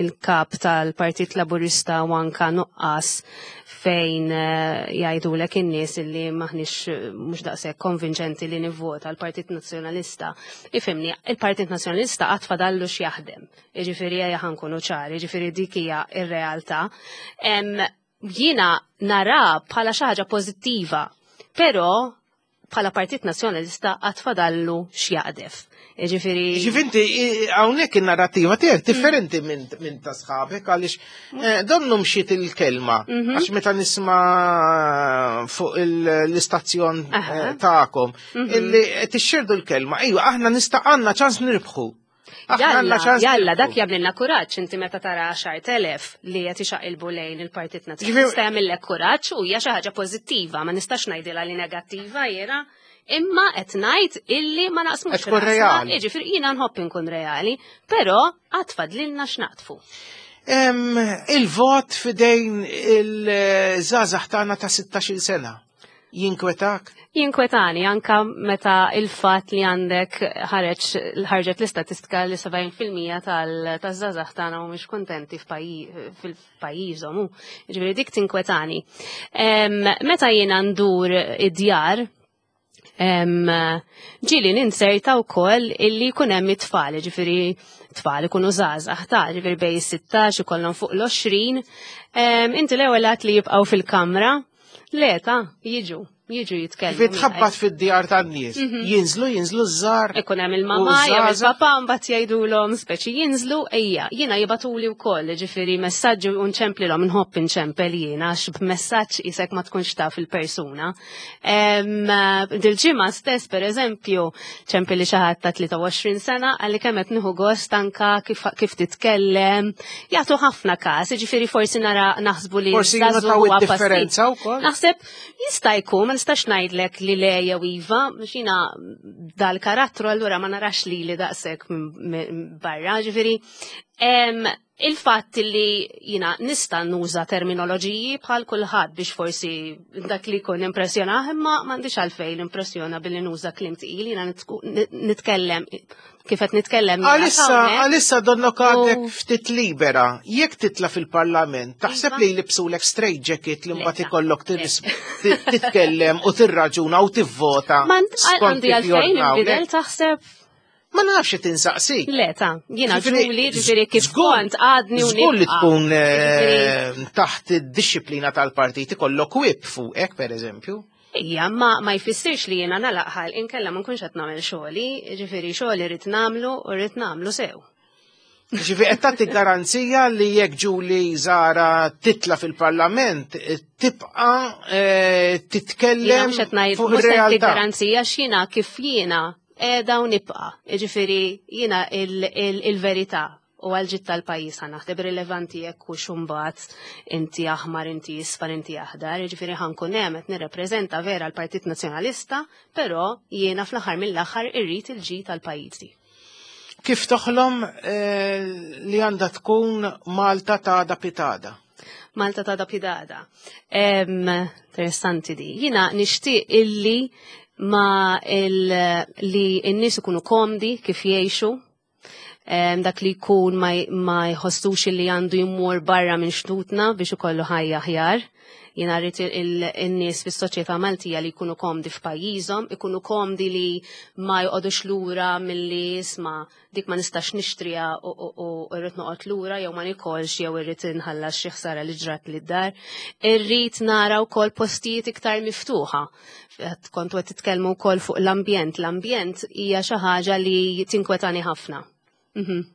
il-kap tal-Partit Laburista u anka nuqqas fejn eh, jgħidulek in-nies illi maħniex eh, mhux daqshekk konvinċenti li nivvota l-Partit Nazzjonalista. Ifhimni, il-Partit Nazzjonalista qatt fadallu x'jaħdem. Jiġifieri ejja ħankunu ċari, jiġifieri dik hija r-realtà. Jiena nara bħala xi ħaġa pożittiva, però bħala Partit Nazzjonalista għad fadallu x'jaqdef. Jiġifieri. Ġifinti, hawnhekk in-narrattiva tiegħek differenti minn ta' sħabek għaliex eh, donnu mxiet il-kelma. Mhm. Għax meta nisma' fuq l-istazzjon eh, tagħkom mhm. illi tixxerdu l-kelma, ejwa aħna nista' għandna ċans nirbħu. Jalla, jalla, dak jagħmlilna kuraġġ inti meta tara 10,000 li qed ixaqilbu lejn il-Partit Nazzjonalista jagħmillek kuraġġ u hija xi ħaġa pożittiva, ma nistax ngħidilha li negattiva jiena. Imma qed ngħid illi ma naqsmux. Tkun reali. Jiġifieri jiena nħobb inkun reali, però għad fadlilna x'naqtfu. Il-vot fidejn il-żgħażagħ tagħna ta' 16-il sena. Jinkwetak? Jinkwetani anka meta il-fatt li għandek ħareġ ħarġet l-istatistika li 70% tal-żgħażagħ tagħna mhumiex kuntenti fil-pajjiżhom. Ġifieri dik tinkwetani. Meta jiena ndur id-djar, ġieli ninserta wkoll illi jkun hemm it-tfal, ġifieri tfal ikunu żgħażagħ ta' ġifieri bej 16 ikollhom fuq l-20. Inti l-ewwel li jibqgħu fil-kamra Le, ta' jiġu, jiġu jitkellmu. Fi tħabbat fid-djar tan-nies. Mhm. Jinżlu, jinżlu ż-żar. Ikun hemm il-mamma, jew il-papa mbagħad jgħidulhom speċi jinżlu ejja, jiena jibatuli wkoll, ġifieri messaġġi u nċemplilhom nħobb inċempel jiena għax b'messaġġ isek ma tkunx taf il-persuna. Dil-ġimgħa stess pereżempju, ċempili xi ħadd ta' 23 sena għalli kemm qed nieħu gost anka kif, kif titkellem. Jagħtu ħafna każ, jiġifieri forsi nara naħsbu li forsi jinnotaw id-differenza wkoll. Naħseb jista' jkun ma nistax ngħidlek li le jew iva, xina dal-karattru allura ma narax li li daqshekk barra, ġifieri Il-fatt li jina nista' nuża terminoloġiji bħal kulħadd biex forsi dak li jkun impressjonah, imma m'għandix għalfejn impressjona billi nuża kliem tqil, jina nitkellem kif qed nitkellem. Għalissa għalissa donnok għadek ftit libera, jekk titla fil-parlament, taħseb iva. li jlibsulek straight jacket li mbagħad ikollok titkellem u tirraġuna u tivvota. Għandi għalfejn inbidel taħseb Ma nafx qed insaqsik. Le ta' jiena ġuli ġifieri kif kont għadni u Żgur li tkun eh, taħt id-disciplina tal-partit ikollok whip fuqek pereżempju. Ija, ma, ma jfissirx li jiena nalaqħal inkella ma nkunx qed nagħmel xogħli, ġifieri xogħli rrid nagħmlu u rrid nagħmlu sew. Ġifi qed tagħti garanzija li jekk Ġuli Zara titla fil-Parlament tibqa' eh, titkellem fuq ir-realtà. Garanzija x'jiena kif jiena qiegħda u nibqa'. Jiġifieri jiena il-verità u għal-ġid tal-pajjiż ħa naħdem rilevanti jekk hux imbagħad inti aħmar, inti isfar, inti aħdar, jiġifieri ħankun hemm qed nirrepreżenta vera l-Partit Nazzjonalista, però jiena fl-aħħar mill-aħħar irrid il-ġid tal-pajjiżi. Kif toħlom eh, li għandha tkun Malta ta' da pitada? Malta ta' da pidada. Interessanti di. Jina nixtieq illi ma il, li n-nies ikunu komdi kif jgħixu, dak li jkun ma jħossux li għandu jmur barra minn xtutna biex ikollu ħajja aħjar. Jiena rrid in-nies fis-soċjetà Maltija li jkunu komdi f'pajjiżhom, ikunu komdi li ma joqogħdux lura milli isma' dik ma nistax nixtriha u rrid noqgħod lura jew ma nikolx jew irrid inħallas xi ħsara li ġrat lid dar. Irrid nara wkoll postijiet iktar miftuħa. Kontu qed titkellmu wkoll fuq l-ambjent. L-ambjent hija xi ħaġa li tinkwetani ħafna. Mhm.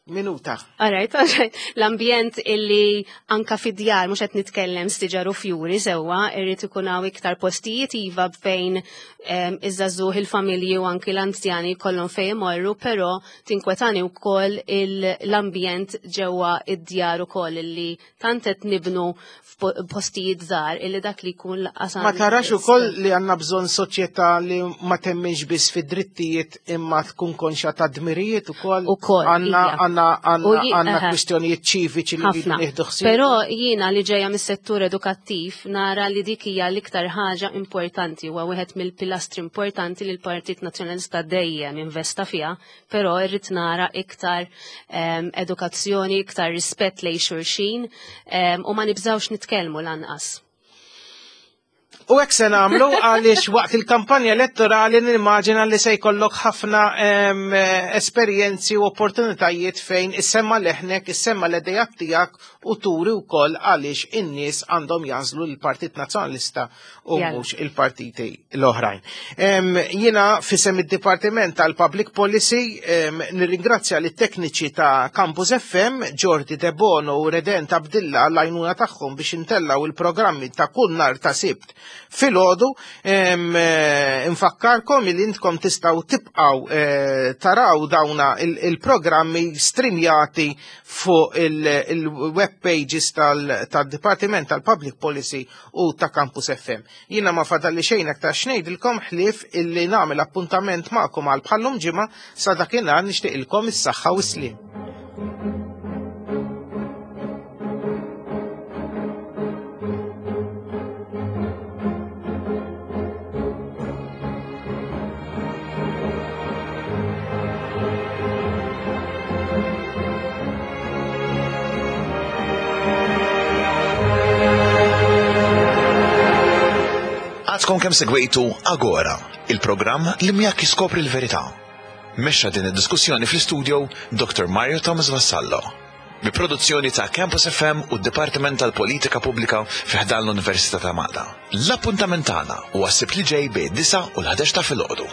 Minuta. Alright, alright. L-ambjent illi anka fid-djar mhux qed nitkellem stiġar u fjuri sewwa, irrid ikun hawn iktar postijiet iva fejn iż-żagħżugħ il-familji u anki l-anzjani jkollhom fejn imorru, però tinkwetani wkoll l-ambjent ġewwa id-djar ukoll illi tant qed nibnu f'postijiet żgħar illi dak li jkun laqqas Ma tarax ukoll li għandna bżonn soċjetà li ma temminx biss fid-drittijiet imma tkun konxa ta' dmirijiet ukoll. Ukoll. Għandna iva. Għandna għandna kwistjonijiet ċiviċi li nieħdu ħsieb. Però jiena li ġejja mis-settur edukattiv nara li dik hija l-iktar ħaġa importanti huwa wieħed mill-pilastri importanti li l-Partit Nazzjonalista dejjem investa fiha, però irrid nara iktar ehm, edukazzjoni, iktar rispett lejn xulxin ehm, u ma nibżgħux nitkellmu lanqas. U hekk se nagħmlu għaliex waqt il-kampanja elettorali nimmaġina li se jkollok ħafna esperjenzi u opportunitajiet fejn issemma leħnek, issemma l-idejat tiegħek u turi wkoll għaliex in-nies għandhom jażlu l-Partit Nazzjonalista u mhux il-partiti l-oħrajn. Jiena fisem id-Dipartiment tal-Public Policy nirringrazzja lit tekniċi ta' Campus FM, Jordi Debono u Redent Abdilla għall-għajnuna tagħhom biex intellaw il-programmi ta' kull nar ta' Sibt filgħodu. Eh, infakkarkom li intkom tistgħu tibqgħu eh, taraw dawna il-programmi streamjati fuq il-web pages tal-Dipartiment tal-Public Policy u ta' Campus FM. Jiena ma fadalli xejn aktar x'ngħidilkom ħlief illi nagħmel appuntament magħkom għal bħallum ġimgħa sa dakinhar nixtieqilkom is-saħħa u s-sliem. Għadkom kemm segwejtu Agora, il-programm li miegħek jiskopri l-verità. Mexxa din id-diskussjoni fl-istudio Dr. Mario Thomas Vassallo. Bi produzzjoni ta' Campus FM u d-Dipartiment tal-Politika Pubblika fi ħdan l-Università ta' Malta. L-appuntament tagħna huwa s-Sibt li ġej bejn 9 u l-11 ta' filgħodu.